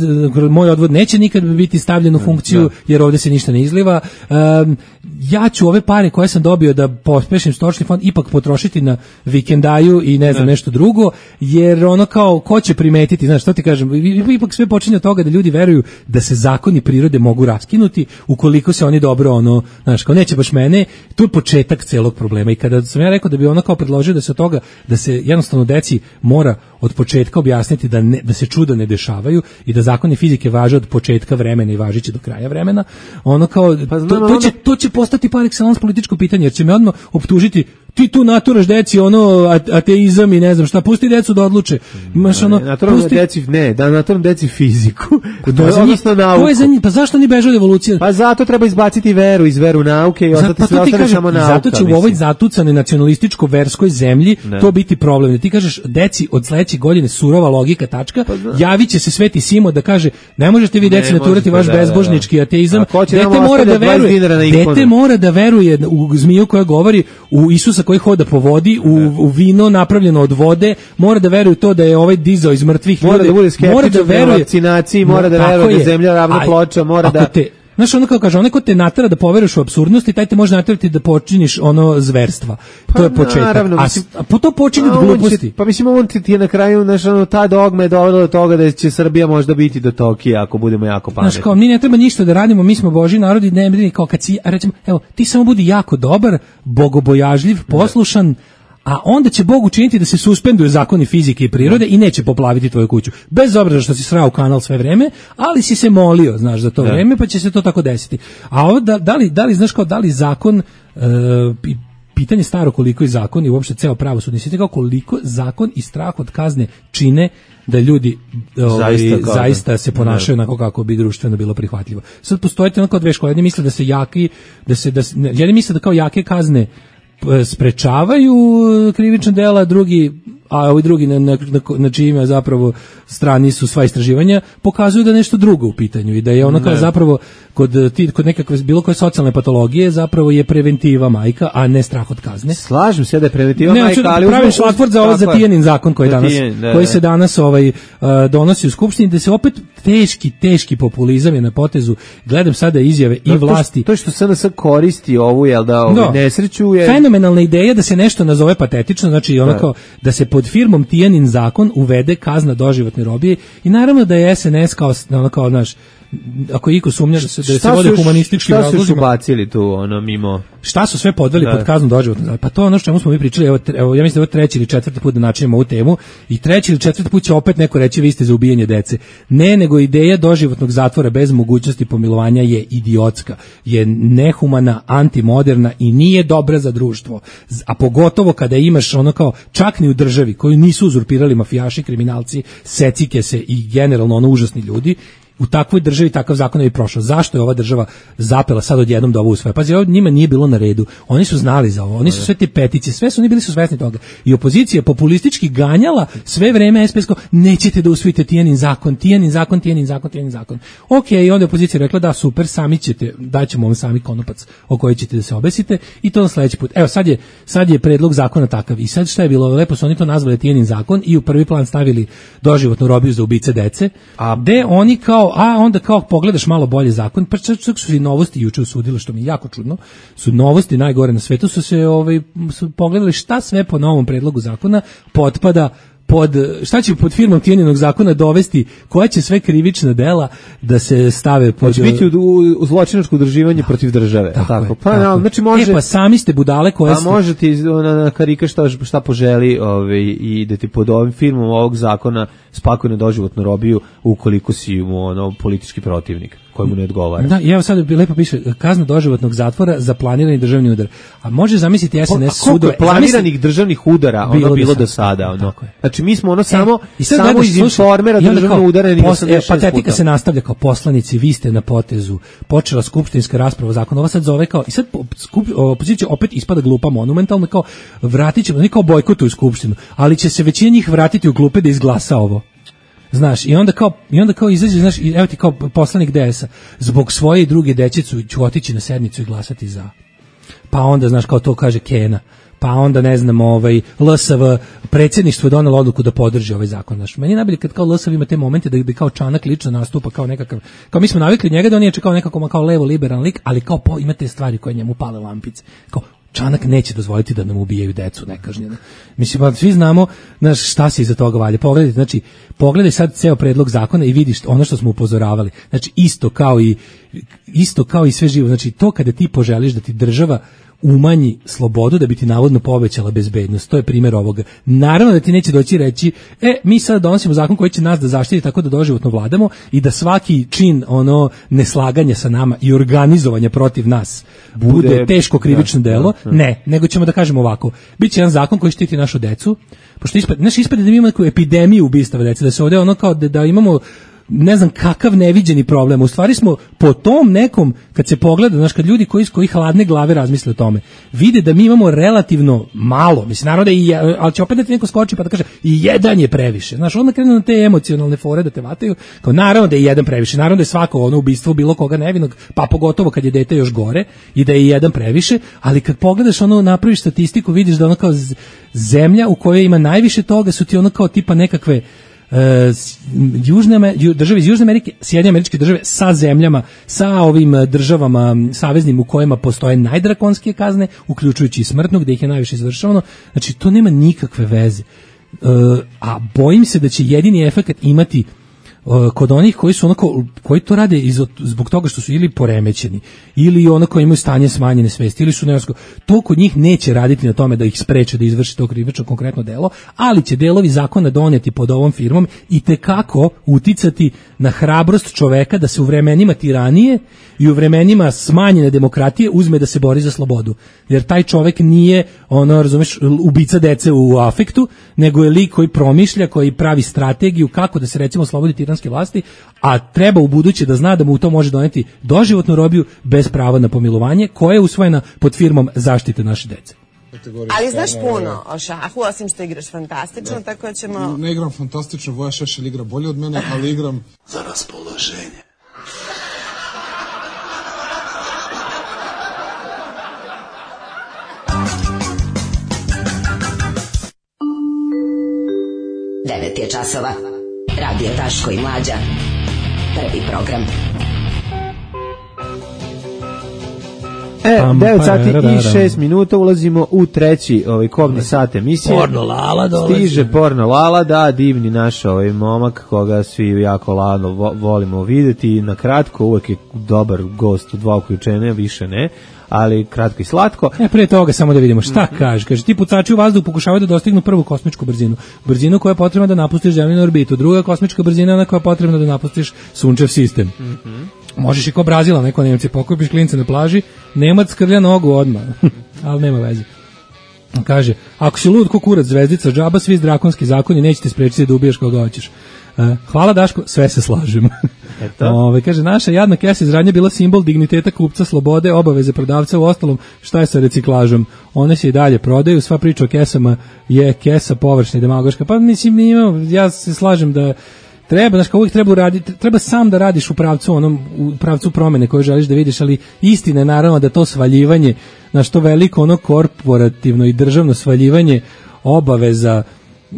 moj odvod neće nikad biti stavljen u funkciju, da. Jer ovdje se ništa ne izliva. Um, ja ću ove pare koje sam dobio da pospešim stočni fond ipak potrošiti na vikendaju i ne znam da. Nešto drugo, jer ono kao, ko će primetiti, znaš, što ti kažem, ipak sve počinje od toga da ljudi veruju da se zakoni prirode mogu raskinuti ukoliko se oni dobro, ono, znaš, kao neće baš mene, tu je početak celog problema. I kada sam ja rekao da bi ono kao predložio da se od toga, da se jednostavno deci mora od početka objasniti da, ne, da se čuda ne dešavaju i da zakoni fizike važe od početka vremena i važiće do kraja vremena, ono kao, pa znam, to, to, će, to će postati par excellence političko pitanje, jer će me odmah optužiti ti tu naturaš deci ono ateizam i ne znam šta, pusti decu da odluče. Imaš ono, naturalno pusti... deci, ne, da naturalno deci fiziku. To je za njih, to je za njih, pa zašto oni beže od evolucije? Pa zato treba izbaciti veru iz veru nauke i ostati pa sve ostane samo nauka. Zato će mislim. u ovoj zatucanoj nacionalističko-verskoj zemlji ne. to biti problem. Ti kažeš, deci od sledeće godine surova logika, tačka, pa javit će se Sveti Simo da kaže, ne možete vi deci naturati vaš da, bezbožnički da, da. ateizam, dete mora da veruje, dete mora da veruje u zmiju koja govori, u Isusa koji hoda po vodi, u, u vino napravljeno od vode, mora da veruje to da je ovaj dizao iz mrtvih mora ljude, da bude skeptičan mora da veruje vakcinaciji, mora da veruje da zemlja ravna ploča, mora da te, znaš, ono kao kaže, onaj ko te natera da poveruješ u apsurdnost i taj te može naterati da počiniš ono zverstva. Pa to je početak. Naravno, a, mislim, a po to počinje od gluposti. Će, pa mislim, on ti, ti je na kraju, znaš, ono, ta dogma je dovela do toga da će Srbija možda biti do Tokija ako budemo jako pametni. Znaš, kao, mi ne treba ništa da radimo, mi smo Božji narod i ne brini kao kad si, a recimo, evo, ti samo budi jako dobar, bogobojažljiv, poslušan, a onda će Bog učiniti da se suspenduju zakoni fizike i prirode i neće poplaviti tvoju kuću. Bez obzira što si srao kanal sve vreme, ali si se molio, znaš, za to da. vreme, pa će se to tako desiti. A ovo, da, da, li, da li, znaš kao, da li zakon, e, pitanje staro koliko je zakon i uopšte ceo pravosudni sistem, kao koliko zakon i strah od kazne čine da ljudi ovaj, zaista, zaista se ponašaju onako kako bi društveno bilo prihvatljivo. Sad postoje onako dve škole, jedni misle da se jaki, da se, da, jedni misle da kao jake kazne sprečavaju krivična dela, drugi, a ovi drugi na, na, na čijima zapravo strani su sva istraživanja, pokazuju da je nešto drugo u pitanju i da je ono kao zapravo kod, ti, kod nekakve bilo koje socijalne patologije zapravo je preventiva majka, a ne strah od kazne. Slažem se da je preventiva ne, majka, ali pravim šlatvort za ovo za Tijanin zakon koji, danas, tijen, da, koji se danas ovaj, uh, donosi u Skupštini, da se opet teški, teški populizam je na potezu. Gledam sada izjave i vlasti. To, to što S N S koristi ovu, jel da, ovu no, nesreću je... Fenomenalna ideja da se nešto nazove patetično, znači onako da se pod firmom Tijanin zakon uvede kazna doživotne robije i naravno da je S N S kao, ono kao naš, ako iko sumnja da se, da se vode humanističkim razlozima. Šta su ubacili tu, ono, mimo... Šta su sve podveli da. pod kaznu doživotno? Pa to je ono što čemu smo mi pričali, evo, evo ja mislim da je ovo treći ili četvrti put da načinimo ovu temu i treći ili četvrti put će opet neko reći vi ste za ubijanje dece. Ne, nego ideja doživotnog zatvora bez mogućnosti pomilovanja je idiotska, je nehumana, antimoderna i nije dobra za društvo. A pogotovo kada imaš ono kao čak ni u državi koju nisu uzurpirali mafijaši, kriminalci, secike se i generalno ono užasni ljudi, u takvoj državi takav zakon ne bi prošao. Zašto je ova država zapela sad odjednom da ovo usvaja? Pazi, ovo njima nije bilo na redu. Oni su znali za ovo. Oni su sve te petice, sve su oni bili su svesni toga. I opozicija populistički ganjala sve vreme es pe es ko nećete da usvojite Tijanin zakon, Tijanin zakon, Tijanin zakon, Tijanin zakon. Ok, i onda je opozicija rekla da super, sami ćete, daćemo vam sami konopac o koji ćete da se obesite i to na sledeći put. Evo sad je, sad je predlog zakona takav. I sad šta je bilo? Lepo su oni to nazvali Tijanin zakon i u prvi plan stavili doživotnu robiju za ubice dece, a gde oni kao a onda kao pogledaš malo bolje zakon, pa čak su i novosti juče usudile, što mi je jako čudno, su novosti najgore na svetu, su se ovaj, su pogledali šta sve po novom predlogu zakona potpada pod, šta će pod firmom Tijaninog zakona dovesti, koja će sve krivična dela da se stave pod... Hoće biti u, u zločinačko udruživanje da, protiv države. Tako, tako. Pa, tako. No, znači može... E pa sami ste budale koje... Pa može ti na, na karika šta, šta poželi ovaj, i da ti pod ovim firmom ovog zakona spakuje na doživotnu robiju ukoliko si mu ono, politički protivnik kojemu ne odgovara. Da, i evo sad lepo piše kazna doživotnog zatvora za planirani državni udar. A može zamisliti es en es sudove. Planiranih zamisli... državnih udara ono bilo, bilo do sada. Ono. Znači mi smo ono samo, e, samo gledaš, iz informera državnog udara. Pos, e, patetika se nastavlja kao poslanici, vi ste na potezu. Počela skupštinska rasprava zakona. Ova sad zove kao, i sad skup, opozicija opet ispada glupa monumentalno, kao vratit ćemo, ne kao bojkotuju skupštinu, ali će se većina njih vratiti u klupe da izglasa ovo. Znaš, i onda kao i onda kao izađe, znaš, evo ti kao poslanik de es a, zbog svoje i druge dečicu ću otići na sednicu i glasati za. Pa onda, znaš, kao to kaže Kena. Pa onda, ne znam, ovaj, el es ve, predsjedništvo je donelo odluku da podrži ovaj zakon. Znaš, meni je najbolje kad kao el es ve ima te momente da bi kao Čanak lično nastupa kao nekakav, kao mi smo navikli njega da on je kao nekako kao levo liberalan lik, ali kao po, ima te stvari koje njemu pale lampice. Kao, Čanak neće dozvoliti da nam ubijaju decu nekažnjeno. Mislim, pa svi znamo, znaš, šta se iza toga valja. Pogledajte, znači, pogledaj sad ceo predlog zakona i vidiš ono što smo upozoravali. Znači, isto kao i isto kao i sve živo. Znači, to kada ti poželiš da ti država umanji slobodu da bi ti navodno povećala bezbednost. To je primjer ovoga. Naravno da ti neće doći reći, e, mi sad donosimo zakon koji će nas da zaštiti tako da doživotno vladamo i da svaki čin ono neslaganja sa nama i organizovanja protiv nas bude, bude teško krivično da, delo. Da, da. Ne, nego ćemo da kažemo ovako. Biće jedan zakon koji štiti našu decu, pošto ispade, znaš, ispade da mi imamo neku epidemiju ubistava dece, da se ovdje ono kao da, da imamo ne znam kakav neviđeni problem. U stvari smo po tom nekom, kad se pogleda, znaš, kad ljudi koji, koji hladne glave razmisle o tome, vide da mi imamo relativno malo, mislim, naravno da i, ali će opet da ti neko skoči pa da kaže i jedan je previše. Znaš, onda krenu na te emocionalne fore da te vataju, kao naravno da je jedan previše, naravno da je svako ono ubistvo bilo koga nevinog, pa pogotovo kad je dete još gore i da je jedan previše, ali kad pogledaš ono, napraviš statistiku, vidiš da ono kao zemlja u kojoj ima najviše toga su ti ono kao tipa nekakve Uh, južne, države iz Južne Amerike, Sjedinjene Američke Države sa zemljama, sa ovim državama saveznim u kojima postoje najdrakonskije kazne, uključujući i smrtno, gde ih je najviše izvršavano. Znači, to nema nikakve veze. Uh, a bojim se da će jedini efekt imati uh, kod onih koji su onako, koji to rade iz, zbog toga što su ili poremećeni, ili onako imaju stanje smanjene svesti, ili su neosko, to kod njih neće raditi na tome da ih spreče da izvrši to krivično konkretno delo, ali će delovi zakona doneti pod ovom firmom i tekako uticati na hrabrost čoveka da se u vremenima tiranije i u vremenima smanjene demokratije uzme da se bori za slobodu. Jer taj čovek nije, ono, razumeš, ubica dece u afektu, nego je lik koji promišlja, koji pravi strategiju kako da se recimo slobodi tiranske vlasti, a treba u buduće da zna da mu to može doneti doživotnu robiju bez prava na pomilovanje, koja je usvojena pod firmom zaštite naše dece. Ali znaš puno o šahu, osim što igraš fantastično, da. Tako ćemo... Ne igram fantastično, Voja Šešelj igra bolje od mene, ali igram za raspoloženje. devet je časova. Radio Daško i Mlađa. Prvi program. E, devet sati i šest minuta, ulazimo u treći ovaj kobni sat emisije. Porno Lala dolazi. Stiže Porno Lala, da, divni naš ovaj momak, koga svi jako ladno vo, volimo vidjeti. Na kratko, uvek je dobar gost u dva uključenja, više ne, ali kratko i slatko. E, prije toga samo da vidimo šta kaže. Kaže, ti pucači u vazduhu pokušavaju da dostignu prvu kosmičku brzinu. Brzinu koja je potrebna da napustiš zemljenu orbitu. Druga kosmička brzina je ona koja je potrebna da napustiš sunčev sistem. Mm-hmm. Možeš i ko Brazila, neko Nemci, pokupiš klince na plaži, Nemac skrlja nogu odmah, ali nema veze. Kaže, ako si lud ko kurac zvezdica, džaba svi drakonski zakoni, nećete sprečiti da ubiješ koga hoćeš. Hvala Daško, sve se slažemo. Ove, kaže, naša jadna kesa iz Radnje bila simbol digniteta kupca, slobode, obaveze prodavca, u ostalom šta je sa reciklažom? One se i dalje prodaju, sva priča o kesama je kesa površna i demagoška. Pa mislim, ima, ja se slažem da treba, znaš, kao uvijek treba uraditi, treba sam da radiš u pravcu onom, u pravcu promene koju želiš da vidiš, ali istina je naravno da to svaljivanje, znaš, to veliko ono korporativno i državno svaljivanje obaveza e,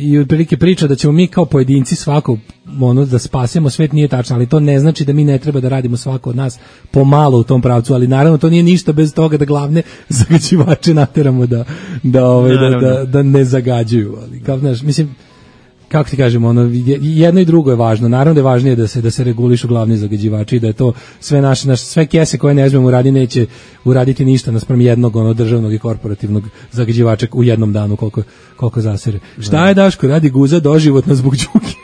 i otprilike priča da ćemo mi kao pojedinci svako ono da spasemo svet nije tačno, ali to ne znači da mi ne treba da radimo svako od nas pomalo u tom pravcu, ali naravno to nije ništa bez toga da glavne zagađivače nateramo da da ovaj da, da, da ne zagađuju, ali kao znaš, mislim, kako ti kažemo, ono, jedno i drugo je važno. Naravno da je važnije da se da se regulišu glavni zagađivači i da je to sve naše, naš, sve kese koje ne uzmemo uradi neće uraditi ništa naspram jednog ono državnog i korporativnog zagađivača u jednom danu koliko koliko zasere. Šta je Daško radi guza doživotno zbog đuki?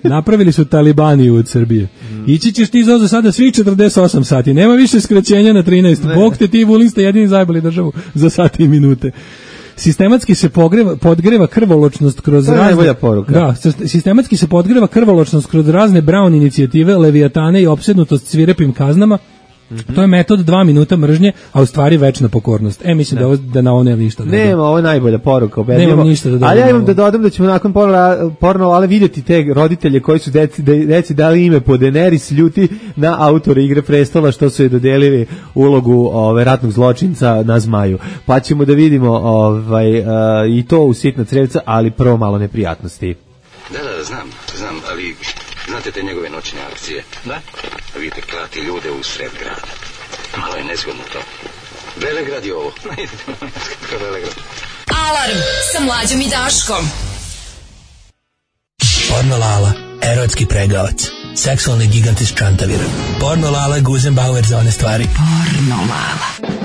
Napravili su talibani od Srbije. Mm. Ići ćeš ti za sada svi četrdeset osam sati. Nema više skraćenja na trinaest. Ne. Bog te ti Vulin ste jedini zajbali državu za sati i minute. Sistematski se pogreva, podgreva krvoločnost kroz razne da, sistematski se podgreva krvoločnost kroz razne Brown inicijative, Leviatane i opsednutost svirepim kaznama. Mm-hmm. To je metod dva minuta mržnje, a u stvari večna pokornost. E, mislim da, ovo, da na ovo nema ništa da nema, ovo je najbolja poruka. Nema ništa da ali ja imam da dodam da ćemo nakon porno, porno ale vidjeti te roditelje koji su deci, deci dali ime po Daenerys ljuti na autore Igre prestola što su je dodelili ulogu ove, ratnog zločinca na Zmaju. Pa ćemo da vidimo ovaj, uh, i to u sitna crevca, ali prvo malo neprijatnosti. Da, da, znam, znam, ali znate te njegove noćne akcije? Da. Vidite, klati ljude u sred grada. Malo je nezgodno to. Velegrad je ovo. Velegrad. Alarm sa Mlađom i Daškom. Porno Lala, erotski pregavac. Seksualni gigant iz Čantavira. Porno Lala, Guzenbauer za one stvari. Porno Lala.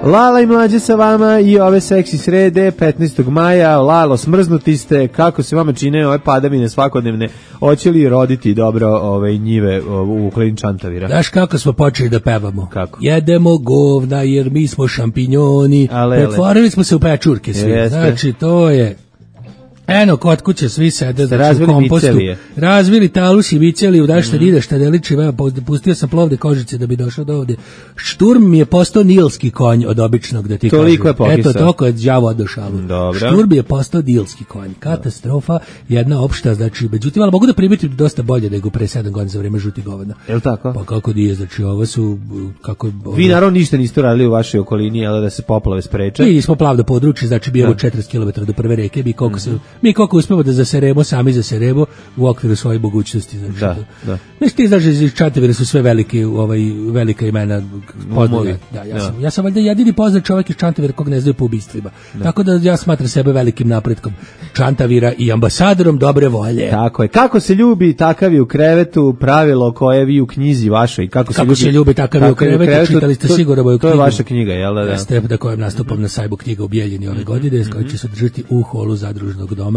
Lala i Mlađe sa vama i ove seksi srede petnaestog maja. Lalo, smrznuti ste, kako se vama čine ove padavine svakodnevne, hoće li roditi dobro ove njive u okolini Čantavira? Znaš kako smo počeli da pevamo? Kako? Jedemo govna jer mi smo šampinjoni, pretvorili smo se u pečurke svi. Jeste. Znači to je... Eno, kod kuće svi sede znači, u kompostu. Micelije. Razvili talus i miceliju, da šta mm. ide, šta ne liči, pustio sam plovne kožice da bi došao do ovde. Šturm mi je postao nilski konj od običnog, da ti toliko kažem. Je pokisao. Eto, toko je đavo odošalo. Šturm je postao nilski konj. Katastrofa, jedna opšta, znači, međutim, ali mogu da primiti dosta bolje nego pre sedam godina za vreme žuti govana. Je li tako? Pa kako nije, znači, ovo su... Kako, ovo... Vi naravno ništa niste radili u vašoj okolini, ali da se poplave spreče. Mi smo plavno područje, znači, bijemo četrdeset kilometara do prve reke, mi koliko se... Mi koliko uspemo da zaseremo, sami zaseremo u okviru svoje mogućnosti. Znači, da, da. Znači, ti znaš, iz Čantavira su sve velike, ovaj, velika imena poznate. Da, ja, da. Sam, ja sam valjda jedini poznat čovjek iz Čantavira kog ne znaju po ubistvima. Da. Tako da ja smatram sebe velikim napretkom Čantavira i ambasadorom dobre volje. Tako je. Kako se ljubi, takav je u krevetu, pravilo koje vi u knjizi vašoj. Kako se, Kako ljubi, se ljubi, takav je u krevetu, krevetu, čitali ste sigurno moju knjigu. To je vaša knjiga, jel da? Da. Jeste, da kojem nastupam na sajbu knjiga u Bijeljini ove godine, s kojoj će se održati u holu zadružnog doma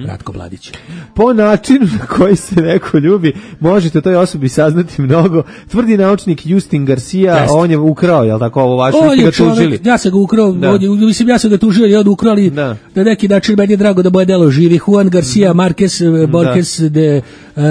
Ratko Mladić. Po načinu na koji se neko ljubi, možete toj osobi saznati mnogo. Tvrdi naučnik Justin Garcia, Jest. On je ukrao, jel tako, ovo vaše, vi ste ga tužili. Ja sam ga ukrao, da. Mislim, ja sam ga tužio i on ukrali, da. Na neki način meni je drago da moje delo živi. Juan Garcia Marquez, Borges, da. De uh,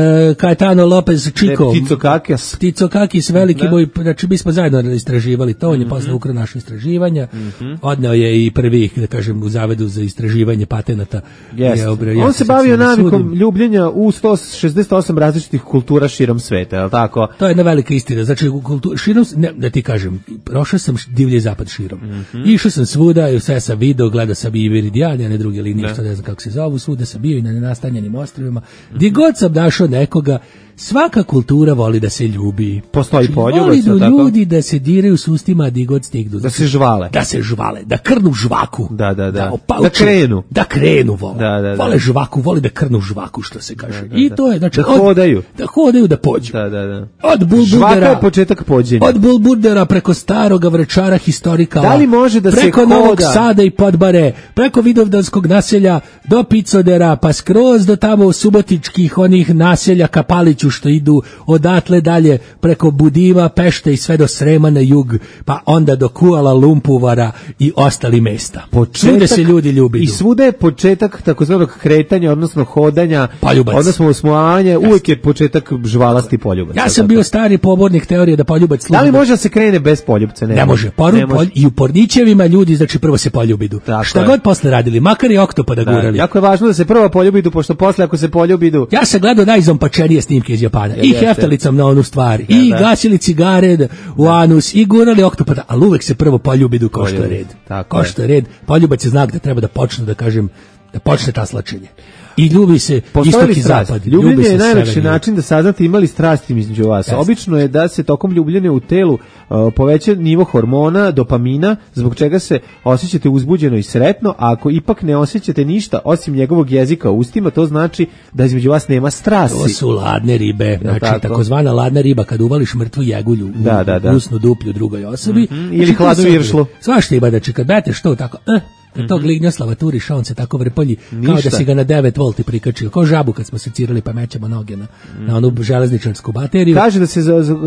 Caetano Lopez Chico. De Pticokakis. Pticokakis, veliki da. Moj, znači mi smo zajedno istraživali to, on je mm -hmm. posle ukrao naše istraživanja, mm -hmm. odneo je i prvi, da kažem, u zavedu za istraživanje patenata. Yes. On se bavio navikom ljubljenja u sto šezdeset osam različitih kultura širom sveta, je li tako? To je jedna velika istina. Znači, kultu, širom, ne, da ti kažem, prošao sam divlji zapad širom. Mm -hmm. Išao sam svuda, i sve sam video, gledao sam i Meridian, a ne druge linije, što ne znam kako se zovu, svuda sam bio i na nenastanjenim ostrvima. Mm -hmm. Gdje god sam našao nekoga, svaka kultura voli da se ljubi. Postoji znači, poljubac, voli da ljudi da se diraju s ustima di god stignu. Da se žvale. Da se žvale, da krnu žvaku. Da, da, da. Da, opauču, da krenu. Da krenu vole. Da, da, da. Vole žvaku, vole da krnu žvaku, što se kaže. Da, da, da. I to je, znači, da hodaju. Od, da hodaju, da pođu. Da, da, da. Od Bulburdera. Žvaka je početak pođenja. Od Bulburdera preko staroga Vračara historikala. Da li može da preko se hoda? Novog Sada i Podbare, preko Vidovdanskog naselja do Picodera, pa skroz do tamo subotičkih onih naselja ka Paliću što idu odatle dalje preko Budiva, Pešte i sve do Srema na jug, pa onda do Kuala Lumpuvara i ostali mesta. Početak, svude se ljudi ljubi. I svuda je početak takozvanog kretanja, odnosno hodanja, poljubac. Odnosno osmojavanje, uvijek je početak žvalasti poljubac. Ja sam bio stari pobornik teorije da poljubac služi. Da li može da se krene bez poljubca? Ne, ne može. Poru, ne može. Polj, I u Pornićevima ljudi, znači prvo se poljubidu. Tako šta je. God posle radili, makar i oktopada da, gurali. Jako je važno da se prvo poljubidu, pošto posle ako se poljubidu... Ja sam gledao najzompačenije snimke iz Japana. Ja, I heftalicom na onu stvar. Ja, I da. gasili cigare u da. anus i gurali oktopada, ali uvek se prvo poljubidu kao što je red. Kao što je red. Poljubac je znak da treba da počne, da kažem, da počne taslačenje. I ljubi se istok i zapad. Ljubljenje je najlakši način da saznate imali strasti između vas. Jasne. Obično je da se tokom ljubljenja u telu uh, poveća nivo hormona, dopamina, zbog čega se osjećate uzbuđeno i sretno, a ako ipak ne osjećate ništa osim njegovog jezika u ustima, to znači da između vas nema strasti. To su ladne ribe, znači tako? Takozvana ladna riba, kad uvališ mrtvu jegulju u, da, da, da. u usnu duplju drugoj osobi. Mm-hmm. Ili znači, hladnu viršlu. Svašta ima, znači kad beteš to tako... Eh, kad tog lignjoslava turiš, on se tako vrpolji, kao da si ga na devet volti prikačio, kao žabu kad smo secirali pa mećemo noge na, mm. na onu železničarsku bateriju. Kaže da se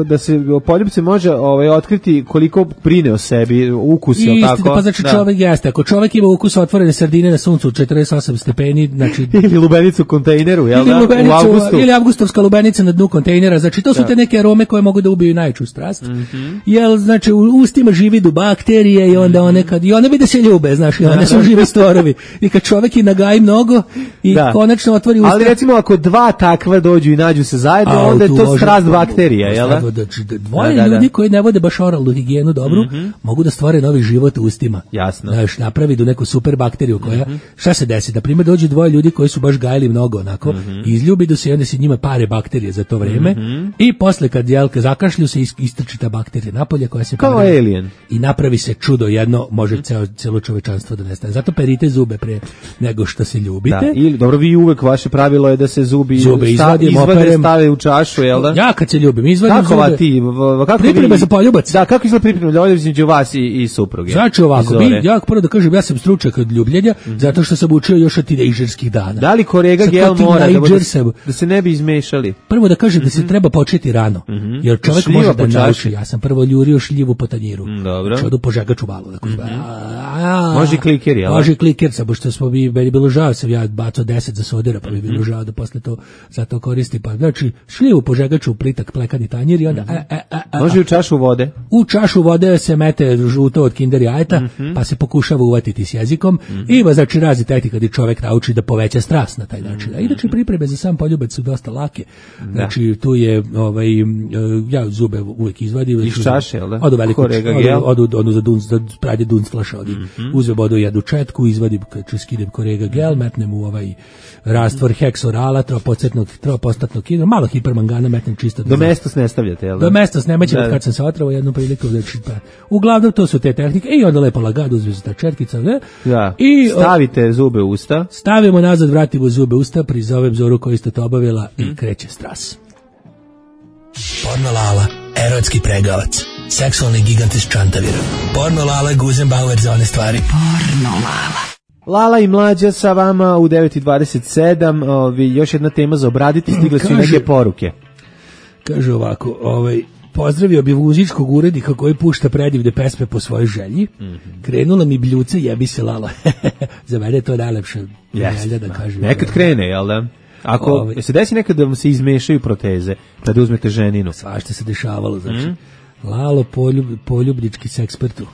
da se poljubce može ovaj otkriti koliko brine o sebi, ukus je tako. Pa znači da. Čovjek jeste, ako čovjek ima ukus otvorene sardine na suncu četrdeset osam stepeni, znači ili lubenicu u kontejneru, jel da? Lubenicu, u avgustu. Ili avgustovska lubenica na dnu kontejnera, znači to su da. Te neke arome koje mogu da ubiju najveću strast. Mm-hmm. Jel znači u ustima živi du bakterije i onda mm-hmm. one kad i one bi da se ljube, znači one da su živi stvorovi. I kad čovek i nagaji mnogo i Da. konačno otvori usta. Ali recimo ako dva takva dođu i nađu se zajedno, A, onda je tu to može- strast bakterija, jel da? Da, da, dvoje Da, da, da. ljudi koji ne vode baš oralnu higijenu dobru, mogu da stvore novi život u ustima. Jasno. Znaš, napravi do neku super bakteriju koja, šta se desi? Na primjer, dođu dvoje ljudi koji su baš gajili mnogo onako, izljubi do se i onda se njima pare bakterije za to vreme i posle kad jelka zakašlju se is- istrči ta bakterija napolje koja se Kao pare- alien. i napravi se čudo jedno, može ceo, celo čovečanstvo da nestane. Zato perite zube pre nego što se ljubite. Da, ili, dobro, vi uvek, vaše pravilo je da se zubi Zube sta- izvadim, izvade, operem. stave u čašu, jel da? Ja kad se ljubim, izvadim Kako va zube. ti, v- v- kako Pripreme vi- za poljubac. Da, kako izgleda priprema za između vas i, i supruge? Znači ovako, Iz mi, Zore? ja prvo da kažem, ja sam stručnjak od ljubljenja, zato što sam učio još od tinejdžerskih dana. Da li korega Sad gel kao mora da, bude, tinejdžer sam- da se ne bi izmešali? Prvo da kažem da se treba početi rano, jer čovjek Šljiva može da po čaši. nauči. Ja sam prvo ljurio šljivu po tanjiru. dobro. Znači odu požegač u balu. Dakle, a, Može i kliker, jel da? Može i kliker, samo što smo mi, meni bilo žao, sam ja bacao deset za sodera, pa mi je bilo žao da posle to za to koristi. Pa znači šljivu požegaču u plitak plekani tanjir i onda e, e, e, e, Može i u čašu vode? u čašu vode se mete žuto od kinder jajeta, pa se pokušava uvatiti s jezikom. Ima znači razni tehnika kad čovjek nauči da poveća strast na taj način. A inače pripreme za sam poljubac su dosta lake. Znači tu je ovaj e, ja zube uvek izvadim Iz čaše, jel da? Odu veliko Korega gel. odu odu, odu za dunc za pranje dunc flaša odim. Uzmem vodu jednu četku, izvadim kad skinem korega gel, metnem u ovaj rastvor heksorala, tropocetnog tropostatnog hidro, malo hipermangana metnem čisto Do mesta se ne stavljate, jel da? do mesta snemaćemo Da, da. kad sam se otrovao jednu priliku, znači pa uglavnom to su te tehnike i onda lepo lagano uzme se ta četkica, ne? Da. I o, Stavite zube u usta. stavimo nazad, vratimo zube u usta, prizovem Zoru koja isto to obavila i kreće stras. Porno Lala, erotski pregavac, seksualni gigant iz Čantavira. Porno Lala, Guzenbauer za one stvari. Porno Lala. Lala i Mlađa sa vama u devet i dvadeset sedam. Ovi, još jedna tema za obraditi, stigle su i Kaže- neke poruke. Kaže ovako, ovaj pozdravio bi muzičkog urednika koji pušta predivne pesme po svojoj želji. Krenula mi bljuca, jebi se Lala. Za mene je to najlepše želja da kažem. Nekad krene, jel da? Ako Ovaj. se desi nekad da vam se izmešaju proteze, kada uzmete ženinu. Svašta se dešavalo, znači. Lalo poljub, poljubnički s ekspertu.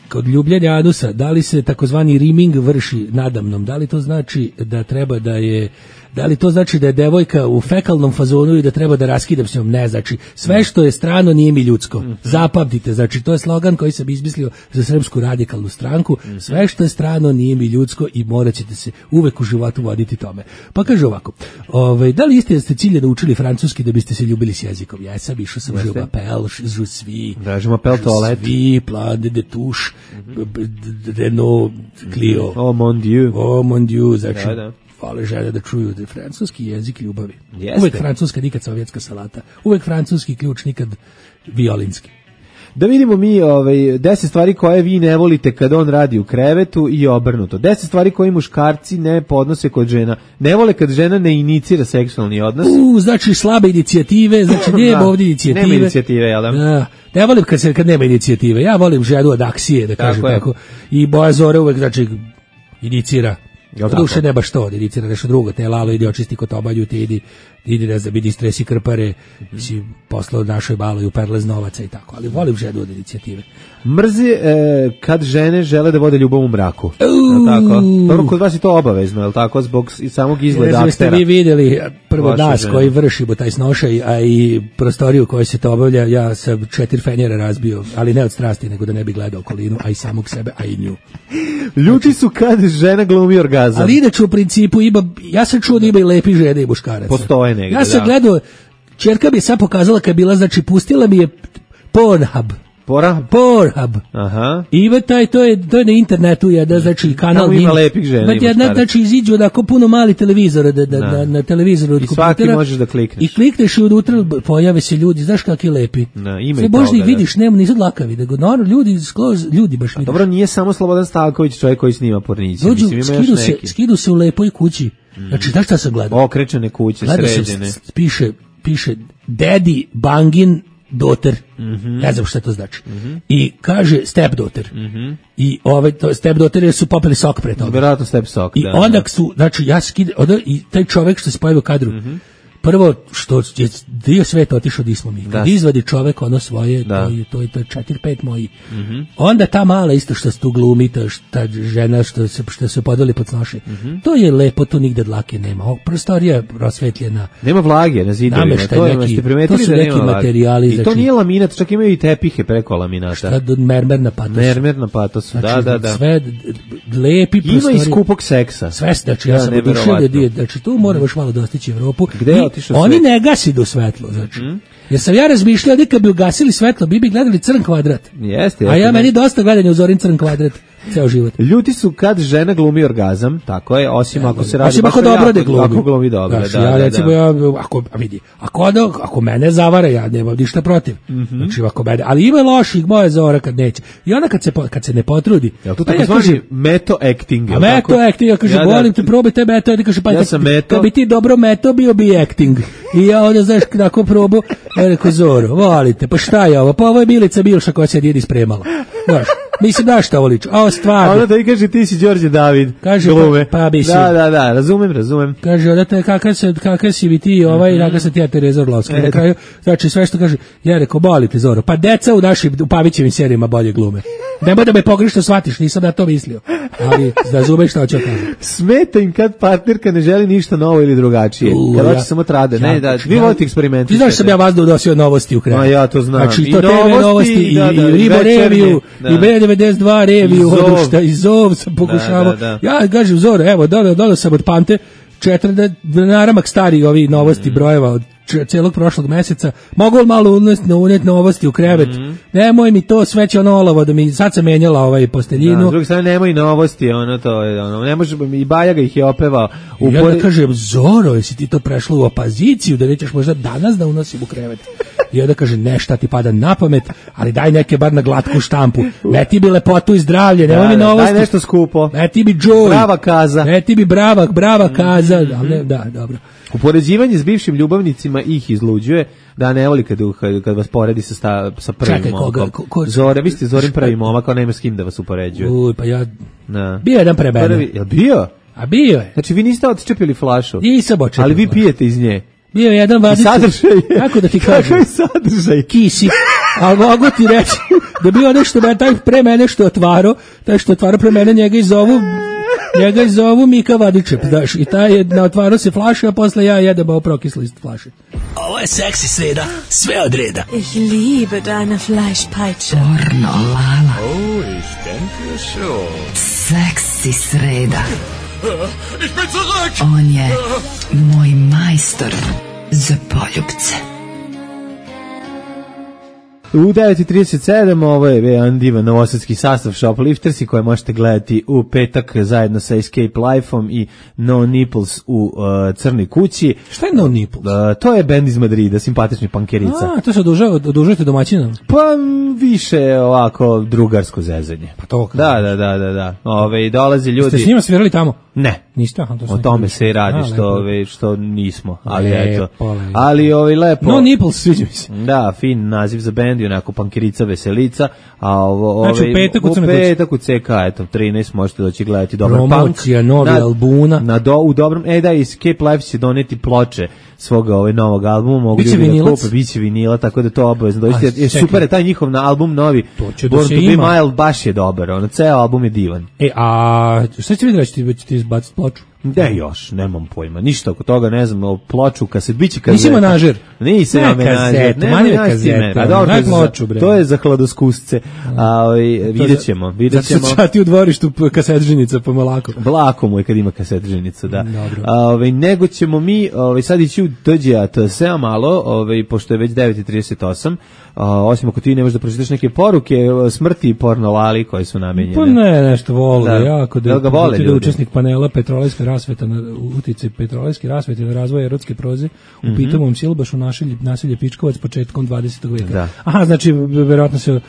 Kod ljubljenja anusa, da li se takozvani rimming vrši nadamnom? Da li to znači da treba da je da li to znači da je devojka u fekalnom fazonu i da treba da raskidam s njom? Ne, znači sve što je strano nije mi ljudsko. Zapamtite, znači to je slogan koji sam izmislio za Srpsku radikalnu stranku. Sve što je strano nije mi ljudsko i morat ćete se uvek u životu voditi tome. Pa kaže ovako, ovaj, da li jeste da ste ciljano učili francuski da biste se ljubili s jezikom? Ja sam išao sam je m'appelle, je suis, Da, je m'appelle toilette. je suis, plan de de touche, b- b- Renault, Clio. Oh mon dieu. Oh mon dieu, znači, Da, da. vole žene da čuju da je francuski jezik ljubavi. Jeste. Uvek francuska, nikad sovjetska salata. Uvek francuski ključ, nikad violinski. Da vidimo mi ovaj, deset stvari koje vi ne volite kad on radi u krevetu i obrnuto. deset stvari koje muškarci ne podnose kod žena. Ne vole kad žena ne inicira seksualni odnos. U, znači slabe inicijative, znači nema Da, ovdje inicijative. nema inicijative, jel da? Da. Ne volim kad, se, kad nema inicijative. Ja volim ženu od akcije, da kažem je. tako. I Boja Zore uvek, znači, inicira. Jel Duše tako? ne baš to, da inicira nešto drugo. Te Lalo, idi očisti kotobalju, ti idi, idi ne znam, idi stresi krpare, si poslao našoj baloj u perle novaca i tako. Ali volim ženu od inicijative. Mrzi e, kad žene žele da vode ljubav u mraku. Jel tako? Dobro, kod vas je to obavezno, jel tako? Zbog i samog Ne izgleda znam, jeste aktera. vi vidjeli prvo Vaše nas žene. koji vršimo taj snošaj, a i prostoriju u kojoj se to obavlja, ja sam četiri fenjera razbio, ali ne od strasti, nego da ne bi gledao okolinu, a i samog sebe, a i nju. Ljuti su kad žena glumi orgazam. Ali inače u principu ima, ja sam čuo da ima i lepi žene i muškaraca. Postoje negde, Ja sam da. gledao, čerka mi je sad pokazala kad je bila, znači pustila mi je Pornhub. Pora? Pornhub. Aha. I ima taj, to je, to je na internetu jedan, znači kanal. Tamo ima njih. lepih žena Ima i jedna, muškaraca. znači iziđu onako puno mali televizora da, da, Da. na, na televizoru od I svaki kompjutera. možeš da klikneš. I klikneš i unutra pojave se ljudi, znaš kakvi lepi. Da, ima Sve i možda toga, ih da. vidiš, nema, nisu dlakavi, nego naravno ljudi, skroz, ljudi baš vidiš. Dobro, nije samo Slobodan Stavković čovjek koji snima porniće. Dođu, Mislim, ima još skidu se, neki. skidu se u lepoj kući. Znači, znaš šta sam gledao? Okrečene kuće, Gledao sam, sređene. s- piše, piše Daddy Bangin daughter. Ne znam šta to znači. I kaže step daughter. I ove to step daughter su popili sok pre toga. Vjerojatno step sok, I da. onda da. su, znači ja skidam, onda i taj čovjek što se pojavio u kadru, prvo što je dio sveta otišao di smo mi. Kad izvadi čovek ono svoje, da. to je to je to je četiri pet moji. Mm-hmm. Onda ta mala isto što se tu glumi, ta, ta žena što se što se podvali pod noše. Mm-hmm. To je lepo, to nigde dlake nema. O, prostorija rasvetljena. Nema vlage na zidovima. To je neki, to su neki materijali. I znači, to nije laminat, čak imaju i tepihe preko laminata. Šta do mermerna patos. Mermerna patos, znači, da, da, da. Sve lepi prostorije. Ima i skupog seksa. Sve, znači ja, ja sam oduševljen, znači tu moram još malo dostići Evropu. Gde je otišao oni svet? Ne gasi do svetlo, znači. Mm. Jer sam ja razmišljao da kad bi ugasili svetlo, bi bi gledali crn kvadrat. Jeste, jeste. A ja meni dosta gledanja u Zorin crn kvadrat ceo život. Ljuti su kad žena glumi orgazam, tako je, osim ja, ako se radi osim ako dobro da glumi. Ako glumi dobro, znači, da, ja, da, recimo, da. Ja, ako, vidi, ako, ako mene zavara, ja nemam ništa protiv. Mm-hmm. Znači, ako mene, ali ima loših moje Zora kad neće. I ona kad se, kad se ne potrudi. Jel to tako zvani meto acting? A meto acting, ja kaže, ja, volim te, probaj te meto, ja kaže, pa ja sam meto. Kad bi ti dobro meto, bio bi acting. I ja onda, znaš, tako probu, ja rekao, Zoro, volite, pa šta je ovo? Pa ovo je Milica Bilša koja se jedi spremala. Znaš, mislim, da šta ovo liči? A ovo stvarno. A onda ti kaže, ti si Đorđe David. Kaže, glume. pa, pa bi si. Da, da, da, razumem, razumem. Kaže, odate, kakav se, kakav si bi ti, ovaj, mm-hmm. kakav se ti ja Tereza Orlovska. Na kraju, znači, sve što kaže, ja rekao, bolite, Zoro, pa deca u našim, u Pavićevim serijima bolje glume. Nemoj da me pogrešno shvatiš, nisam ja to mislio. Ali, razumeš šta hoću kažem. Smeta im kad partnerka ne želi ništa novo ili drugačije. Uh, kad hoće ja, samo trade. Ja, ne, da, vi volite eksperimenti. Ti znaš sam ja vas da unosio novosti u kraju. No, ja to znam. Znači, to T V novosti, i, da, da, i Ribo reviju, i B devedeset dva reviju, i Zov sam pokušavao. Da, da, da. Ja kažem, Zoro, evo, dodao, dodao sam od Pante četiri naramak stari ovi novosti mm. brojeva od celog prošlog meseca. Mogu li malo uneti unet novosti u krevet? Mm. Nemoj mi to sveće ono olovo da mi sad sam menjala ovaj posteljinu. Da, s druge strane nemoj novosti, ono to je ono, ne može i Bajaga ih je opevao. I ja da kažem, Zoro, jesi ti to prešlo u opoziciju da nećeš možda danas da unosim u krevet? I onda kaže, ne, šta ti pada na pamet, ali daj neke bar na glatku štampu. Ne ti bi lepotu i zdravlje, nemoj mi novosti. Daj nešto skupo. Ne ti bi joy. Brava kaza. Ne ti bi brava, brava kaza. Mm-hmm. Ne, da, dobro. Upoređivanje s bivšim ljubavnicima ih izluđuje, da ne voli kad, kad vas poredi sa, sta, sa prvim Čekaj, momkom. Ko, ko, Zore, vi ste Zorin prvi momak, kao nema s kim da vas upoređuje. Uj, pa ja... Na. Bio jedan pre mene. Prvi, jel bio? A bio je. Znači vi niste odčepili flašu. Nisam odčepili. Ali vi pijete iz nje. Bio je jedan vadica. I sadržaj je. Kako da ti kažem? Kako je sadržaj? Kisi. Ali mogu ti reći da bio nešto, taj pre mene što je otvaro, taj što je otvaro pre mene, njega i zovu... Njega zovu Mika Vadičep, daš, i taj je na otvaru se flaše, a posle ja jedem ovo prokisli iz flaše. Ovo je seksi sreda, sve od reda. Ich liebe deine Fleischpeitsche. Pornolala. Oh, ich denke schon. Seksi sreda. Ich bin zurück! On je moj majstor za poljubce. U devet i trideset sedam ovo je jedan divan novosadski sastav Shopliftersi koje možete gledati u petak zajedno sa Escape Life-om i No Nipples u uh, Crnoj kući. Šta je No Nipples? Uh, to je bend iz Madrida, simpatični pankerica. A, to se odužujete domaćinom? Pa više ovako drugarsko zezanje. Pa to kako? Da, da, da, da, da. Ove, dolaze ljudi... Ste s njima svirali tamo? Ne. Niste? Aha, to o tome se i radi, što, ove, što nismo. Ali lepo, eto. Lepo. Ali ove, lepo... No Nipples, sviđa mi se. Da, fin naziv za bend i onako pankerica veselica. A ovo, ove, znači u petak u Crnoj kući. U petak u C K, eto, trinaest možete doći gledati dobar punk. Promocija, novi na, albuna. Na do, u dobrom, e da, Escape Life će doneti ploče svoga ovaj novog albuma, mogu biće ljudi vinilac? da kupe, biće vinila, tako da to obavezno doći. Je super je taj njihov na album novi. To će da Born se to ima. Be Mild baš je dobar, ono ceo album je divan. E, a šta će vidjeti, ćete ti, ti izbaciti ploču? Ne još, nemam pojma, ništa oko toga, ne znam, o ploču, kaset, biće kazeta. Nisi menažer? Nisam ja menažer. Ne, manje kazeta, daj ploču, bre. To je za hladoskusce, a vidjet ćemo, vidjet ćemo. Zato ću ti u dvorištu kasetženica pomolako. Blako mu je kad ima kasetženicu, da. A, ovaj, nego ćemo mi ovaj, sad ići u dođe to sve malo, ovaj, pošto je već devet i trideset osam, a, osim ako ti ne možeš da pročitaš neke poruke smrti i pornolali koje su namenjene. Pa ne, nešto vole, da. jako da, da, vole da učesnik panela Petrolejska rasveta na utice Petrolejske rasvete na razvoj erotske proze u mm-hmm. pitomovom Silbašu nasilje, nasilje Pičkovac početkom dvadesetog veka. Da. Aha, znači verovatno se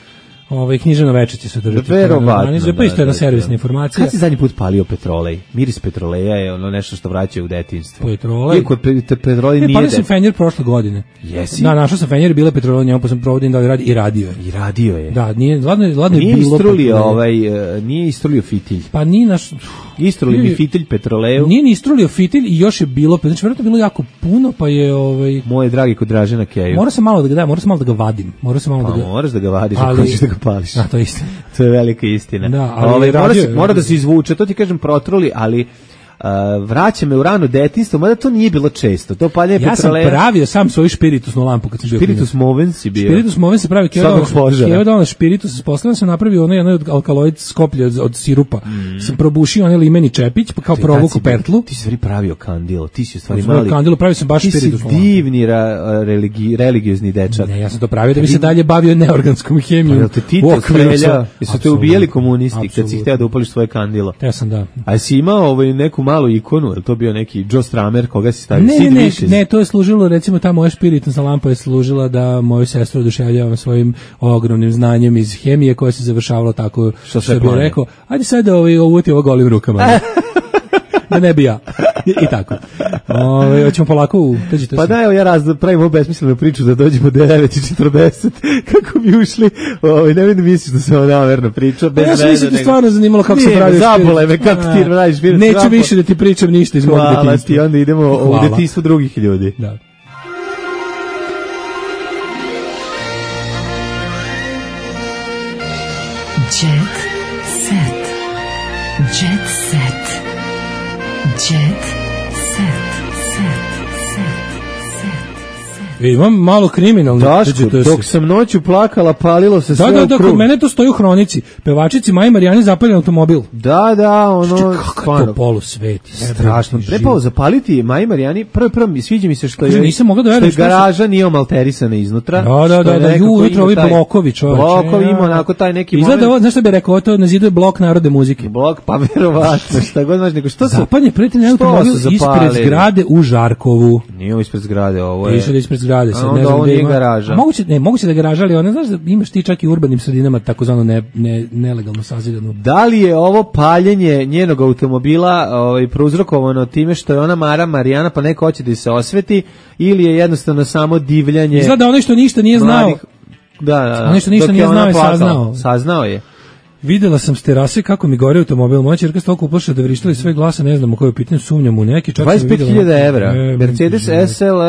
Ovaj književno veče će se održati. Verovatno. Pa isto jedna servisna informacija. Kad si zadnji put palio petrolej? Miris petroleja je ono nešto što vraća u detinjstvo. Petrolej? Iako pe, petrolej nije... Ne, palio sam fenjer prošle godine. Jesi? Da, našao sam fenjer, bile petrolej, njemu pa sam provodim da li radi i radio je. I radio je. Da, nije, ladno, ladno nije je bilo... Istrulio ovaj, nije istrulio fitilj. Pa nije naš... Istrulio mi fitilj petroleju. Nije ni istrulio fitilj i još je bilo, znači vjerojatno bilo jako puno, pa je... Ovaj... Moje dragi kod Dražena Keju. Mora sam malo da ga da, mora sam malo da ga vadim. Mora sam malo pa, da ga... moraš da ga vadiš, ali... ako ćeš da ga pališ. Da, to je istina. To je velika istina. Da, ali Ove, mora, se, je, mora da se izvuče, to ti kažem protruli, ali uh, vraća me u rano detinjstvo, mada to nije bilo često. To paljenje ja petroleja... sam pravio sam svoju špiritusnu lampu kad sam bio. Spiritus moven si bio. Spiritus moven se pravi keva dana špiritus. Posledno sam napravio onaj onaj alkaloid skoplje od, od sirupa. Mm. Sam probušio onaj limeni čepić, pa kao provuku pertlu. Ti si stvari pravio kandilo, ti si u stvari mali. Kandilo pravio sam baš spiritus. Ti si divni ra, religi, religiozni dečak. Ne, ja sam to pravio da bi se dalje bavio neorganskom hemijom. Pa, te ti te strelja, jesu te ubijali komunisti kad si hteo da upališ svoje kandilo. Ja sam da. A si imao ovaj neku malu ikonu, je to bio neki Joe Stramer, koga si stavio? Ne, ne, ne, ne, to je služilo, recimo ta moja špiritna lampa je služila da moju sestru oduševljavam svojim ogromnim znanjem iz hemije koje se završavalo tako što, što bih rekao, ajde sad da ovaj, uvuti ovo golim rukama. Da ne bi ja. I, i tako. Ove, hoćemo polako u... Teđite pa da, evo ja raz, pravim ovu besmislenu priču da dođemo devet i četrdeset kako bi ušli. Ove, ne vidim misliš da se ovo namerno priča. Bez ja sam mislio da stvarno zanimalo kako se pravi špirit. Zabole me kako ti radiš špirit. Neću zapo... više da ti pričam ništa iz mog detinjstva. Hvala ti, onda idemo u detinjstvo drugih ljudi. Da. Jet set. Jet set. Jet set. Set. E, imam malo kriminalno. Daško, dok sam noću plakala, palilo se sve da, da, da, u krug. Kod mene to stoji u hronici. Pevačici Maji Marijani zapaljen automobil. Da, da, ono... Kakav to polusvet. Strašno. Trebao zapaliti Maji Marijani. Prvo, prvo, sviđa mi se što je, nisam mogla da verujem, što je garaža nije omalterisana iznutra. Da, da, da, da, ju, ujutro ovi blokovi, čoveče. Blokovi ima onako taj neki moment. Izgleda ovo, znaš što bi rekao, to na zidu je blok narodne muzike. Blok, pa verovatno, šta god znaš, nego što su... Zapaljen prijatelj automobil ispred zgrade u Žarkovu. Nije ispred zgrade, ovo je... Piše da ispred zgrade, sad ne znam gde ima. Garaža. A moguće, ne, moguće da garaža, ali ona, znaš da imaš ti čak i u urbanim sredinama takozvano ne, ne, nelegalno sazidanu. Da li je ovo paljenje njenog automobila ovaj, prouzrokovano time što je ona Mara Marijana pa neko hoće da se osveti ili je jednostavno samo divljanje... Izgleda onaj što ništa nije znao. Mladih, da, da, da. Onaj što ništa nije znao i saznao. Saznao je. Videla sam s terase kako mi gore automobil. Moja ćerka stoliko uplašila da vrištali sve glasa, ne znam o kojoj pitanju, sumnjam u neki. dvadeset pet hiljada evra. E, Mercedes S L,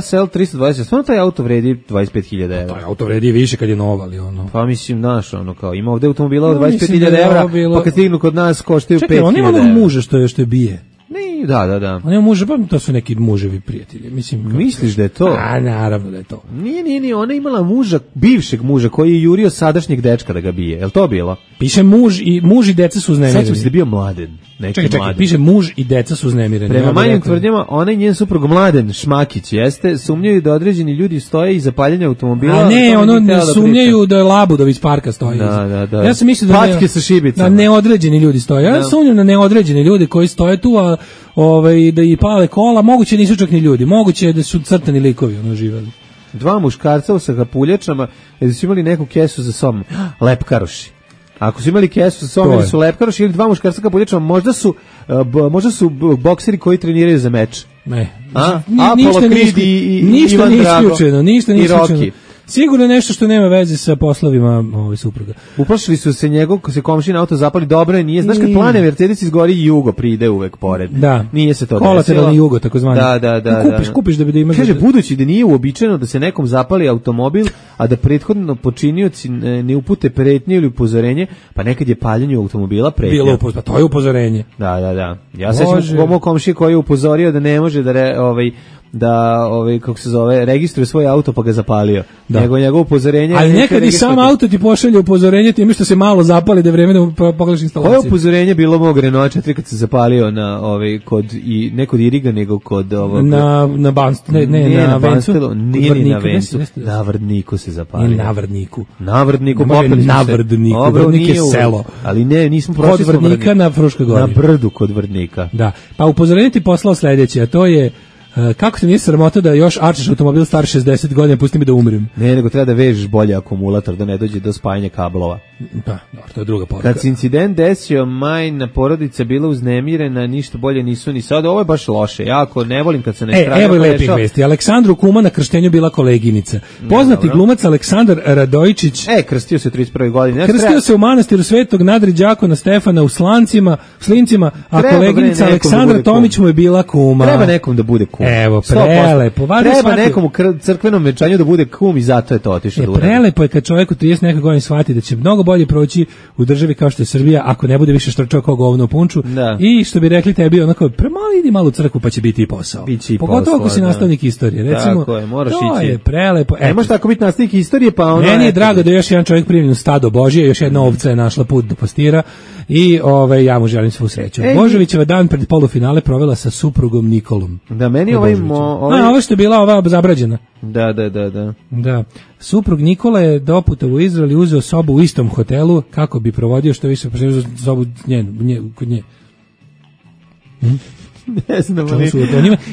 S L tristo dvadeset. Stvarno taj auto vredi dvadeset pet hiljada evra. Taj auto vredi više kad je nov, ali ono. Pa mislim, znaš, ono kao, ima ovde automobila od dvadeset pet hiljada evra, bilo... pa kad stignu kod nas koštaju pet hiljada evra. Čekaj, on ima muža što je, što je bije. Ne, da, da, da. On je muže, pa to su neki muževi prijatelji. Mislim, kako... Misliš da je to? A, naravno da je to. Nije, nije, nije, ona je imala muža, bivšeg muža, koji je jurio sadašnjeg dečka da ga bije. Je li to bilo? Piše muž i, muž i deca su uznemireni. Sad se da je bio mladen. Neki čekaj, čekaj, mladen. piše muž i deca su uznemireni. Prema ja manjim tvrdnjama, ona i njen suprug Mladen Šmakić jeste, sumnjaju da određeni ljudi stoje iza paljenja automobila. A ne, ono ne sumnjaju da je Labudovi iz parka stoji. Da, da, da. Ja sam mislio da patke sa šibicama. Da neodređeni ljudi stoje. Ja sumnjam na neodređeni ljudi koji stoje tu, a ovaj da i pale kola, moguće nisu čak ni ljudi, moguće da su crtani likovi ono živeli. Dva muškarca sa kapuljačama, jer su imali neku kesu za sobom. Lepkaroši. Ako su imali kesu sa sobom, ili su lepkaroši ili dva muškarca kapuljačama, možda su uh, možda su bokseri koji treniraju za meč. Ne. A? Ništa Apollo Creed i, i ništa Ivan nije Drago. Isključeno, ništa nije I Rocky. Sigurno nešto što nema veze sa poslovima ovaj supruga. Uplašili su se njegov, ko se komšin auto zapali, dobro je, nije. Znaš kad plane Mercedes izgori i jugo pride uvek pored. Da. Nije se to desilo. Kolateralni jugo, takozvani. Da, da, da. Kupiš, da. kupiš da bi da imaš... Kaže, budući da nije uobičajeno da se nekom zapali automobil, a da prethodno počinioci ne upute pretnje ili upozorenje, pa nekad je paljenje automobila pretnja. Bilo upozorenje, to je upozorenje. Da, da, da. Ja se sećam mog komšije koji je upozorio da ne može da re, ovaj da ovaj kako se zove registruje svoj auto pa ga zapalio. Da. Nego njegovo upozorenje. Ali nekad i sam auto ti pošalje upozorenje time što se malo zapali da je vreme da pogledaš instalaciju. Koje upozorenje bilo mog Renault četiri kad se zapalio na ovaj kod i ne kod Iriga nego kod ovog na na Banst ne ne, ne na, na Banstelu, nije ni na Vencu. Na Vrdniku se zapalio. Na Vrdniku. Na Vrdniku popili na Vrdniku. Vrdnik je selo. Ali ne, nismo prošli kod Vrdnika na Fruškoj gori. Na brdu kod Vrdnika. Da. Pa upozorenje ti poslao sledeće, a to je Uh, kako te nije sramota da još arčiš automobil star šezdeset godina, pusti mi da umrem? Ne, nego treba da vežeš bolje akumulator, da ne dođe do spajanja kablova. Pa, dobro, to je druga poruka. Kad se incident desio, majna porodica bila uznemirena, ništa bolje nisu ni sad. Ovo je baš loše, jako ne volim kad se ne strane. E, evo i lepih vesti. Aleksandru Kuma na krštenju bila koleginica. Poznati no, glumac Aleksandar Radojičić. E, krstio se u trideset prvoj godini. Ja krstio treba... se u manastiru Svetog Nadri Đakona Stefana u Slancima, u Slincima, a treba koleginica Aleksandra da Tomić mu je bila kuma. Treba nekom da bude kum. Evo, prelepo. Treba shvatio... nekom u crkvenom venčanju da bude kum i zato je to otišao. E, prelepo je kad čovjek u trideset neke godine shvati da će mnogo bolje proći u državi kao što je Srbija ako ne bude više štrčao kao govno u punču. Da. I što bi rekli tebi onako, premalo idi malo u crkvu pa će biti i posao. Biće i pogotovo posao, ako si da. nastavnik istorije. Recimo, tako je, moraš to ići. je prelepo. Ne može tako biti nastavnik istorije, pa ono... Meni je eto. drago da je još jedan čovjek primljen u stado Božije, još jedna ovca je našla put do pastira i ove, ja mu želim svu sreću. Ej, Božovićeva dan pred polufinale provela sa suprugom Nikolom. Da, meni ovaj... ovaj... A, ovo što je bila ova zabrađena. Da, da, da, da. Da. Suprug Nikola je doputa u Izrael i uzeo sobu u istom hotelu kako bi provodio što više uzeo sobu nje, nje, kod nje. Hm? Ne znam, ali...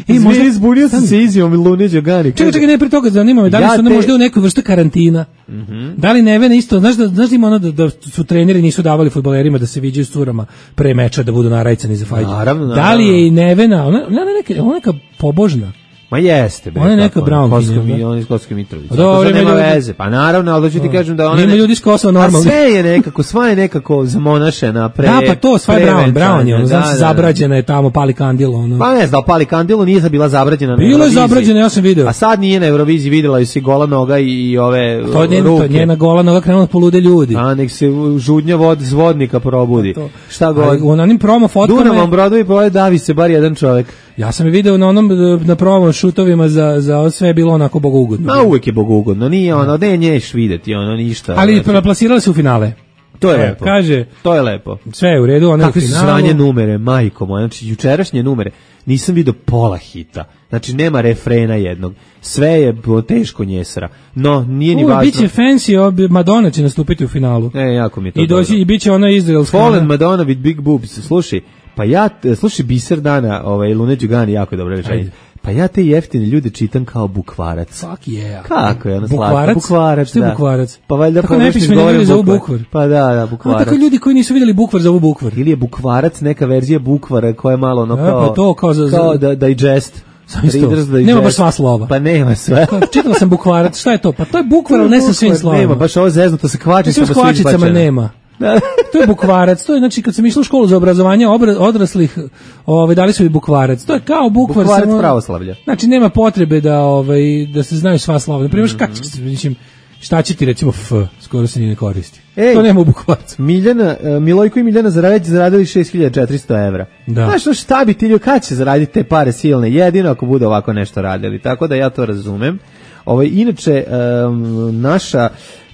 Ej, možda izbunio sam se izjavom Lune Đogani. Čekaj, čekaj, ne, pre toga zanima me, da li ja su onda te... možda u nekoj vrsti karantina? Mm-hmm. Da li Nevena isto, znaš da, znaš da ima ono da, da su treneri nisu davali fudbalerima da se viđaju s curama pre meča, da budu narajcani za fajđu. Naravno, naravno. Da li je i Nevena, ona, ona, neka, ona neka pobožna? Ma jeste, bre. Ona je neka Brownkinja. On iz Kosovske Mitrovice. To nema veze. Pa naravno, ali da ću ti kažem da ona... Ima ljudi iz Kosova normalni. A sve je nekako, sva je nekako zamonašena pre... Da, pa to, sva je Brown. Brown je, ono, znam se, zabrađena je tamo, pali kandilo. Ono. Pa ne znam, pali kandilo nije bila zabrađena na Euroviziji. Bilo je zabrađena, ja sam video. A sad nije na Euroviziji, videla je si gola noga i ove to je ruke. To njena gola noga krenula polude ljudi. A nek se žudnja vod zvodnika probudi. Šta god. U onim promo fotkama... Dunavom brodovi poje davi se bar jedan čovjek. Ja sam je video na onom na promo šutovima za za sve je bilo onako bogougodno. Ma uvek je bogougodno, nije ono, ne nješ videti, ono ništa. Ali plasirali se u finale. To je e, lepo. Kaže, to je lepo. Sve je u redu, ona u finalu. Kakve su sranje numere, majko moja, znači jučerašnje numere, nisam video pola hita. Znači nema refrena jednog. Sve je teško njesra. No, nije ni U, važno. Biće fancy, Madonna će nastupiti u finalu. E, jako mi je to I doći i biće ona izraelska. Fallen Madonna with big boobs. Slušaj, pa ja, slušaj, biser dana, ovaj, Lune Đugani, jako je dobro rečenje. Pa ja te jeftine ljude čitam kao bukvarac. Fuck yeah. Kako je ono slatko? Bukvarac? Bukvarac, što je da. bukvarac? Pa valjda kako ne piše ljudi za bukvar? Pa da, da, bukvarac. A tako ljudi koji nisu vidjeli bukvar za bukvar. Ili je bukvarac neka verzija bukvara koja je malo ono kao... Ja, pa to kao za... Kao da, digest. Nema baš sva slova. Pa nema sve. Čitala sam bukvarac, šta je to? Pa to je bukvar, ali ne sa svim slovima. Nema, baš ovo zeznuto sa kvačicama s kvačicama nema. To je bukvarac, to je znači kad sam išla u školu za obrazovanje obra, odraslih, ovaj dali su i bukvarac. To je kao bukvar bukvarac samo pravoslavlja. Znači nema potrebe da ovaj da se znaju sva slova. Na primjer, mm-hmm. mislim šta će ti recimo f, skoro se ni ne koristi. Ej, to nema u bukvarcu. Miljana, uh, Milojko i Miljana Zaradeć zaradili šest hiljada četiristo evra. Da. Znaš no šta bi ti ljudi, kad će zaraditi te pare silne? Jedino ako bude ovako nešto radili. Tako da ja to razumem. Ovaj, inače, um, naša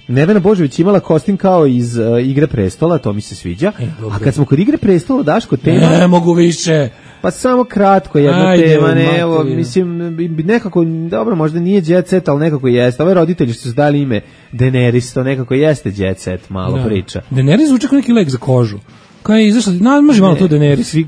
Nevena Božović imala kostim kao iz uh, Igre prestola, to mi se sviđa. E, a kad smo kod Igre prestola, Daško, tema... Ne mogu više. Pa samo kratko, jedna Ajde, tema, ne, evo, mislim, nekako, dobro, možda nije Jet Set, ali nekako jeste. Ove roditelji što su dali ime Daenerys, to nekako jeste Jet Set, malo da. Priča. Daenerys zvuči kao neki lek za kožu. Koja je izašla, na, može malo to Daenerys. Fig,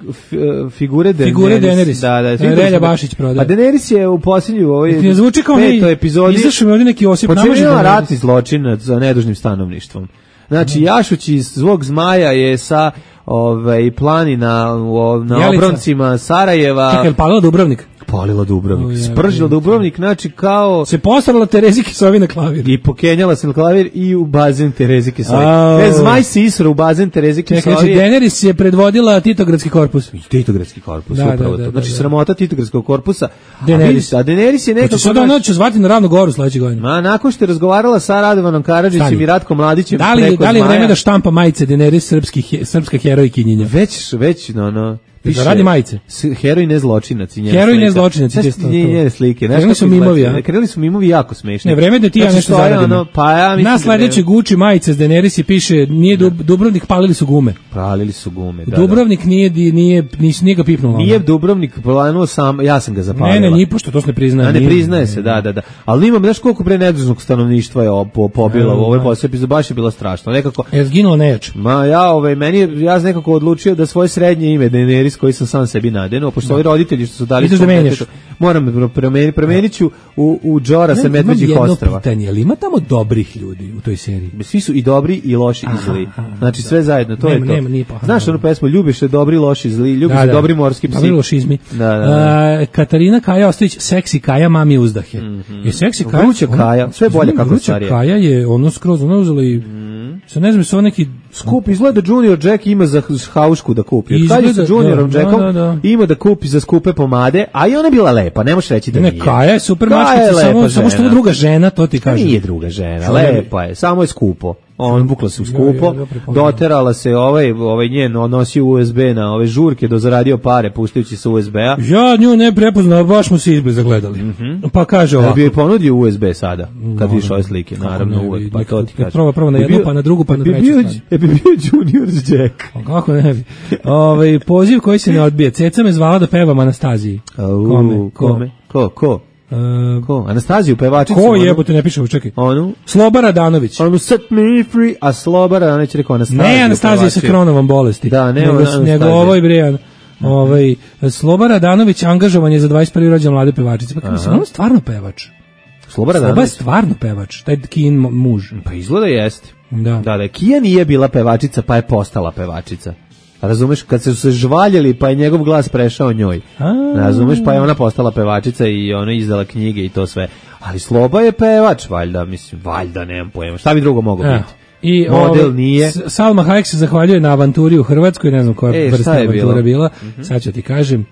figure Daenerys. Figure Daenerys. Da, da. Relja Bašić prodaje. A Daenerys je u posljednju ovoj ne zvuči kao petoj epizodi. Izašao mi ovdje neki Osip. Počinila ratni zločinac za nedužnim stanovništvom. Znači, Jašuć iz Zvog zmaja je sa ovaj planina na obroncima Sarajeva. Čekaj, palila Dubrovnik? Palila Dubrovnik. Oh, spržila Dubrovnik, znači kao... Se postarala Terezi Kisovi na klavir. I pokenjala se na klavir i u bazen Terezi Kisovi. Oh. E, zmaj se isro u bazen Terezi Kisovi. Znači, Daenerys je predvodila Titogradski korpus. Titogradski korpus, da, upravo da, da, to. Znači, da, da. sramota Titogradskog korpusa. Daenerys. A Daenerys je nekako... Hoće sada ona će zvati na Ravnu Goru sledeće godine. Ma, nakon što je razgovarala sa Radovanom Karadžićem i Ratkom Mladićem da li, preko da li je zmaja, vreme da štampa majice Daenerys srpski, srpska herojkinjenja? Već, već, no, no. Piše, da radi majice. Heroj ne zločinac i njena heroj ne zločinac i to. Njene slike. Krenuli su mimovi, a? Krenuli su mimovi jako smešni. Ne, vreme da ti ja nešto zaradim. Ono, pa ja mislim na sledeće Gucci majice s Daenerys piše, nije Dub, Dubrovnik, palili su gume. Palili su gume, da. Dubrovnik nije, nije, nije ga pipnulo. Nije Dubrovnik planuo sam, ja sam ga zapalila. Ne, ne, ni pošto to se ne priznaje. A ne priznaje se, da, da, da. Ali imam, znaš koliko pre nedužnog stanovništva je pobilo u ovoj posle epizodi, baš je bilo strašno. Nekako... Je zginulo nejač. Ma ja, ovaj, meni, ja sam nekako odlučio da svoje srednje ime Daenerys koji sam sam sebi nadenuo, pošto ovi roditelji što su dali... Ideš da menjaš. Moram promeniti, promenit ću u, u Džora sa Medveđih Ostrava. Imam jedno pitanje, ali ima tamo dobrih ljudi u toj seriji? Svi su i dobri i loši i zli. Znači sve zajedno, to nema, je to. Nema, nije pa, znaš onu pesmu, ljubiš se dobri, loši, zli, ljubiš da, se da. dobri morski psi. Dobri lošizmi. Da, da, da. Uh, Katarina Kaja Ostojić, seksi Kaja, mami uzdahe. Mm -hmm. Je seksi Kaja. Vruća Kaja, sve bolje kako starije. Kaja je ono skroz, ono uzela i... Mm. Sad ne znam, su neki... Skup, izgleda Junior Jack ima za haušku da kupi. Od kad je sa Juniorom da, Jackom da, da. ima da kupi za skupe pomade, a i ona je bila lepa, ne možeš reći da ne, nije. Kaja je super mačkica, samo, samo što je druga žena, to ti kažem. Nije druga žena, lepa je, samo je skupo. On bukla se u skupo, ja, ja, ja doterala se ovaj, ovaj njen, nosio U S B na ove žurke, do zaradio pare puštajući sa U S B-a. Ja nju ne prepoznao, baš smo se izbe zagledali. Mm -hmm. Pa kaže ovako. Da bi joj ponudio U S B sada, kad vidiš ove slike, naravno uvek, pa to ti kaže. Prvo, prvo na jednu, bio, pa na drugu, pa na treću stranu. E bi bio Junior Jack. Kako ne bi. Ovaj poziv koji se ne odbije. Ceca me zvala da pevam Anastaziji. Kome? Kome? Ko? Ko? Uh, ko? Anastaziju, pevačicu. Ko jebote, ne piše, čekaj. Onu? Sloba Radanović. Onu set me free, a Sloba Radanović rekao Anastaziju. Ne, Anastazija sa Kronovom bolesti. Da, ne, nego, nego ovoj Brijan. Ovaj, Sloba Radanović angažovan je za dvadeset prvi rođendan mlade pevačice. Pa mislim, on je stvarno pevač. Sloba Radanović? Sloba je stvarno pevač, taj Kijin muž. Pa izgleda jeste. Da. Da, da, Kija nije bila pevačica, pa je postala pevačica. Razumeš, kad su se žvaljeli, pa je njegov glas prešao njoj. A... Razumeš, pa je ona postala pevačica i ona izdala knjige i to sve. Ali Sloba je pevač, valjda, mislim, valjda, nemam pojma. Šta bi drugo moglo biti? I model ove, nije. Salma Hayek se zahvaljuje na avanturi u Hrvatskoj, ne znam koja e, vrsta je avantura bila. bila. Mm-hmm. Sad ću ti kažem.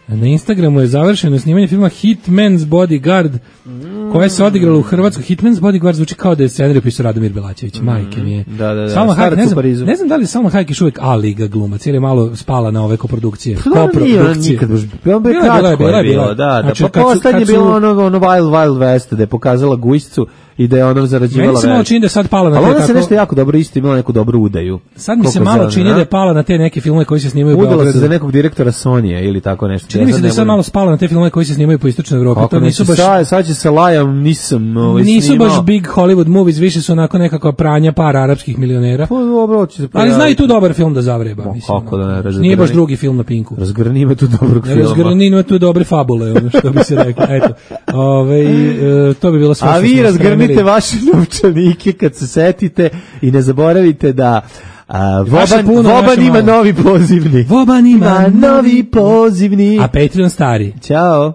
Na Instagramu je završeno snimanje filma Hitman's Bodyguard, mm. koje se odigralo u Hrvatskoj. Hitman's Bodyguard zvuči kao da je scenarij pisao Radomir Belačević, mm. majke mi je. Da, da, da. Salma Hayek, ne znam, ne znam da li Salma Hayek još uvijek A-liga glumac, jer je malo spala na ove koprodukcije. Koprodukcije. Nikad baš, bilo bi kratko je bilo, da, da. Znači, pa poslednje je bilo ono, ono Wild Wild West, da je pokazala gujscu i da je ono zarađivala već. Meni se malo čini da je sad pala na te tako... Ali ona se tako... nešto jako dobro isto imala neku dobru udaju. Sad mi se malo čini da je pala na te neke filmove koji se snimaju u Beogradu. Udala se za nekog direktora Sonije ili tako nešto. Čini mi se da je sad malo spala na te filmove koji se snimaju po istočnoj Evropi. To nisu baš... Sad, sad će se lajam, nisam ovaj, nisu snimao. baš big Hollywood movies, više su onako nekakva pranja para arapskih milionera. Pa dobro, će se ali zna i tu dobar film da zavreba. Mo, mislim, kako da ne razgrani. Nije baš drugi film na Pinku. Razgrani ima tu dobrog filma. Razgrani ima tu dobre fabule, ono što bi se reklo. Eto, ove, e, to bi bilo sve. A vi razgrnite vaše novčanike kad se setite i ne zaboravite da a, Voban, puno, Voban ima malo. Novi pozivni. Voban ima novi pozivni. A Patreon stari. Ćao.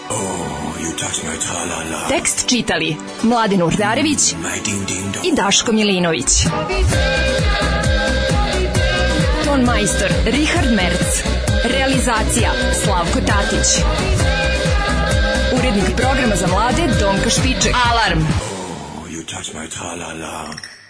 Oh, tekst čitali Mladin Urdarević i Daško Milinović. Ton majstor Richard Merc. Realizacija Slavko Tatić. Urednik programa za mlade Donka Špiček. Alarm! Oh, you touch my tra-la-la.